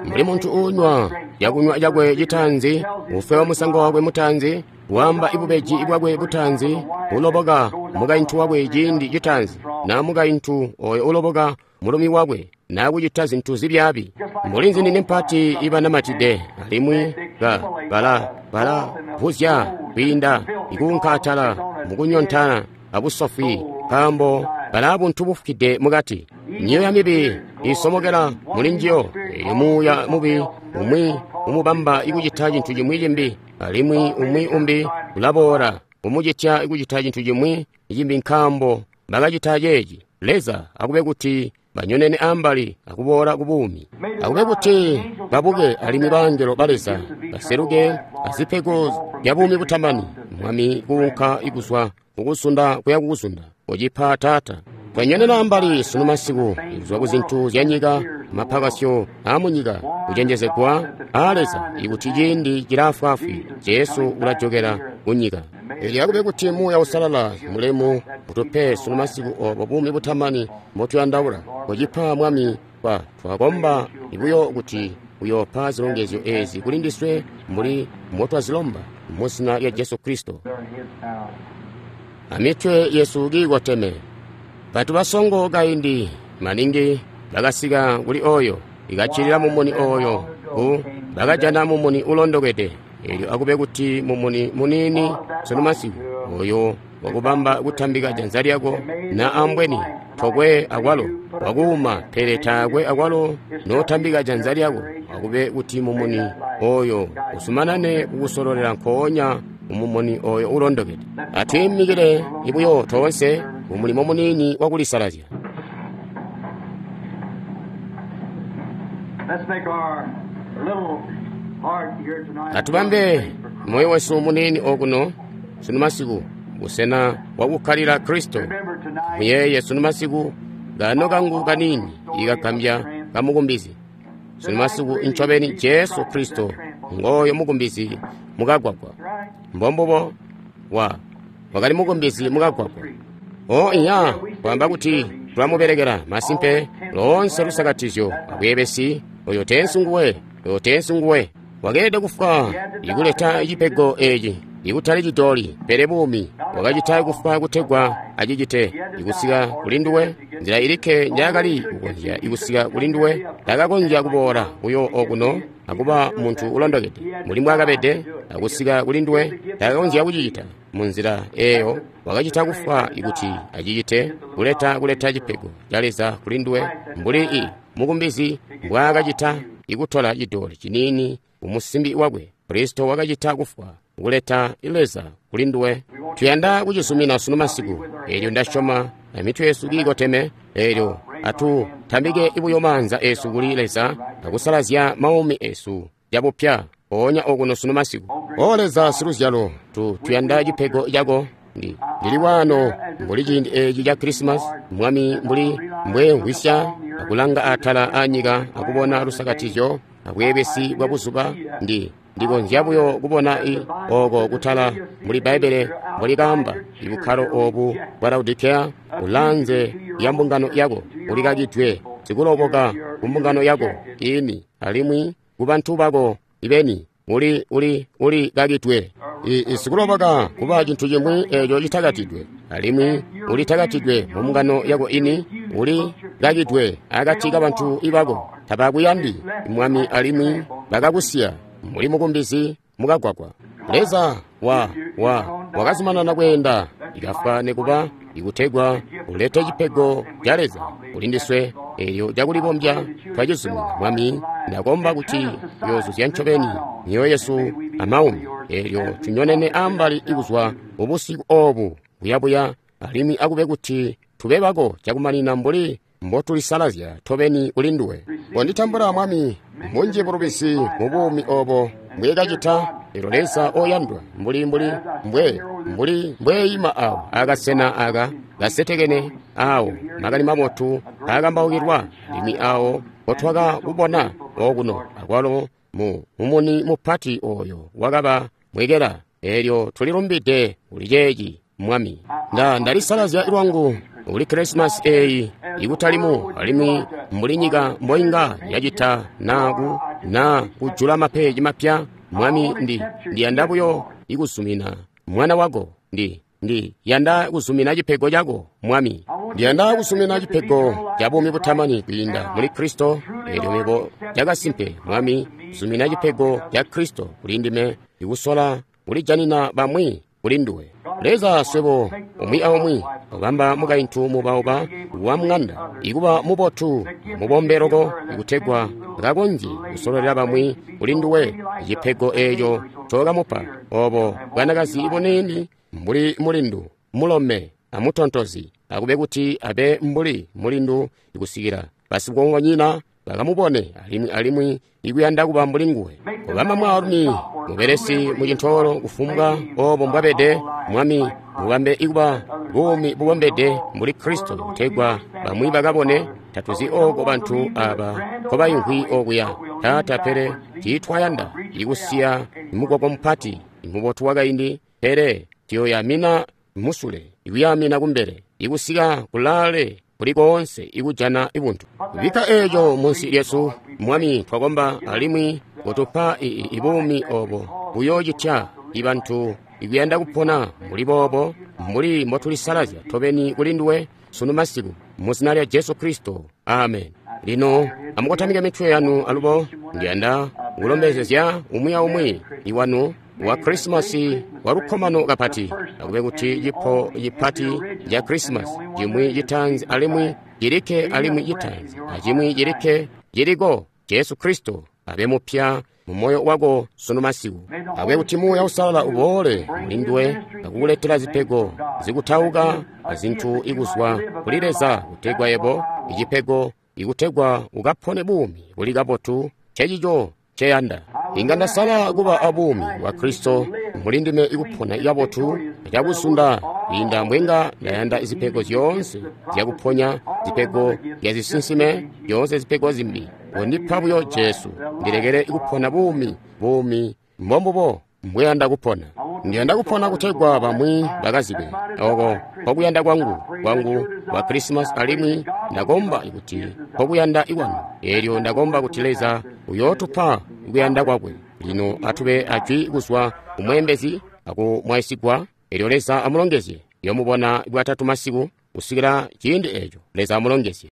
Mbuli muntu uunywa cakunywa cakwe citaanzi, ufewa musango wakwe mutaanzi, wamba ibubeji bwakwe butaanzi, uloboka mukaintu wakwe ciindi citaanzi, na mukaintu oyo uloboka mulumi wakwe, na kucita zintu zibyaabi. Mbuli nzinini mpati ibanamatide, alimwi ka bala bala vuzya kwiinda ikuunka atala mukunyontana abusofwi, nkaambo balaa buntu bufukide mukati. Myoya mibi isomokela muli njiyo. Eyo muuya mubi umwi umubamba ikucita cintu cimwi cimbi, alimwi umwi umbi ulaboola umucitya ikucita cintu cimwi cimbi, nkaambo bakacita ceeci. Leza akube kuti banyonene ambali akuboola ku buumi. Akube kuti babuke alimwi baangelo ba Leza baseluke azipego zya buumi butamani. Mwami, kuunka ikuzwa kukuzunda kuya kukuzunda, ucipa Taata. Twanyonena ambali sunu masiku kuzwa ku zintu zya nyika, mapakasyo aamunyika, kucenjezegwa aa Leza ikuti ciindi cilaafwaafwi, Jesu ulajokela kunyika. Elyo akube kuti Muuya Uusalala mulemu utupe sunu masiku obo buumi butamani mbotuyandaula. Kucipa Mwami, kwa twakomba ibuyo kuti uyopa zilongezyo ezi kuli ndiswe mbuli mbotwazilomba mu zina lya Jesu Kristo. Amitwe yesu kiikoteme. Bantu basongo kaindi maningi bakasika kuli oyo ikacilila mumuni oyo ku bakajana mumuni ulondokede. Elyo akube kuti mumuni munini sunu masiku oyo wakubamba kutambika janza lyako, na ambweni tokwe akwalo wakuuma, pele taakwe akwalo notambika janza lyako. Akube kuti mumuni oyo usumanane kukusololela nkoonya umumuni oyo ulondokede. Atwiimikile ibuyo toonse umulimo munini wakulisalazya. Atubambe moyo wesu munini okuno sunu masiku busena bwakukkalila Kristo. Muyeye sunu masiku gano kangu kanini ikagambya kamukumbizi. Sunu masiku incobeni Jesu Kristo ngoyo mukumbizi mukagwagwa. Mbombubo wa wakali mukumbizi mukagwagwa. O iya kwamba kuti tulamubelekela masimpe loonse lusakatizyo abwebesi oyo tensi nguwe, oyo tensi nguwe. Wakeelede kufwa ikuleta cipego eci, ikutali cidoli pele buumi. Wakacita kufwa kutegwa acicite ikusika kuli nduwe. Nzila ilikke njaakali kukonzya ikusika kuli nduwe, takakonzya kuboola buyo okuno akuba muntu ulondokede mbuli mbwaakabede akusika kuli nduwe. Takakonzya kucicita munzila eyo. Wakacita kufwa ikuti acicite kuleta kuleta cipego ca Leza kuli nduwe, mbuli i mukumbizi mbwaakacita ikutola cidoli cinini umusimbi wakwe. Kristo wakacita kufwa kuleta Leza kuli nduwe. Tuyanda kucizumina sunu masiku. Elyo ndasyoma amitwe yesu kiikoteme. Elyo atutambike ibuyo maanza esu kuli Leza akusalazya maumi esu cabupya mpoonya okuno sunu masiku. O Leza siluzyalo, tu tuyanda cipego cako. Ndi ndili wano mbuli ciindi eci ca Krisimasi, Mwami, mbuli mbwemvwisya akulanga atala anyika akubona lusakatizyo abweebesi bwa buzuba. Ndi ndikonzya buyo kubona i oko kutala muli Bbaibbele mbuli kamba ibukkalo obu bwa Laodikea ulanze ya mbungano yako ulikakidwe sikuloboka ku mbungano yako ini alimwi ku bantu bako ibeni uli uli uli kakidwe. Isikuloboka kuba cintu cimwi eco citakatidwe, alimwi ulitakatidwe mu mbungano yako ini, uli kakidwe akati kabantu ibako. Tabakuyandi Mwami alimwi bakakusiya mbuli mukumbizi mukagwagwa. Leza wa wa wakazumanana kweenda, ikafwa nekuba, ikutegwa ulete cipego ca Leza kulindiswe, elyo cakulibombya twacizumina. Mwami, ndakomba kuti uyoozuzya ncobeni myoyo yesu amaumi, elyo tunyonene ambali ikuzwa mubusiku obu buyabuya, alimwi akube kuti tube bako cakumanina mbuli mbotulisalazya tobeni kuli nduwe. Konditambula, Mwami, munji bulubisi mu buumi obo mbwekacita. Elyo Leza oyandwa, mbuli mbuli mbwe mbuli mbweyima awo akasena aka kasetekene awo makani mabotu akambaukilwa, alimwi awo mbotwakakubona okuno akwalo mu mumuni mupati oyo wakaba mwekela. Elyo tulilumbide kuli ceeci, Mwami. Nda ndalisalazya lwangu kuli Krisimasi eyi ikutalimu, alimwi mbuli nyika mboinga yacita na ku na kujula mapeji mapya. Mwami, ndi ndiyanda buyo ikuzumina mwana wako. Ndi ndi yanda kuzumina cipego cako, Mwami. Ndiyanda kuzumina cipego ca buumi butamani kwiinda muli Kristo. Elyo mebo cakasimpe, Mwami, zumina cipego ca Kristo kuli ndime, ikusola kulijanina bamwi kuli nduwe. Leza, swebo umwi aumwi obamba mukaintu mubauba wa mung'anda ikuba mubotu mubombe loko, ikutegwa kakonzye kusololela bamwi kuli nduwe. Cipego eeco cookamupa obo bwanakazi buniini mbuli mulindu mulome amutontozi, akube kuti abe mbuli mulindu ikusikila basikongonyina bakamubone alimwi alimwi ikuyanda kuba mbuli nguwe. Obamba mwaalumi mubelesi mucintoolo kufumbwa obo mbwabede, Mwami, mubambe ikuba buumi bubombede mbuli Kristo, kutegwa bamwi bakabone. Tatuzi oko bantu aba nkobayimvwi okuya, Taata, pele tiitwayanda ikusiya mugwagwa mupati mubotu wakaindi, pele tuyoyamina musule ikuyamina kumbele ikusika kulaale kuli koonse ikujana ibuntu. Bikka eeco munsi lyesu, Mwami, twakomba, alimwi kutupa ibuumi obo buyoocitya ibantu ikuyanda kupona mbuli boobo, mbuli mbotulisalazya tobeni kuli nduwe sunu masiku, mu zina lya Jesu Kristo, amen. Lino amukotamike mitwe yanu alubo. Ndiyanda kulombezezya umwi aumwi iwanu wa Krisimasi wa lukkomano kapati. Akube kuti cipo cipati ca Krisimasi cimwi citaanzi alimwi cilikke alimwi citaanzi acimwi cilikke ciliko, Jesu Kristo abe mupya mu moyo wako sunu masiku. Akube kuti Muuya Uusalala uboole muli nduwe akukuletela zipego zikutauka azintu ikuzwa kuli Leza, kutegwa yebo icipego ikutegwa ukapone buumi buli kabotu. Cecico ceyanda. Inga ndasala kuba abuumi bwa Kristo muli ndime ikupona kabotu cakuzunda kwiinda mbwenga ndayanda zipego zyoonse zyakuponya, zipego zyazisinsime, zyoonse zipego zimbi. Kondipa buyo Jesu, ndilekele ikupona buumi, buumi mbombubo mbweyanda kupona. Ndiyanda kupona kutegwa bamwi bakazibe oko nkokuyanda kwangu kwangu kwa Krisimasi, alimwi ndakomba kuti nkokuyanda ikwanu. Elyo ndakomba kuti Leza uyootupa kuyanda kwakwe. Lino atube ajwi kuzwa kumweembezi akumwaisigwa. Elyo Leza amulongezye. Yomubona bwatatu masiku kusikila ciindi eco. Leza amulongezye.